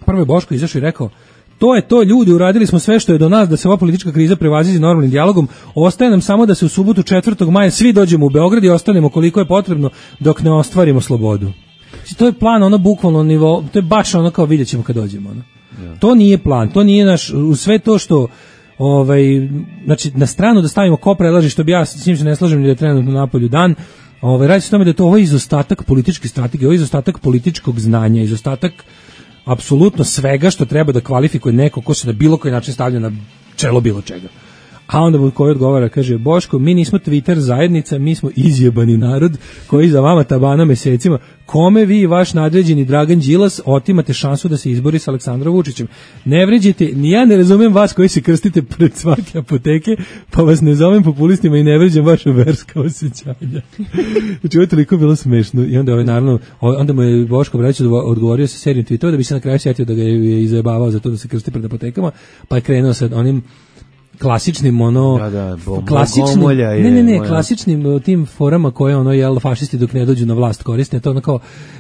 Speaker 5: Prvo je Boško izašao i rekao: to je to, ljudi, uradili smo sve što je do nas da se ova politička kriza prevaziđe normalnim dijalogom. Ostaje nam samo da se u subotu 4. maja svi dođemo u Beograd i ostanemo koliko je potrebno dok ne ostvarimo slobodu. Znači, to je plan, ono bukvalno nivo, to je baš ono kao vidjet ćemo kad dođemo. Ono. Ja. To nije plan, to nije naš, u sve to što, znači na stranu da stavimo ko prelaži, što bi ja s njim se ne slažem ni da je trenutno napolju dan, radi se o tome da je to ovo izostatak političke strategije, ovo izostatak političkog znanja, izostatak apsolutno svega što treba da kvalifikuje neko ko se na bilo koji način stavlja na čelo bilo čega. A onda mu koji odgovara, kaže: Boško, mi nismo Twitter zajednica, mi smo izjebani narod koji za vama tabana mesecima. Kome vi i vaš nadređeni Dragan Đilas otimate šansu da se izbori sa Aleksandrom Vučićem? Ne vređite, ni ja ne razumem vas koji se krstite pred svake apoteke, pa vas ne zovem populistima i ne vređam vaša verska osjećanja. Znači, ovo je toliko bilo smešno. I onda naravno, onda mu je Boško Bradić odgovorio sa serijom tweetova da bi se na kraju sjetio da ga je izajebavao za to da se krsti pred apotekama, pa je krenuo sa onim klasičnim klasičnim tim forama koje fašisti dok ne dođu na vlast koriste, to ono kao: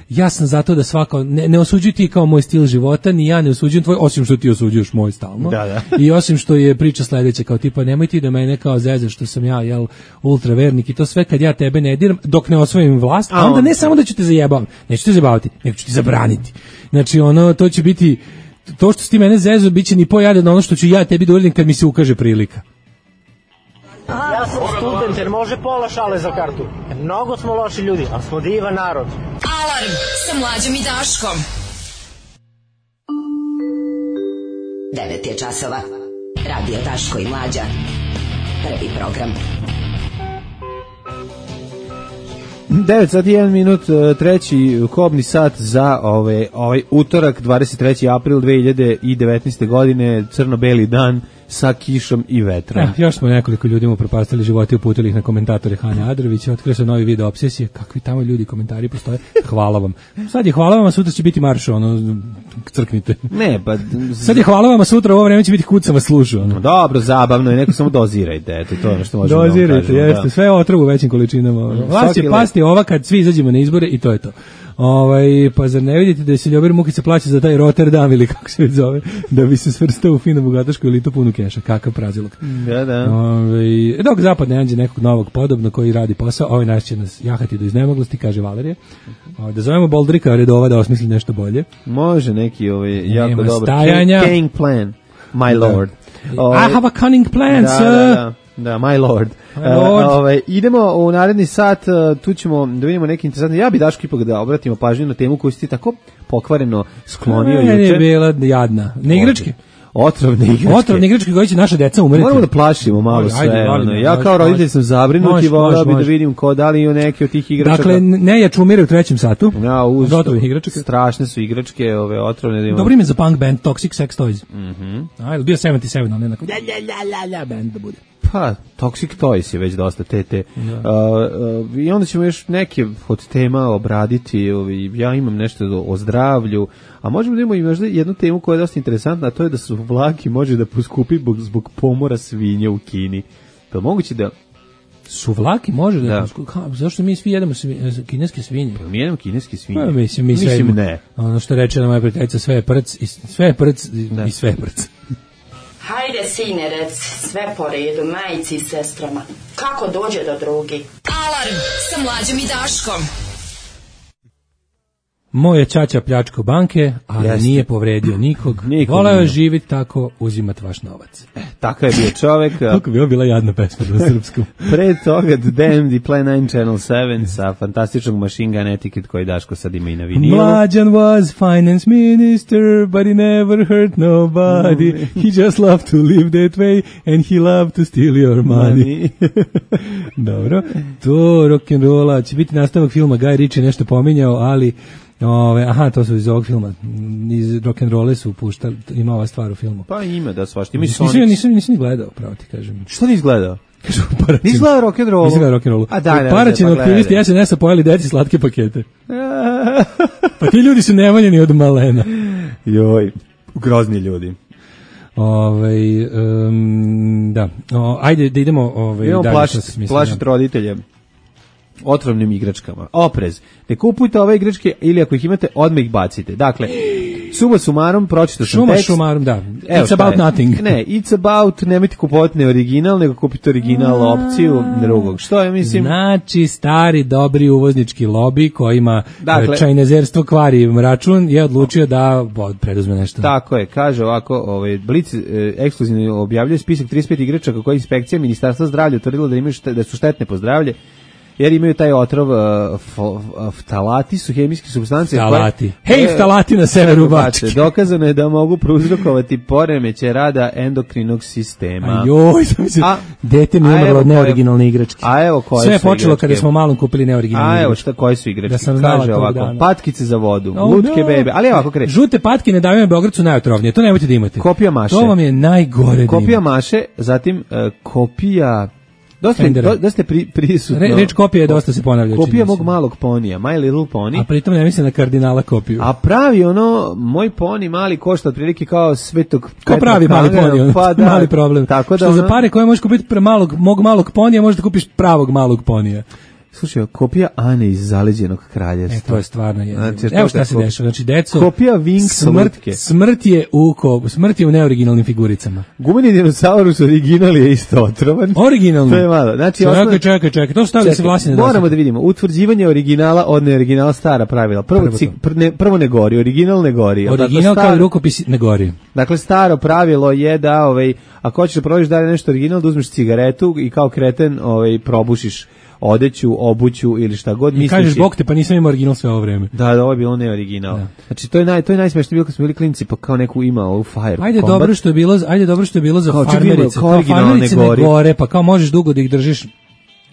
Speaker 5: ja sam zato da svako ne osuđuj ti kao moj stil života, ni ja ne osuđujem tvoj, osim što ti osuđuješ moj stalno. I osim što je priča sledeća kao tipa: nemoj ti da mene kao zezaš što sam ja ultravernik i to sve, kad ja tebe ne diram dok ne osvojim vlast, a onda ne samo da ću te zajebavati, neću te zajebavati, nego ću ti zabraniti. Znači to će biti to što si ti mene zezo, bit će ni pojade na ono što ću ja tebi da uradim kad mi se ukaže prilika.
Speaker 10: Ja sam student jer može pola šale za kartu. Mnogo smo loši ljudi, a smo divan narod.
Speaker 2: Alarm sa Mlađom i Daškom.
Speaker 9: 9 je časova. Radio Daško i Mlađa. Prvi program.
Speaker 6: 9 sati 1 minut, treći kobni sat za ovaj utorak, 23. april 2019. godine, crno-beli dan sa kišom i vetrom.
Speaker 5: Još smo nekoliko ljudima upropastili živote i uputili ih na komentatore Hane Adrovića, otkrio se novi video obsesije, kakvi tamo ljudi komentari postoje, hvala vam. Sad je hvala vam, a sutra će biti marš, crknite.
Speaker 6: Ne, pa...
Speaker 5: Sad je hvala vam, a sutra ovo vreme će biti kucama slušu.
Speaker 6: Dobro, zabavno je, neko samo dozirajte, eto, to je ono što možemo
Speaker 5: dozirajte, da kažemo. Jeste, sve otrov u većim količinama. Vlast će pasti ova kad svi izađemo na izbore i to je to. Pa zar ne vidite da je Ljubomir Mukica plaća za taj Rotterdam ili kako se već zove, da bi se svrstao u fino bogatašku elitu punu keša, kakav prazilog.
Speaker 6: Da.
Speaker 5: Dok zapad ne nađe nekog novog podobno koji radi posao, ovaj naš će nas jahati do iznemoglosti, kaže Valerija. Da zovemo Boldrika Redova da osmisli nešto bolje.
Speaker 6: Može neki jako dobar cunning plan, my lord.
Speaker 5: I have a cunning plan, sir.
Speaker 6: Da, my lord. Idemo u naredni sat, tu ćemo da vidimo neki interesantni. Ja bi Daško ipak da obratimo pažnju na temu koju si ti tako pokvareno sklonio juče.
Speaker 5: Je bila jadna. Ne igračke?
Speaker 6: Otrovne igračke.
Speaker 5: Otrovne igračke koje će naša deca umreti.
Speaker 6: Moramo da plašimo malo sve. Ja kao roditelj sam zabrinut i volao bi da vidim da li je neki od tih igračaka.
Speaker 5: Dakle, nejač umire u 3. satu.
Speaker 6: Ja, otrovnih igračaka. Strašne su igračke, ove otrovne.
Speaker 5: Dobro ime za punk band, Toxic Sex Toys.
Speaker 6: Ajde,
Speaker 5: bio 77, ali nekako band da bude.
Speaker 6: Pa, Toxic Toys je već dosta tete. I onda ćemo još neke od tema obraditi. Ja imam nešto o zdravlju, a možemo da imamo i možda jednu temu koja je dosta interesantna, a to je da su vlaki može da poskupi zbog pomora svinja u Kini. Pa moguće da
Speaker 5: suvlaki može da. Zašto mi svi jedemo kineske svinje?
Speaker 6: Pa mi jedemo kineske svinje.
Speaker 5: Pa, mislim ne. Ono što reče na moja prijateljica, sve je prc i sve je prc i sve je prc.
Speaker 11: Hajde, sine, rec, sve po redu, majici i sestrama. Kako dođe do drugi?
Speaker 2: Alarm sa Mlađom i Daškom.
Speaker 5: Moje ćaća pljačko banke, ali nije povredio nikog. Voleo je živjeti tako, uzimat vaš novac.
Speaker 6: Takav je bio čovek.
Speaker 5: Kako bi ovo bila jadna pesma na srpskom.
Speaker 6: Pre toga Damned i Plan 9 Channel 7 sa fantastičnog Machine Gun Etiquette koji Daško sad ima i na vinilu.
Speaker 5: Mlađan was finance minister, but he never hurt nobody. He just loved to live that way and he loved to steal your money. Dobro, to rock'n'rolla će biti nastavak filma, Guy Ritchie nešto pominjao, ali to su iz ovog filma, iz rock'n'rolle su puštali, ima ova stvar u filmu.
Speaker 6: Pa ima da svašta.
Speaker 5: Nisam ni gledao, pravo ti kažem.
Speaker 6: Što nisi gledao? Nisi gledao rock'n'rollu?
Speaker 5: Nisam gledao rock'n'rollu. Paraćeni aktivisti SNS-a pojeli deci slatke pakete. Pa ti ljudi su nevoljeni od malena.
Speaker 6: Joj, grozni ljudi.
Speaker 5: Da. Ajde da idemo
Speaker 6: idemo plašiti roditelje otrovnim igračkama. Oprez. Ne kupujte ove igračke ili ako ih imate, odmah ih bacite. Dakle, suma sumarom, pročitao sam tekst.
Speaker 5: Suma sumarom, da. It's about nothing.
Speaker 6: Ne, it's about, nemojte kupovati ne original, nego kupite original opciju drugog. Što je, mislim?
Speaker 5: Znači, stari, dobri uvoznički lobby koji ima čajnezerstvo kvari račun je odlučio da preduzme nešto.
Speaker 6: Tako je, kaže ovako, Blic ekskluzivno objavljuje spisak 35 igračaka koje inspekcija Ministarstva zdravlja utvrdila da su štetne po zdravlje, jer imaju taj otrov, ftalati su hemijske supstance.
Speaker 5: Ftalati. Ftalati na severu Bačke.
Speaker 6: Dokazano je da mogu prouzrokovati poremećaj rada endokrinog sistema.
Speaker 5: Dete mi umrlo od neoriginalne igračke.
Speaker 6: A evo koje su
Speaker 5: sve je počelo kada smo malom kupili neoriginalne igračke.
Speaker 6: Koje su igračke? Kaže ovako, patkice za vodu, lutke bebe, ali ovako kreće.
Speaker 5: Žute patke ne daju Beograd su najotrovnije, to nemojte da imate.
Speaker 6: Kopija maše.
Speaker 5: To vam je najgore.
Speaker 6: Kopija maše, zatim kopija... Dosta prisutno.
Speaker 5: Reč kopija je dosta se ponavlja.
Speaker 6: Kopija mog malog ponija, My Little Pony.
Speaker 5: A pritom ne mislim na kardinala kopiju.
Speaker 6: A pravi moj poni mali košta otprilike kao Svetog Petra.
Speaker 5: Ko pravi mali poni,
Speaker 6: pa da,
Speaker 5: mali problem.
Speaker 6: Tako da
Speaker 5: što za pare koje možeš kupiti pre mog malog ponija, možeš da kupiš pravog malog ponija.
Speaker 6: Slušaj, kopija Ane iz Zaleđenog kraljevstva.
Speaker 5: To je stvarno jedno. Evo šta se dešava. Znači, deco,
Speaker 6: kopija Winx lutke.
Speaker 5: Smrt je u neoriginalnim figuricama.
Speaker 6: Gumeni dinosaurus original je isto otrovan.
Speaker 5: Originalni.
Speaker 6: To je malo. Znači,
Speaker 5: čekaj. To stavili da se vlasine.
Speaker 6: Moramo da vidimo. Utvrđivanje originala od neoriginala, stara pravila. Prvo ne gori, original ne gori.
Speaker 5: Original kao i rukopis ne gori.
Speaker 6: Dakle, staro pravilo je da, ako hoćeš da probaviš da je nešto original, da uzmeš cigaretu i kao kreten probušiš odeću, obuću ili šta god misliš.
Speaker 5: I kažeš bok te, pa nisam imao original sve ovo vreme.
Speaker 6: Da, ovo je bilo neoriginal. Da. Znači, to je najsmešnije bilo kad smo bili klinci, pa kao neku imao ovu Fire
Speaker 5: Ajde, dobro što je bilo za farmerice. Kao farmerice ne gore, pa kao možeš dugo da ih držiš.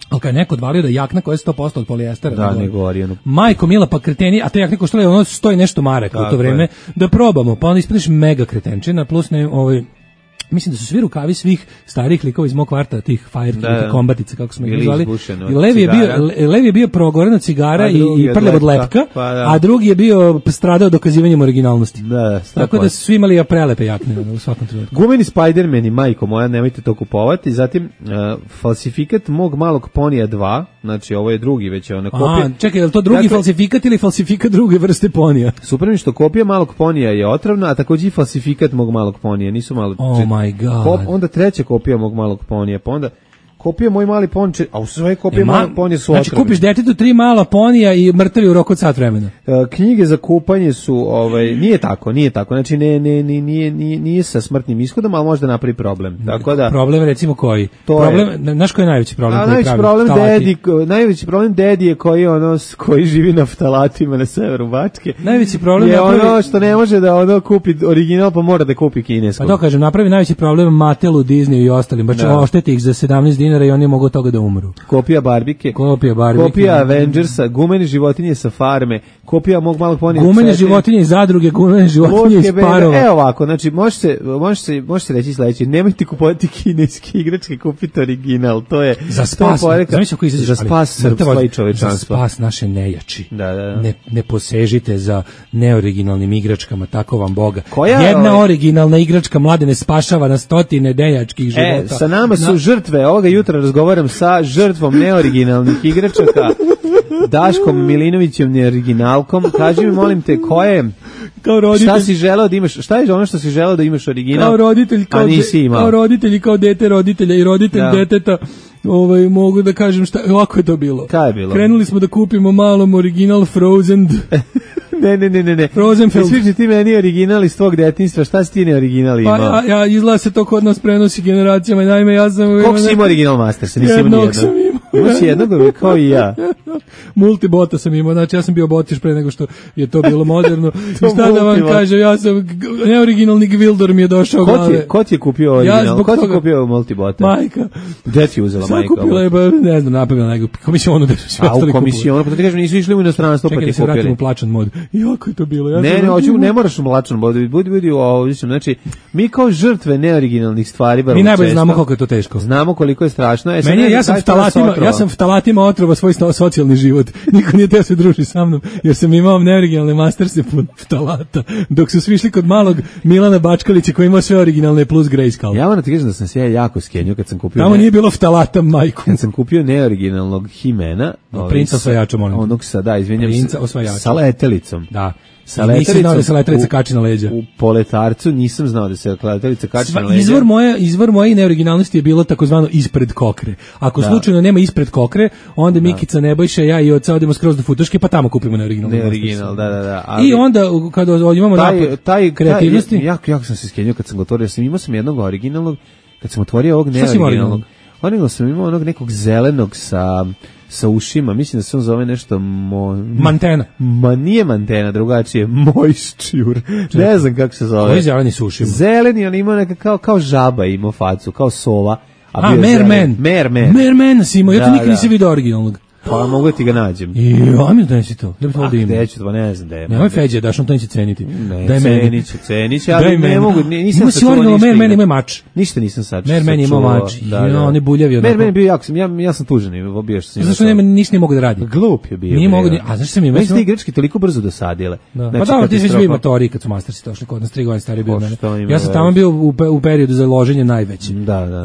Speaker 5: Ali kad je neko odvalio da jakna koja je 100% od polijestera.
Speaker 6: Da, ne gori.
Speaker 5: Majko mila, pa kreteni, a te jakne koštale, stoji nešto maraka u to vreme. Da probamo, pa onda ispadiš mega kretenčina, plus mislim da su svi rukavi svih starih likova iz mog kvarta, tih fire kombatica, kako smo ih zvali. Levi je bio progorena cigara i prljav od lepka, a drugi je bio stradao dokazivanjem originalnosti. Tako da su svi imali prelepe jakne u svakom trenutku.
Speaker 6: Gumeni Spider-Man, majko moja, nemojte to kupovati. Zatim, falsifikat mog malog ponija 2, znači ovo je drugi već ona kopija.
Speaker 5: Čekaj, je li to drugi falsifikat ili falsifikat druge vrste ponija?
Speaker 6: Super mi što kopija malog ponija je otrovna, a također i falsifikat mog malog ponija, nisu malo...
Speaker 5: My God.
Speaker 6: Onda treća kopija mog malog ponija, pa onda kopija Moj mali ponče, a u sve kopije malog ponija su otrovne.
Speaker 5: Znači kupiš detetu 3 mala ponija i mrtavi u roku od sat vremena.
Speaker 6: Knjige za kupanje su, nije tako. Znači nije sa smrtnim ishodom, ali možda napravi problem. Tako da
Speaker 5: problem recimo koji? Znaš koji je najveći problem?
Speaker 6: Najveći problem dedi je koji živi na ftalatima na severu Bačke.
Speaker 5: Najveći problem
Speaker 6: je ono što ne može da kupi original, pa mora da kupi kinesko.
Speaker 5: Pa to kažem, napravi najveći problem Matelu, Disneyu i ostalim. Baš ošteti ih za 17 dinara i oni mogu od toga da umru.
Speaker 6: Kopija Barbike. Kopija Avengersa, gumene životinje sa farme, kopija Mog malog ponija.
Speaker 5: Gumene životinje iz zadruge, gumene životinje iz parova.
Speaker 6: Evo ovako, znači može se reći sledeće, nemojte kupovati kineske igračke, kupite original. To je
Speaker 5: za spas.
Speaker 6: Za spas srpstva i čovečanstva.
Speaker 5: Za spas naše nejači.
Speaker 6: Da.
Speaker 5: Ne posežite za neoriginalnim igračkama, tako vam Boga. Jedna originalna igračka Mladene spašava na stotine nejačkih života.
Speaker 6: Sa nama su žrtve. Ovoga jutra razgovaram sa žrtvom neoriginalnih igračaka, Daškom Milinovićem neoriginalkom. Kaži mi, molim te,
Speaker 5: kao roditelj,
Speaker 6: šta si želeo da imaš? Šta je ono što si želeo da imaš original?
Speaker 5: Kao roditelj, kao roditelj i kao dete roditelja i roditelj deteta. Mogu da kažem ovako je to bilo.
Speaker 6: Kaj je bilo?
Speaker 5: Krenuli smo da kupimo malom original Frozen.
Speaker 6: Ne.
Speaker 5: Frozenfeld.
Speaker 6: Sviđi ti meni original iz tvog detinjstva, šta si ti ne original imao?
Speaker 5: Pa ja izgleda se to kod nas prenosi generacijama, naime ja sam...
Speaker 6: Koliko si imao original Mastersa?
Speaker 5: Jednog sam imao.
Speaker 6: Imaš jednog, kao i ja.
Speaker 5: Multibota sam imao, znači ja sam bio botiš pre nego što je to bilo moderno. I šta da vam kažem, ja sam, neoriginalni Gvildor mi je došao glave.
Speaker 6: Ko ti je kupio original? Ko ti je kupio multibota?
Speaker 5: Majka.
Speaker 6: Gde ti je uzela majka?
Speaker 5: Sve kupila je, ne znam, napravila nego komisijonu.
Speaker 6: A u komisijonu, pa ti kažem, nisu išli u inostranstvo, pa ti kupili.
Speaker 5: Čekaj da se vratim u plačan mod. Jako je to bilo.
Speaker 6: Ne moraš u mlačan mod, budi ovdje, znači, mi kao žrtve neoriginalnih stvari,
Speaker 5: mi najbolje znamo koliko je to teško.
Speaker 6: Znamo koliko je strašno.
Speaker 5: Ja sam ftalatima otrova svoj socijalni život. Niko nije teo se druži sa mnom, jer sam imao neoriginalne masterse pod ftalata, dok su svi išli kod malog Milana Bačkalića koji ima sve originalne plus grayscale.
Speaker 6: Ja moram ti kažem da sam se jako skenio kad sam kupio...
Speaker 5: Tamo nije bilo ftalata, majku.
Speaker 6: Kad sam kupio neoriginalnog Himena...
Speaker 5: Princa osvajača, molim.
Speaker 6: Onog izvinjam
Speaker 5: Princa osvajača.
Speaker 6: Sa letelicom.
Speaker 5: Da. Nisam znao da se letelica kači na leđa.
Speaker 6: U Poletarcu nisam znao da se letelica kači na leđa.
Speaker 5: Izvor moje neoriginalnosti je bilo takozvano ispred kokre. Ako slučajno nema ispred kokre, onda Mikica, Nebojša, ja i oca odemo skroz do Futoške, pa tamo kupimo
Speaker 6: neoriginal. Da.
Speaker 5: Ali, i onda, kada imamo napad kreativnosti...
Speaker 6: Jako sam se skenio kad sam ga otvorio. Imao sam jednog originalnog, kad sam otvorio ovog neoriginalnog. Original sam imao onog nekog zelenog sa ušima, mislim da se on zove nešto
Speaker 5: Mantena.
Speaker 6: Ma nije Mantena, drugačije, Moisture. Ne znam kako se zove.
Speaker 5: Koji zeleni sa ušima?
Speaker 6: Zeleni, on ima neka kao žaba imao facu, kao sova.
Speaker 5: Merman si imao, ja to nikad nisam vidio originalnog.
Speaker 6: Pa mogu da ti ga nađem.
Speaker 5: Ajme da nisi to.
Speaker 6: Neću, pa ne znam da je.
Speaker 5: Nemoj Feđe, daš on to neće ceniti.
Speaker 6: Daj meni. Ceniće, ali ne mogu, nisam
Speaker 5: sačuvao ništa. Merman ima mač.
Speaker 6: Ništa nisam sačuvao.
Speaker 5: Merman ima mač. On je buljavi.
Speaker 6: Merman je bio jako, ja sam tužan, bio što sam.
Speaker 5: Zašto ništa ne mogu da radi?
Speaker 6: Glup je bio.
Speaker 5: Nije mogu, a zašto sam imao?
Speaker 6: Meni ste igračke toliko brzo dosadile.
Speaker 5: Pa da, ti si bio motori kad su Mastersi došli kod nas 3 godine stari bio mene. Ja sam tamo bio u periodu za loženje najveći.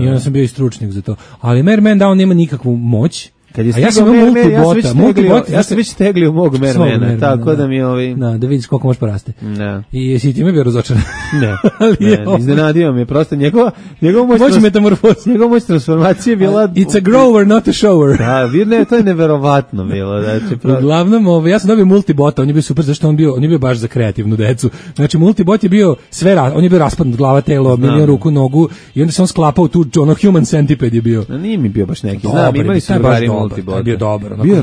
Speaker 5: I onda sam bio i stručnjak za to. Ali Merman da on nema nikakvu moć.
Speaker 6: A ja sam multibota, ja sam već teglio mog Mermana, tako da mi
Speaker 5: da vidiš koliko može poraste.
Speaker 6: Da.
Speaker 5: I jesi ti me bio razočaran?
Speaker 6: Ne, iznenadio me, prosto njegova moć transformacije je bila...
Speaker 5: It's a grower, not a shower.
Speaker 6: Da, to je neverovatno bilo.
Speaker 5: Uglavnom, ja sam dobio multibota, on je bio super, zašto on je bio baš za kreativnu decu. Znači, multibot je bio on je bio raspadnut, glava, telo, milion ruku, nogu, i onda se on sklapao tu, human centipede je bio.
Speaker 6: Nije mi bio baš neki, znam, imali su drugari multibot.
Speaker 5: Bio dobar.
Speaker 6: Bio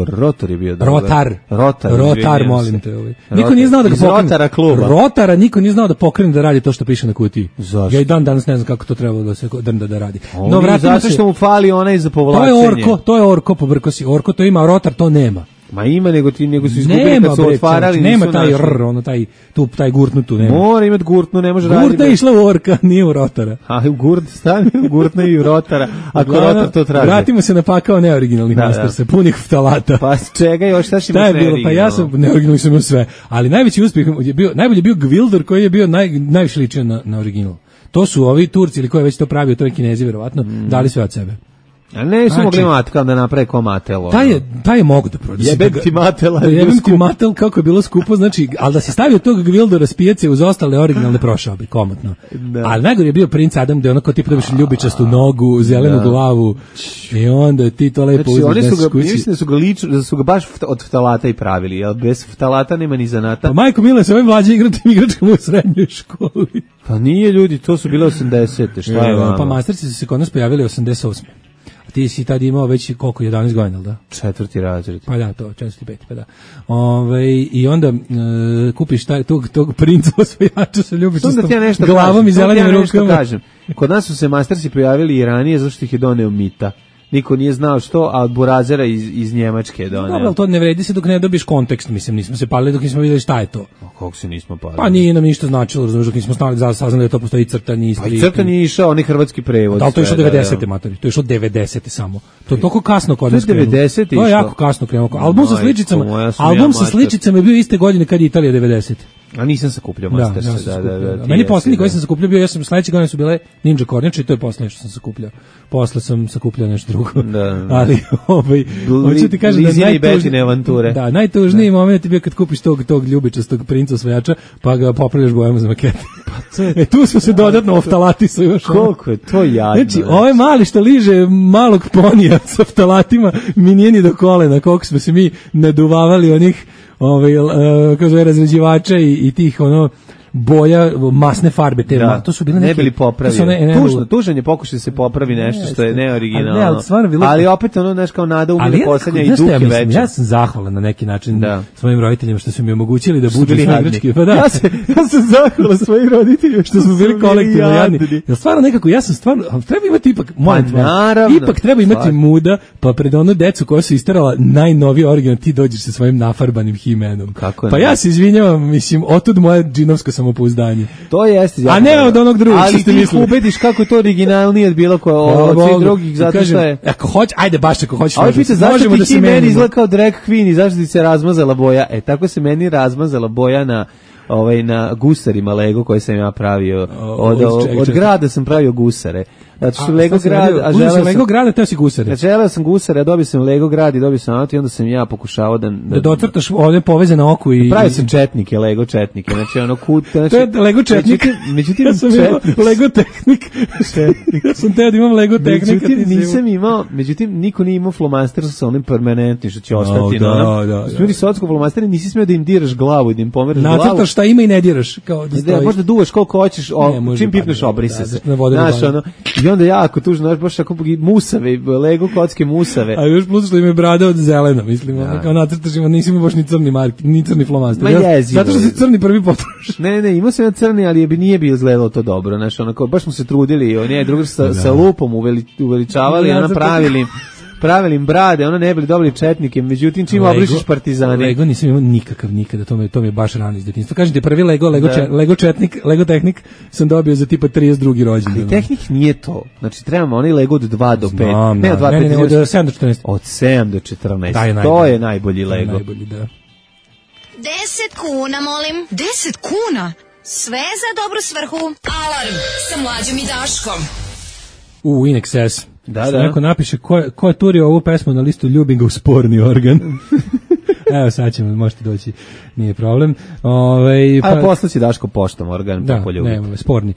Speaker 6: rotor je bio dobar.
Speaker 5: Rotar, molim te. Niko nije znao da ga pokrene.
Speaker 6: Rotara kluba.
Speaker 5: Rotara niko nije znao da pokrene da radi to što piše na kutiji.
Speaker 6: Zašto?
Speaker 5: Ja i danas ne znam kako to trebalo da se drnda da radi.
Speaker 6: No, zato što mu fali onaj za povlačenje.
Speaker 5: To je orko, pobrko si. Orko to ima, rotar to nema.
Speaker 6: Ma ima, nego su izgubili kad su otvarali.
Speaker 5: Nema taj gurtnutu nema.
Speaker 6: Mora imati gurtnu, ne može raditi.
Speaker 5: Gurtna je išla u orka, nije u rotara.
Speaker 6: A gurtna i u rotara, ako rotar to traži.
Speaker 5: Vratimo se na pakao neoriginalnih Mastersa, punih ftalata.
Speaker 6: Pa čega još, šta si imaš neoriginalno?
Speaker 5: Pa ja sam neoriginalni sam imao sve, ali najveći uspjeh je bio, najbolji je bio Gvildor koji je bio najviše ličio na original. To su ovi Turci ili ko je već to pravio, to je Kinezi verovatno, dali sve od sebe.
Speaker 6: A ne su mogli Matel da naprave ko Matel.
Speaker 5: Taj je mogu da prođe.
Speaker 6: Jebem ti Matela.
Speaker 5: Jebem ti Matel kako je bilo skupo, znači, ali da se stavio tog Gvildora s pijace uz ostale originalne prošao bi, komotno. Ali najgore je bio princ Adam, gde onako ti dobiš ljubičastu nogu, zelenu glavu i onda ti to lepo uzmeš.
Speaker 6: Mislim da su ga baš od ftalata i pravili, jer bez ftalata nema ni zanata.
Speaker 5: Pa majko mile, se ovaj mlađi igračkama u srednjoj školi.
Speaker 6: Pa nije ljudi, to su bile 80. Šta je vama?
Speaker 5: Pa masterci su se kod nas pojavili 88. A ti si tad imao već koliko, 11 godina, da?
Speaker 6: 4. razred.
Speaker 5: Pa da, to, 4. 5. Pa da. I onda kupiš tog princa osvajača sa ljubičastom glavom i zelenim rukama.
Speaker 6: Kod nas su se masterci pojavili i ranije, zašto ih je doneo Mita. Niko nije znao što, a od Burazera iz Njemačke doneo.
Speaker 5: Dobro, to ne vredi se dok ne dobiš kontekst, mislim, nismo se palili dok nismo vidjeli šta je to.
Speaker 6: A kako se nismo palili?
Speaker 5: Pa nije nam ništa značilo, razumiješ, dok nismo saznali da to postoji crtani Istri.
Speaker 6: Pa i crtani je išao, onaj hrvatski prevod.
Speaker 5: Da, to je išlo 90. matori, to je išlo 90. samo. To je toliko kasno kod nas
Speaker 6: krenulo. 90.
Speaker 5: To je jako kasno krenulo. Album sa sličicama je bio iste godine kad je Italija 90.
Speaker 6: A nisam sakupljao Mastersa, da.
Speaker 5: Meni poslednji koji sam sakupljao bio, ja sam sledeće godine su bile Ninja kornjače i to je poslednje što sam sakupljao. Posle sam sakupljao nešto drugo.
Speaker 6: Da.
Speaker 5: Ali hoću ti kažem da najtužniji moment je bio kad kupiš tog ljubičastog princa osvajača, pa ga popravljaš bojama za makete. Pa tu smo se dodatno oftalatisao još.
Speaker 6: Koliko je to jadno.
Speaker 5: Znači, ovaj mali što liže malog ponija sa oftalatima mi nije ni do kolena, koliko smo se mi naduvavali onih razređivača i tih boja, masne farbe,
Speaker 6: to su bile neke... Ne bili popravili. Tužan je pokušaj da se popravi nešto što je neoriginalno. Ali opet znaš, kao nada umire poslednja i duh je veća.
Speaker 5: Ja sam zahvalan na neki način svojim roditeljima što su mi omogućili da budu igrački. Pa
Speaker 6: ja sam zahvalan svojim roditeljima
Speaker 5: što smo bili kolektivno jadni. Jer stvarno nekako, ja sam stvarno, treba imati ipak treba imati muda, pa pred onu decu koja su istarala najnoviji original, ti dođeš sa svojim nafarbanim He-Manom. Pa ja se izvinjavam, mislim, otud moje džinovsko samopouzdanje.
Speaker 6: To jeste.
Speaker 5: A ne od onog drugog što ste mislili.
Speaker 6: Ali ti ubediš kako to originalnije od bilo od svih drugih, zato što je...
Speaker 5: Ako hoćeš, ajde baš ako hoćeš.
Speaker 6: Ali pita, zašto ti He-Man izgleda kao drag queen i zašto ti se razmazala boja? Tako se meni razmazala boja na gusarima Lego koje sam ja pravio. Od grada sam pravio gusare. Zato što Lego grad, a
Speaker 5: Lego grada, teo si gusare.
Speaker 6: Želeo sam gusare, dobio sam Lego grad i dobio sam auto i onda sam ja pokušavao da
Speaker 5: docrtaš ovdje poveze na oku i
Speaker 6: pravio sam četnike, Lego četnike. Znači ono
Speaker 5: to je Lego četnik.
Speaker 6: Međutim
Speaker 5: ja sam imao Lego tehnik. Ja sam teo da imam Lego tehnik.
Speaker 6: Nisam imao, međutim niko nije imao flomaster sa onim permanentnim što će ostati. Smiri socko flomasteri, nisi smeo da im diraš glavu i da im pomeraš glavu.
Speaker 5: Nacrtaš šta ima i ne diraš.
Speaker 6: Možda duvaš koliko hoćeš, čim pipneš obrise se. Znaš ono, i onda jako tužno, baš ako musave, Lego kocke musave.
Speaker 5: A još plus što im je brada od zelena, mislim, kao nacrtaš ima, nisi imao baš ni crni marki, ni crni flomaster. Zato što si crni prvi potroš.
Speaker 6: Ne, imao sam ja crni, ali nije bio izgledalo to dobro, znaš, onako, baš smo se trudili, oni je drugi sa lupom uveličavali, pravili im brade, ono ne bili dobili četnike, međutim čim obrišeš Partizani.
Speaker 5: Lego nisam imao nikakav nikada, to mi je baš rano iz detinjstva. Kažem ti, prvi Lego četnik, Lego tehnik sam dobio za tipa 32. rođendan.
Speaker 6: Ali tehnik nije to. Znači trebamo onaj Lego od 2 do 5.
Speaker 5: Ne, od 7 do 14.
Speaker 6: Od 7 do 14. To je najbolji Lego.
Speaker 5: Najbolji, da.
Speaker 12: 10 kuna, molim. 10 kuna? Sve za dobru svrhu. Alarm sa Mlađom i Daškom.
Speaker 5: In excess.
Speaker 6: Da.
Speaker 5: Neko napiše ko je turio ovu pesmu na listu ljubim ga u sporni organ. Evo sad ćemo, možete doći, nije problem.
Speaker 6: Poslaći Daško poštom organ, pa poljubiti.
Speaker 5: Ne, sporni.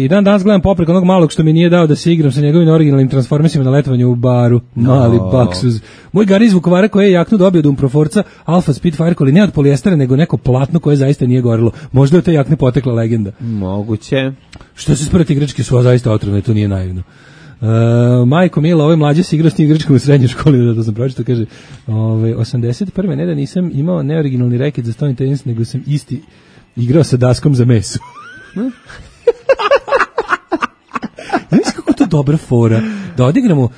Speaker 5: I danas gledam poprek onog malog što mi nije dao da se igram sa njegovim originalnim transformisima na letovanju u baru. Mali baksuz. Moj gari iz Vukovara koji je jaknu dobio od Umproforca Alfa Spitfire, ali ne od polijestera, nego neko platno koje zaista nije gorilo. Možda je to jakne potekla legenda.
Speaker 6: Moguće.
Speaker 5: Što se sprati igračke su zaista otrovne, to nije naivno. Majko Mila, ovaj mlađe se igrao s njim igračkom u srednjoj školi, da to sam pročitao, kaže 81. ne da nisam imao neoriginalni reket za stolni tenis, nego sam isti igrao sa daskom za meso. Znaš kako to dobra fora da odigramo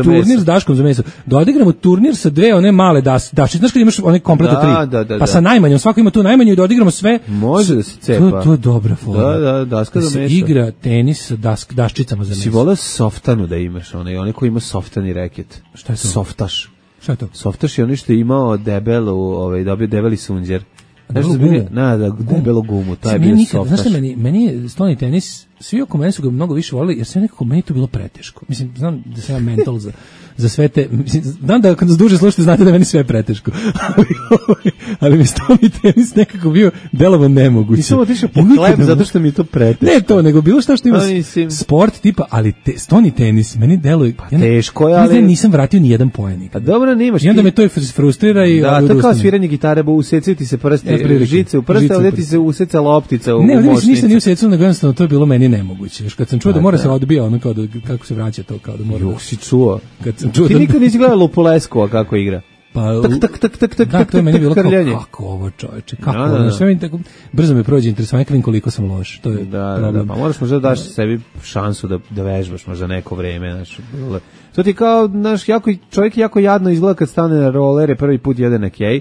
Speaker 5: turnir s daškom za meso, da odigramo turnir sa dve one male daščice, znaš kad imaš one kompleta 3, pa sa najmanjom, svako ima tu najmanju i da odigramo sve.
Speaker 6: Može da se cepa.
Speaker 5: To je dobra fora.
Speaker 6: Da, daska za meso.
Speaker 5: Se igra tenis sa daščicama za meso.
Speaker 6: Si voleo softanu da imaš, onaj koji ima softani reket.
Speaker 5: Šta je to?
Speaker 6: Softaš.
Speaker 5: Šta je to?
Speaker 6: Softaš je onaj što je imao dobio debeli sunđer. Debelo gumu, taj je bio softaš.
Speaker 5: Znaš što meni je stolni tenis svi oko mene su ga mnogo više volili, jer sve nekako meni to bilo preteško. Mislim, znam da sam ja mental za sve te, mislim, znam da kad nas duže slušate znate da meni sve preteško, ali mi stoni tenis nekako bio delovan nemoguće.
Speaker 6: Nisam otišao po hleb zato što mi je to preteško.
Speaker 5: Ne to, nego bilo šta što ima sport tipa, ali stoni tenis, meni deluje,
Speaker 6: pa teško je, ali
Speaker 5: nisam vratio ni jedan poen.
Speaker 6: Pa dobro, nemaš.
Speaker 5: I onda me to frustrira i
Speaker 6: da, to kao sviranje gitare, bo usecaju ti se prste, žice u prste, ovdje ti se useca loptica u močnici.
Speaker 5: Ne, ništa nije usecalo, nego jednostavno to je bilo meni nemoguće. Još kad sam čuo da mora se odbija, ono kao da, kako se vraća to, kao da mora.
Speaker 6: Juh, si čuo. Ti nikad nisi gledao Lupuleskova kako igra?
Speaker 5: Pa, da, to je meni bilo kao, kako ovo čoveče, kako ovo, sve mi tako, brzo me prođe interesovanje, kad vidim koliko sam loš, to je problem.
Speaker 6: Pa moraš možda daš sebi šansu da vežbaš možda neko vreme, znaš, to ti kao, znaš, čovjek jako jadno izgleda kad stane na rolere, prvi put jede na kej,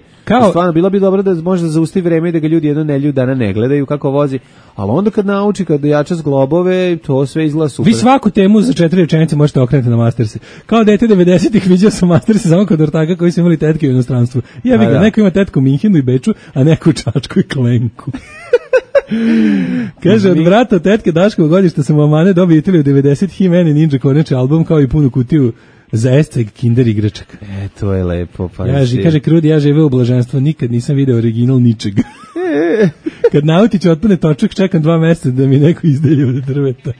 Speaker 6: stvarno, bilo bi dobro da može da zaustavi vreme i da ga ljudi jedno nedelju dana ne gledaju kako vozi, ali onda kad nauči, kad dojača zglobove, to sve izgleda super.
Speaker 5: Vi svaku temu za 4 rečenice možete okrenuti na Masterse. Kao dete 90-ih vidio sam Masterse samo kod ortaka koji su imali tetke u inostranstvu. Ja bih ga, neko ima tetku u Minhenu i Beču, a neko u Čačku i Klenku. Kaže, od vrata tetke Daškovog godišta sam u Amane dobio Italiju 90 He-Man i Ninja Korneče album kao i punu kutiju za Estveg Kinder igračaka.
Speaker 6: To je lepo. Pa
Speaker 5: kaže Krudi, ja žive u blaženstvu, nikad nisam video original ničega. Kad Nautić otpane točak, čekam 2 mjeseca da mi neko izdelje od drveta.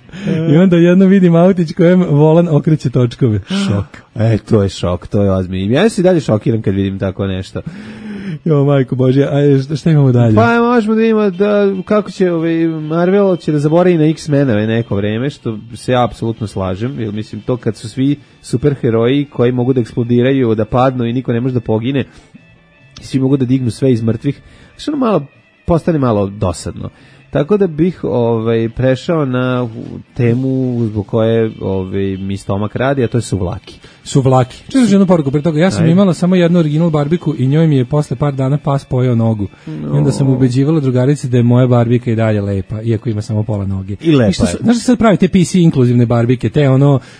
Speaker 5: I onda jedno vidim Autić kojem volan okreće točkove. Šok.
Speaker 6: To je šok, to je ozbiljno. Ja se dalje šokiram kad vidim tako nešto.
Speaker 5: Jo, majko Božje, a šta imamo dalje?
Speaker 6: Pa možemo da imamo kako će Marvel će da zaboravi na X-menove neko vreme, što se ja apsolutno slažem, jer mislim to kad su svi superheroji koji mogu da eksplodiraju, da padnu i niko ne može da pogine, svi mogu da dignu sve iz mrtvih, što malo postane malo dosadno. Tako da bih prešao na temu zbog koje mi stomak radi, a to je suvlaki.
Speaker 5: Suvlaki. Čuo jednu poruku pre toga. Ja sam imala samo jednu original barbiku i njoj mi je posle par dana pas pojeo nogu. I onda sam ubeđivala drugarici da je moja barbika i dalje lepa, iako ima samo pola noge.
Speaker 6: I lepa je.
Speaker 5: Znaš sad pravi te PC inkluzivne barbike, te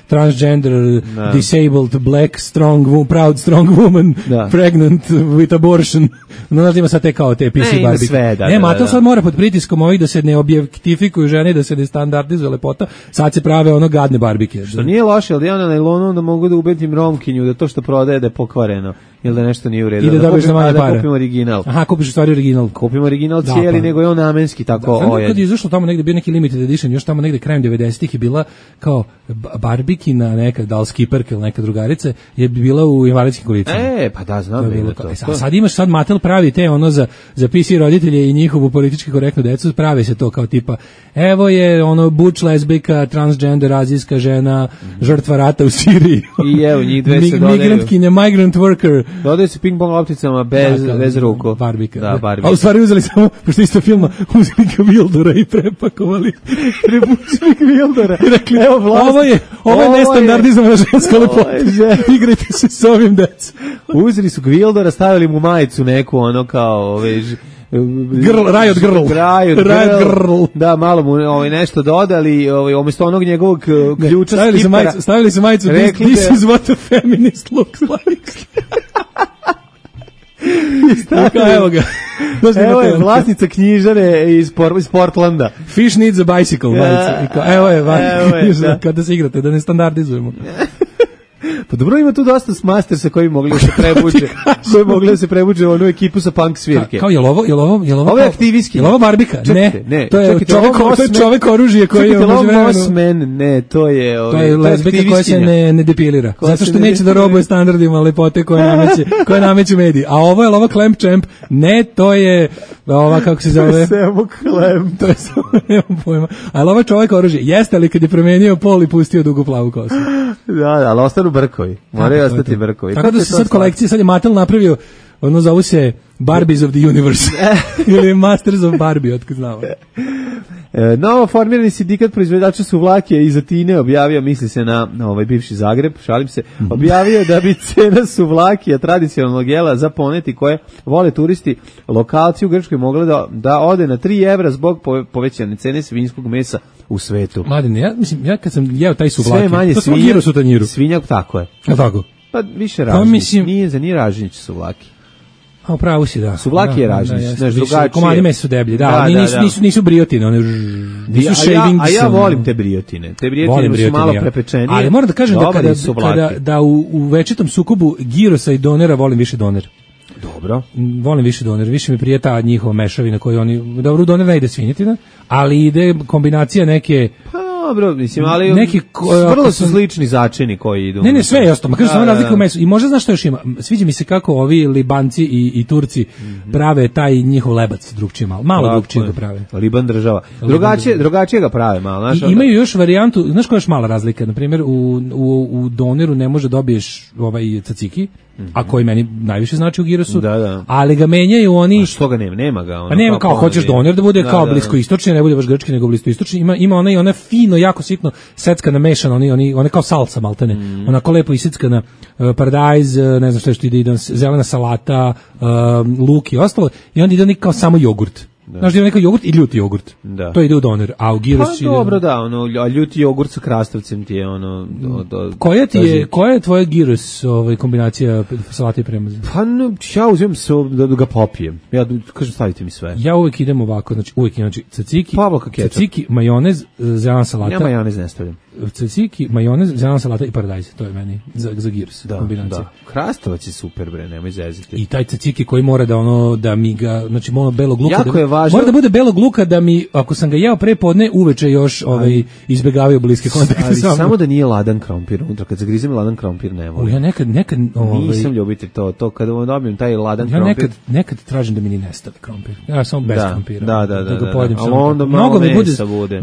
Speaker 5: transgender, disabled, black, strong, proud, strong woman, pregnant with abortion. Znaš ima sad te kao te PC barbike. Nema, to sad mora pod pritiskom ovih da se ne objektifikuju žene, da se ne standardizuje lepota, sad se prave gadne barbike.
Speaker 6: Što nije loše, ali ja na nailonu da mogu da ubedim romkinju da to što prodaje da je pokvareno, ili da nešto nije u redu.
Speaker 5: I da dobiješ na manje para.
Speaker 6: Da kupim original.
Speaker 5: Aha, kupiš u stvari original.
Speaker 6: Kupim original cijeli, nego je on namenski tako
Speaker 5: ojen. Kad je izašlo tamo negde bio neki limited edition, još tamo negde krajem 90-ih je bila kao barbikina neka, da li skiperka ili neka drugarica, je bila u invalidskim kolicama.
Speaker 6: Pa da, znam bilo to.
Speaker 5: Sad imaš, sad Mattel pravi te za PC roditelje i njihovu politički korektnu decu, pravi se to kao tipa, evo je butch lesbika, transgender, azijska žena, žrtva rata u Siriji.
Speaker 6: I evo, njih dve se dodaju.
Speaker 5: Migrantkinja, migrant worker.
Speaker 6: Dodaju se ping-pong lopticama bez ruku.
Speaker 5: Barbika.
Speaker 6: Da, barbika.
Speaker 5: A u stvari uzeli samo, pošto isto filma, uzeli Gvildora i prepakovali.
Speaker 6: Prebučili Gvildora.
Speaker 5: Rekli, ovo je nestandardizovana ženska lepota. Igrajte se s ovim decom.
Speaker 6: Uzeli su Gvildora, stavili mu majicu neku, kao,
Speaker 5: Riot Girl.
Speaker 6: Da, malo mu nešto dodali, umjesto onog njegovog ključa skipera.
Speaker 5: Stavili su majicu, this is what a feminist looks like. Evo ga.
Speaker 6: Evo je vlasnica knjižare iz Portlanda.
Speaker 5: Fish needs a bicycle. Evo je, kada se igrate, da ne standardizujemo.
Speaker 6: Pa dobro, ima tu dosta Mastersa koji mogli da se prebuđe. Koji mogli da se prebuđe u onu ekipu sa punk svirke.
Speaker 5: Kao, je li ovo
Speaker 6: je aktivistki.
Speaker 5: Je li ovo barbika? Ne. To je čovek oružje koji je
Speaker 6: Ne, to je
Speaker 5: lesbika koja se ne depilira. Zato što neće da robuje standardima lepote koje nameću mediji. A ovo je ova Clamp Champ. Ne, to je ova, kako se zove?
Speaker 6: Samo Clamp.
Speaker 5: To je samo, nemam pojma. A je ova čovek oružje? Jeste li kad je promenio pol i pustio dugu plavu kosu?
Speaker 6: Da, ali ostanu brkovi. Moraju ostati brkovi.
Speaker 5: Tako da se sad kolekcije, sad je Mattel napravio, zovu se Barbies of the Universe. Ili Masters of Barbie, otkud znamo.
Speaker 6: Novo formirani sindikat proizvođača suvlake iz Atine objavio, misli se na bivši Zagreb, šalim se, objavio da bi cena suvlakija tradicionalnog jela za poneti koje vole turisti lokalci u Grčkoj mogla da ode na 3 evra zbog povećane cene svinjskog mesa u svetu.
Speaker 5: Mladine, ja kad sam jeo taj suvlaki, to sam giro su tanjiru.
Speaker 6: Svinjak, tako je.
Speaker 5: A tako?
Speaker 6: Pa više ražnjić, nije ražnjić suvlaki.
Speaker 5: A upravo si, da.
Speaker 6: Suvlaki je ražnjiš, znaš, drugačije.
Speaker 5: Komadi mesa su deblji, da, nisu briotine, one nisu shavings.
Speaker 6: A ja volim te briotine. Te briotine su malo prepečenije.
Speaker 5: Ali moram da kažem da u večitom sukobu girosa i donera volim više doner.
Speaker 6: Dobro.
Speaker 5: Volim više doner, više mi prije ta njihova mešavina koju oni, dobro, u doner ne ide svinjetina, ali ide kombinacija neke...
Speaker 6: Dobro, mislim, ali neki vrlo su slični začini koji idu.
Speaker 5: Ne, sve je isto, ma kažem samo razlika u mesu. I možda znaš što još ima? Sviđa mi se kako ovi Libanci i Turci prave taj njihov lebac drugčije malo drugčije ga prave.
Speaker 6: Liban država. Drugačije ga prave malo, znaš.
Speaker 5: Imaju još varijantu, znaš koja je još mala razlika? Na primjer, u doneru ne može dobiješ ovaj tzatziki, a koji meni najviše znači u girosu, ali ga menjaju oni...
Speaker 6: A što ga nema ga?
Speaker 5: Pa nema, kao hoćeš doner da bude kao bliskoistočni, ne bude baš grčki, nego bliskoistočni, ima ona fino, jako sitno seckana mešana, one kao salsa maltene, onako lepo isickana, paradajz, ne znam što ide, zelena salata, luk i ostalo, i onda ide oni kao samo jogurt. Znaš da ima neki jogurt i ljuti jogurt. Da. To ide u doner, a u giros
Speaker 6: ide... Pa dobro, da, a ljuti jogurt sa krastavcem ti je ono...
Speaker 5: Koja je tvoja giros kombinacija salata i premaza?
Speaker 6: Pa ja uzimam se da ga popijem. Ja kažem stavite mi sve.
Speaker 5: Ja uvek idem ovako, znači tzatziki, majonez, zelena salata.
Speaker 6: Ja majonez ne stavljam.
Speaker 5: Tzatziki, majonez, zelena salata i paradajz. To je meni za giros kombinacija.
Speaker 6: Da. Krastavac je super, bre, nemoj zeziti.
Speaker 5: I taj tzatziki koji mora da mi ga, znači belog luka.
Speaker 6: Jako je važno.
Speaker 5: Mora da bude belog luka da mi, ako sam ga jeo pre podne, uveče još izbegavaju bliske kontakte.
Speaker 6: Ali samo da nije ladan krompir unutra. Kad zagrizem ladan krompir ne volim.
Speaker 5: Ja nekad
Speaker 6: nisam ljubitelj to kada dobijem taj ladan krompir.
Speaker 5: Ja nekad tražim da mi ni nestane krompir. Ja samo bez krompira.
Speaker 6: Da.
Speaker 5: ga pojedem.
Speaker 6: Ali onda mnogo mesa bude.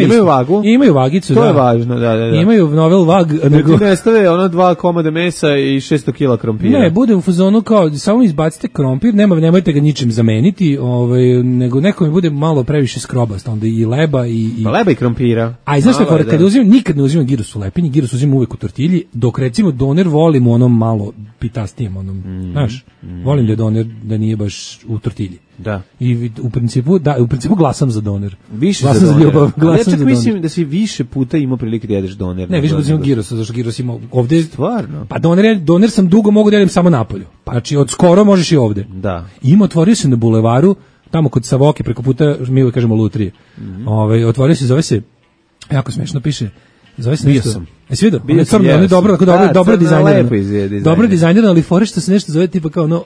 Speaker 5: Imaju
Speaker 6: vagu.
Speaker 5: Imaju vagicu,
Speaker 6: to je važno, da.
Speaker 5: Imaju novel vag.
Speaker 6: Nego ne stave 2 komada mesa i 600 kg krompira.
Speaker 5: Ne, bude u fazonu kao samo izbacite krompir, nemojte ga ničim zameniti, nego neko mi bude malo previše skrobast, onda i leba i
Speaker 6: leba i krompira.
Speaker 5: A znaš šta, kada uzimam, nikad ne uzimam giros u lepinji, giros uzimam uvek u tortilji, dok recimo doner volim u onom malo pitastijem, znaš, volim da doner da nije baš u tortilji.
Speaker 6: Da.
Speaker 5: I u principu glasam za doner.
Speaker 6: Više glasam za ljubav, ja čak mislim da si više puta imao prilike da jedeš doner.
Speaker 5: Ne, više puta imam girosa, zašto giros ima ovde.
Speaker 6: Stvarno?
Speaker 5: Pa doner sam dugo mogu da jedem samo napolju. Znači od skoro možeš i ovde.
Speaker 6: Da.
Speaker 5: Ima, otvorio se na bulevaru, tamo kod Savoke, preko puta, mi uvijek kažemo Lutrije. Otvorio se, zove se, jako smešno piše, zove se nešto. Jesi vidio? On je crno, on je dobro dizajniran. Dobro dizajniran, ali fore što se nešto zove tipa kao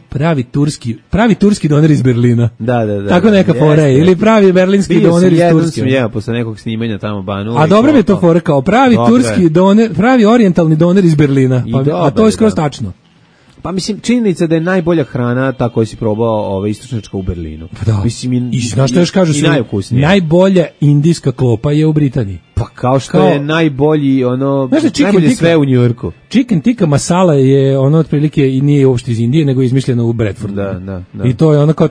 Speaker 5: pravi turski doner iz Berlina.
Speaker 6: Da.
Speaker 5: Tako neka fora je, ili pravi berlinski doner iz Turske.
Speaker 6: Bio sam posle nekog snimanja tamo Banu.
Speaker 5: A dobro mi je to fora kao pravi turski doner, pravi orijentalni doner iz Berlina. A to je skroz tačno.
Speaker 6: Pa mislim, činjenica da je najbolja hrana ta koju si probao istočnjačka u Berlinu.
Speaker 5: Da.
Speaker 6: Mislim,
Speaker 5: i znaš što još kažu, najbolja indijska klopa je u Britaniji.
Speaker 6: Pa kao što je najbolji najbolje sve u Njujorku.
Speaker 5: Chicken tikka masala je otprilike i nije uopšte iz Indije, nego je izmišljeno u Bradfordu.
Speaker 6: Da.
Speaker 5: I to je kao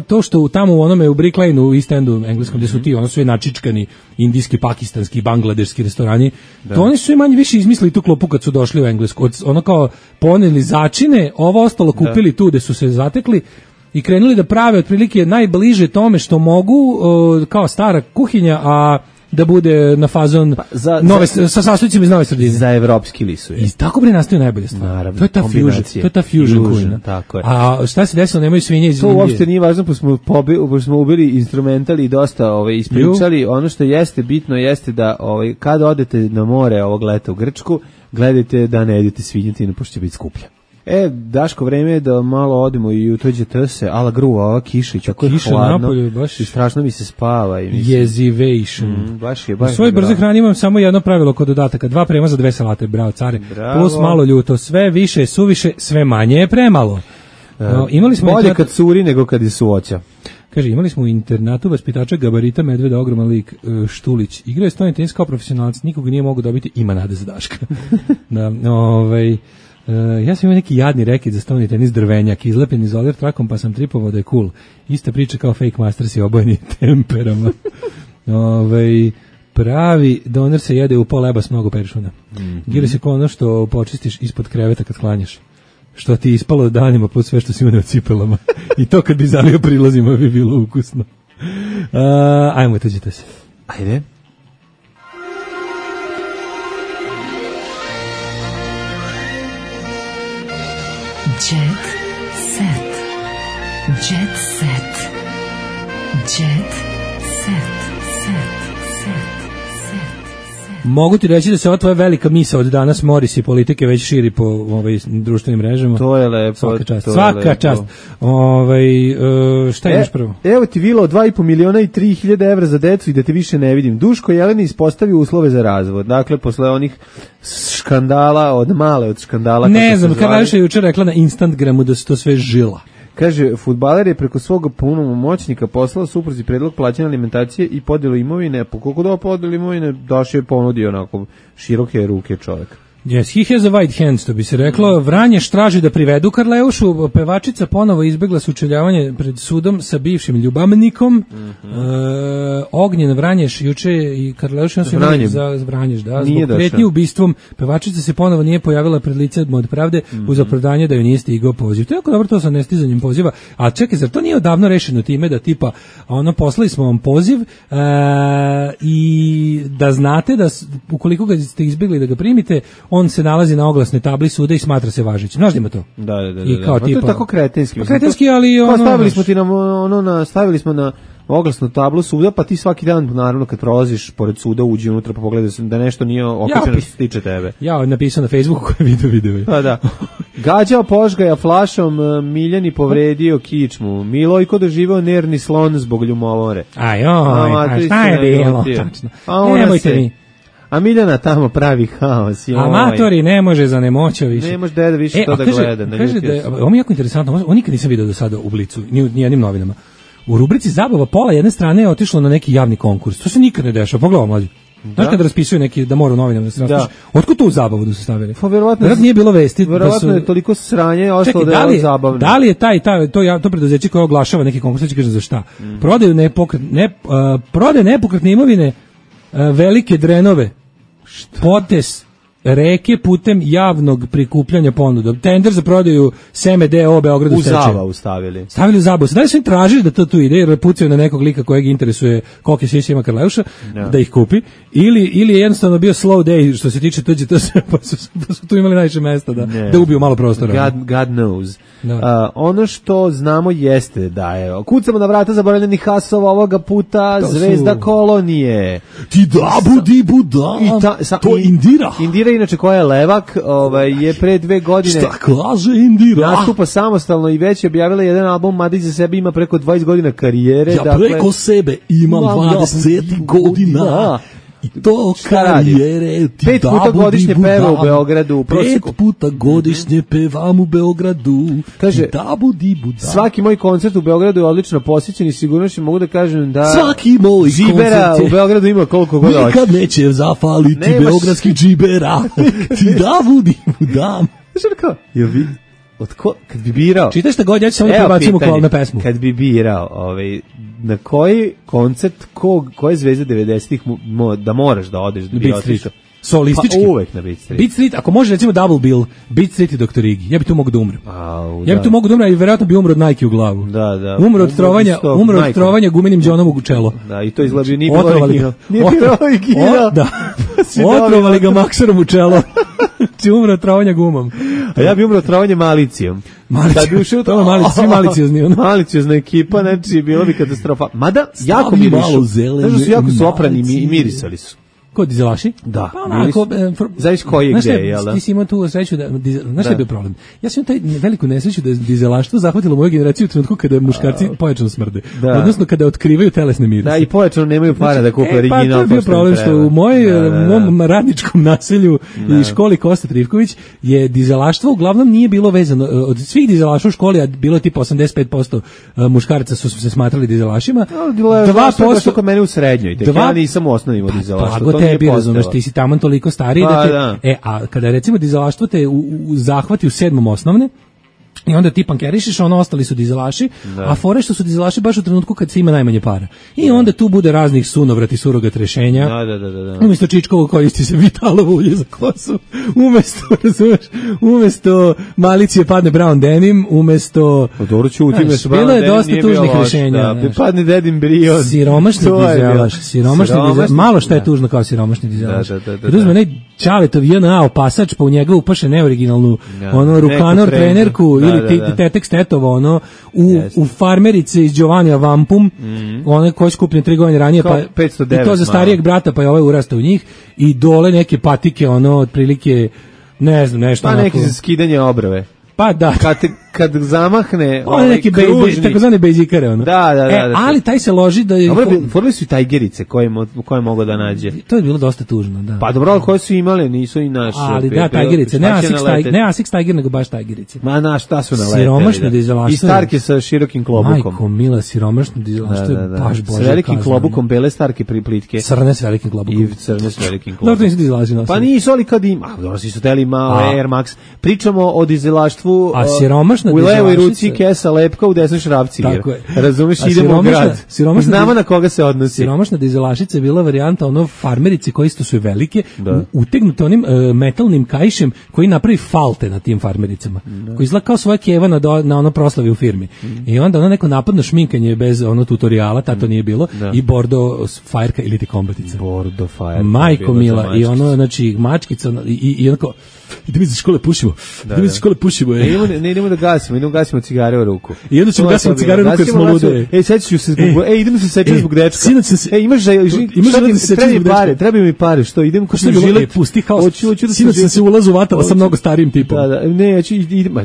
Speaker 5: to što tamo u onome u Brick Lane u East Endu engleskom, gdje su ti sve načičkani indijski, pakistanski, bangladeški restorani, to oni su i manje više izmislili tu klopu kad su došli u Englesku. Kao poneli začine, ovo ostalo kupili tu gde su se zatekli i krenuli da prave otprilike najbliže tome što mogu, kao stara kuhinja, a da bude na fazon sa sastojcima iz nove sredine.
Speaker 6: Za evropski lisuje.
Speaker 5: I tako bre nastaju najbolje stvari.
Speaker 6: Naravno,
Speaker 5: to je ta fusion kuhinja.
Speaker 6: Tako je.
Speaker 5: A šta se desilo, nemaju svinje iz Indije.
Speaker 6: To uopšte nije važno, pa smo ubili instrumentali i dosta ispričali. Ono što jeste bitno jeste da kad odete na more ovog leta u Grčku, gledajte da ne jedete svinjetinu, pošto će biti skuplja. Daško, vreme je da malo odemo i utođete se, ala gruva, ova kiša i tako je hladno.
Speaker 5: Napolju, baš
Speaker 6: i strašno mi se spava.
Speaker 5: Jezivation.
Speaker 6: Baš je.
Speaker 5: U svojoj brze hrani imam samo jedno pravilo kod dodataka, 2 premaza, 2 salate, bravo care. Plus malo ljuto, sve više je suviše, sve manje je premalo. Imali smo
Speaker 6: bolje kad curi nego kad je suoća.
Speaker 5: Kaže, imali smo u internatu vaspitača gabarita medveda, ogroman lik, Štulić. Igrao je stoni tenis kao profesionalac, nikoga nije mogao dobiti, ima nade za Daška. Ja sam imao neki jadni reket za stoni tenis drvenjak, izlepljen izolir trakom, pa sam tripovao da je cool. Ista priča kao Fake Masters i obojeni temperama. Pravi doner se jede u pol leba s mnogo peršuna. Giros je kao ono što počistiš ispod kreveta kad klanjaš. Što ti ispalo danima pod sve što si imao na cipelama. I to kad bi zalio prilazima bi bilo ukusno. Ajmo, tuđite se.
Speaker 6: Ajde.
Speaker 2: Jet Jet set. Jet set.
Speaker 5: Mogu ti reći da se ova tvoja velika misa od danas Moris i politike već širi po društvenim mrežama.
Speaker 6: To je lepo.
Speaker 5: Svaka čast. Šta imaš prvo?
Speaker 6: Evo ti vila od 2,5 miliona i 3.000 evra za decu i da te više ne vidim. Duško Jeleni ispostavio uslove za razvod. Dakle, posle onih škandala, od škandala.
Speaker 5: Ne znam, Karlaša je jučer rekla na Instagramu da se to sve žila.
Speaker 6: Kaže, fudbaler je preko svog punomoćnika poslao supruzi predlog plaćanja alimentacije i podelu imovine. Po koliko da podelu imovine, Daš je ponudio onako široke ruke čovjek.
Speaker 5: Yes, he has a white hand, što bi se reklo. Vranješ traži da privedu Karleušu. Pevačica ponovo izbegla sučeljavanje pred sudom sa bivšim ljubavnikom. Ognjen Vranješ juče i Karleuša su imali za Vranješ, da, zbog pretnje ubistvom. Pevačica se ponovo nije pojavila pred lice od pravde uz opravdanje da joj nije stigao poziv. To je jako dobro, to sa nestizanjem poziva. A čekaj, zar to nije odavno rešeno time da tipa poslali smo vam poziv i da znate da ukoliko ga ste izbegli da ga primite, on se nalazi na oglasnoj tabli suda i smatra se važećim. Znaš li ima to?
Speaker 6: Da.
Speaker 5: I kao tipa,
Speaker 6: to je tako kretenski.
Speaker 5: Kretenski, ali
Speaker 6: stavili smo na oglasnu tablu suda, pa ti svaki dan, naravno, kad prolaziš pored suda, uđi unutra pa pogledaj da nešto nije okačeno što se tiče tebe.
Speaker 5: Ja napisao na Facebooku koje video.
Speaker 6: Pa da. Gađao požgaja flašom, Miljani povredio kičmu. Milojko doživao nervni slon zbog ljubomore.
Speaker 5: Šta je bilo? Nemojte mi.
Speaker 6: A Miljana tamo pravi haos.
Speaker 5: Amatori ne može za nemoćo više.
Speaker 6: Ne može deda više to da gleda.
Speaker 5: Kaže da ovo je jako interesantno, ovo nikad nisam vidio do sada u Blicu, ni jednim novinama. U rubrici zabava pola jedne strane je otišlo na neki javni konkurs. To se nikad ne dešava. Pogledaj mlađe. Znaš kada raspisuju neki da mora u novinama da se raspiše? Otkud tu zabavu da su stavili?
Speaker 6: Pa verovatno
Speaker 5: nije bilo vesti.
Speaker 6: Verovatno je toliko sranje ostalo da je zabavno.
Speaker 5: Da li je to preduzeće koje oglašava neki konkurs, kaže za šta? Prodaju nepokretne imovine, velike drenove, potes reke putem javnog prikupljanja ponuda. Tender za prodaju Seme D.O. Beogradu
Speaker 6: u zabavu stavili.
Speaker 5: Stavili u zabavu. Da li su im tražili da to tu ide, jer pucaju na nekog lika kojeg interesuje kolike sviće ima Karleuša, da ih kupi, ili je jednostavno bio slow day što se tiče tuđe, pa su tu imali najviše mesta da ubiju malo prostora.
Speaker 6: God knows. Ono što znamo jeste da je kucamo na vrata zaboravljenih hasova ovoga puta Zvezda Kolonije.
Speaker 1: Ti da budi buda. To Indira.
Speaker 6: Indira, inače koja je levak, je pre 2 godine.
Speaker 1: Šta kaže Indira?
Speaker 6: Nastupa samostalno i već je objavila jedan album, mada iza sebe ima preko 20 godina karijere.
Speaker 1: Ja preko sebe imam 20 godina. I to karijere.
Speaker 6: 5 puta godišnje peva u Beogradu.
Speaker 1: 5 puta godišnje pevam u Beogradu.
Speaker 6: Kaže, svaki moj koncert u Beogradu je odlično posjećen i sigurno što mogu da kažem da
Speaker 1: svaki moj
Speaker 6: džibera u Beogradu ima koliko god hoće.
Speaker 1: Nikad neće zafaliti beogradskih džibera. Ti da budi budam.
Speaker 6: Kad bi birao...
Speaker 5: Čitaj šta god, ja ću samo da prebacim u kolne pesmu.
Speaker 6: Kad bi birao, na koji koncert, koje zvezde 90-ih da moraš da odeš, da bi otišao?
Speaker 5: Solistički.
Speaker 6: Pa uvek na Beat Street.
Speaker 5: Beat Street, ako može recimo Double Bill, Beat Street i Dr. Iggy. Ja bi tu mogu da umrem. Ja bi tu mogu da umrem i vjerojatno bi umro od Nike u glavu.
Speaker 6: Da.
Speaker 5: Umro od trovanja gumenim džonom u čelo.
Speaker 6: Da, i to izgleda nije bilo original. Nije bilo original.
Speaker 5: Da. Otrovali ga maksarom u čelo. Ti umro od trovanja gumom.
Speaker 6: A ja bi umro od trovanja malicijom. Kad bi ušao
Speaker 5: svi maliciozni.
Speaker 6: Maliciozna ekipa, znači bilo bi katastrofa. Mada, jako mirišu. Znaš su jako soprani i mirisali su.
Speaker 5: Ko dizelaši?
Speaker 6: Da.
Speaker 5: Pa onako,
Speaker 6: zavis koji je gde, jel da?
Speaker 5: Ti si imao tu sreću da, znaš šta je bio problem? Ja sam imao taj veliku nesreću da je dizelaštvo zahvatilo moju generaciju u trenutku kada muškarci pojačano smrde. Odnosno kada otkrivaju telesne mirise.
Speaker 6: Da, i pojačano nemaju para da kupe original.
Speaker 5: Pa to je bio problem što u mom radničkom naselju i školi Kosta Trivković je dizelaštvo uglavnom nije bilo vezano. Od svih dizelaša u školi, a bilo je tipa 85% muškaraca su se smatrali dizelašima.
Speaker 6: 2% kod mene u srednjoj. Ja nisam u osnovnim od dizelaštva.
Speaker 5: Tebi, razumeš, ti si taman toliko stariji a kada recimo dizelaštvo te zahvati u 7. osnovne i onda ti pankerišiš, ostali su dizelaši, a fore što su dizelaši baš u trenutku kad se ima najmanje para. I onda tu bude raznih sunovrati, surogat rešenja.
Speaker 6: Da.
Speaker 5: Umjesto Čičkovo koristi se Vitalovo ulje za kosu. Umesto malicije padne Brown Denim, umesto... Bilo je dosta tužnih rešenja.
Speaker 6: Padne Dedin Brion.
Speaker 5: Siromašni dizelaš. Malo šta je tužno kao siromašni dizelaš. Čaletov JNA opasač, pa u njega upaše neoriginalnu Rukanor trenerku ili Tetex Tetova, u farmerice iz Giovanija Vampum, one koje skupljen 3 godine ranije, pa
Speaker 6: 509,
Speaker 5: i to za starijeg brata, pa je ovaj urastao u njih, i dole neke patike, otprilike, ne znam, nešto.
Speaker 6: Pa neki za skidanje obrve.
Speaker 5: Pa da.
Speaker 6: Kad zamahne
Speaker 5: neki takozvane bejzikare,
Speaker 6: Da.
Speaker 5: Ali taj se loži da je...
Speaker 6: Forili su i tajgerice koje mogu da nađe.
Speaker 5: To je bilo dosta tužno, da.
Speaker 6: Pa dobro, ali koje su imale, nisu i naše.
Speaker 5: Ali da, tajgerice, ne Asics Tiger, nego baš tajgerice.
Speaker 6: Ma šta su naleteli.
Speaker 5: Siromašno dizelaštvo.
Speaker 6: I starke sa širokim klobukom.
Speaker 5: Majko mila, siromašno dizelaštvo je baš bože.
Speaker 6: S velikim klobukom, bele starke priplitke.
Speaker 5: Crne s velikim klobukom.
Speaker 6: I crne s velikim klobukom.
Speaker 5: Dobro, nisu dizelaši nosili.
Speaker 6: Pa nisu, ali kad ima. Dobro, si su teli malo Air Max. Pričamo o dizelaštvu.
Speaker 5: A siromašna
Speaker 6: u levoj ruci kesa lepka, u desnoj šrapci.
Speaker 5: Tako je.
Speaker 6: Razumeš, idemo u grad. Znamo na koga se odnosi.
Speaker 5: Siromašna dizelašica je bila varijanta farmerice koje isto su velike, utegnute onim metalnim kaišem koji napravi falte na tim farmericama. Koji izgleda kao svoja keva na proslavi u firmi. I onda neko napadno šminkanje bez tutoriala, to nije bilo, i bordo fajerka ili ti kombatica.
Speaker 6: Bordo fajerka.
Speaker 5: Majko mila, i znači mačkica, i onako, idemo iz škole pušimo.
Speaker 6: Idemo da gasimo cigare u ruku.
Speaker 5: I onda ćemo gasimo cigare u ruku jer smo lude.
Speaker 6: Sećaću se zbog... idemo se sećati zbog dečka. Imaš treba mi pare, što idem ko što žilet.
Speaker 5: Pusti haos. Sinoć sam se ulazu vatala sa mnogo starijim tipom.
Speaker 6: Ne,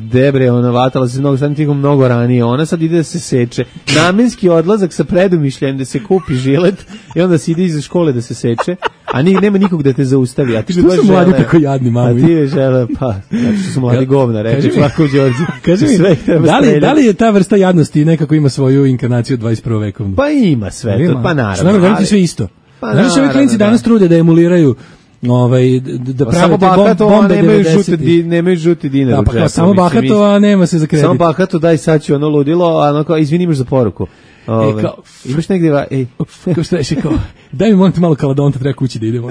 Speaker 6: debre, ona vatala se mnogo starijim tipom mnogo ranije. Ona sad ide da se seče. Namenski odlazak sa predumišljajem da se kupi žilet i onda se ide iz škole da se seče. A nema nikog da te zaustavi. A ti
Speaker 5: što su mladi tako jadni, mami?
Speaker 6: A ti je žele, znači što su mladi govna, reči Marko Đorđe.
Speaker 5: Kaži mi, da li je ta vrsta jadnosti nekako ima svoju inkarnaciju 21. vekovnu?
Speaker 6: Pa ima sve, pa naravno.
Speaker 5: Što nam govoriti sve isto? Znaš, ovi klinci danas trude da emuliraju da prave te bombe 90-ih.
Speaker 6: Nemaju žuti dinar u džepu.
Speaker 5: Samo bahato, a nema se za kredit.
Speaker 6: Samo bahato, daj sad ću ludilo, a izvini, imaš za poruku. Imaš negdje,
Speaker 5: kao što reši, daj mi molim te malo kaladonta, treba kući da idemo.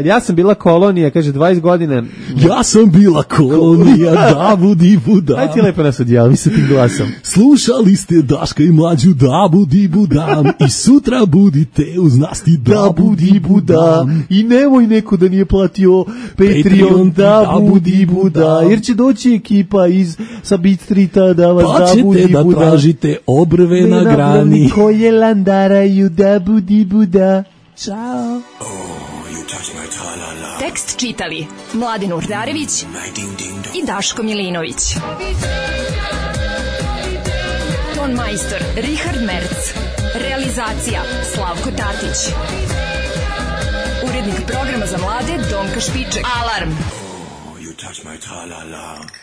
Speaker 6: Ja sam bila kolonija, kaže 20 godina.
Speaker 5: Ja sam bila kolonija, da budi buda.
Speaker 6: Aj ti lepo nas odjavi sa tim glasom.
Speaker 5: Slušali ste Daška i Mlađu, da budi budam. I sutra budite uz nas ti da budi budam.
Speaker 6: I nemoj neko da nije platio Patreon, da budi buda. Jer će doći ekipa sa Beat Streeta da vas da budi buda.
Speaker 5: Pa ćete da tražite obrve na grani.
Speaker 6: Koje landaraju da budi buda.
Speaker 5: Ćao.
Speaker 12: Tekst čitali Mladin Urdarević i Daško Milinović. Ton majstor Richard Merc. Realizacija Slavko Tatić. Urednik programa za mlade Donka Špiček. Alarm! Oh, you touch my tra-la-la.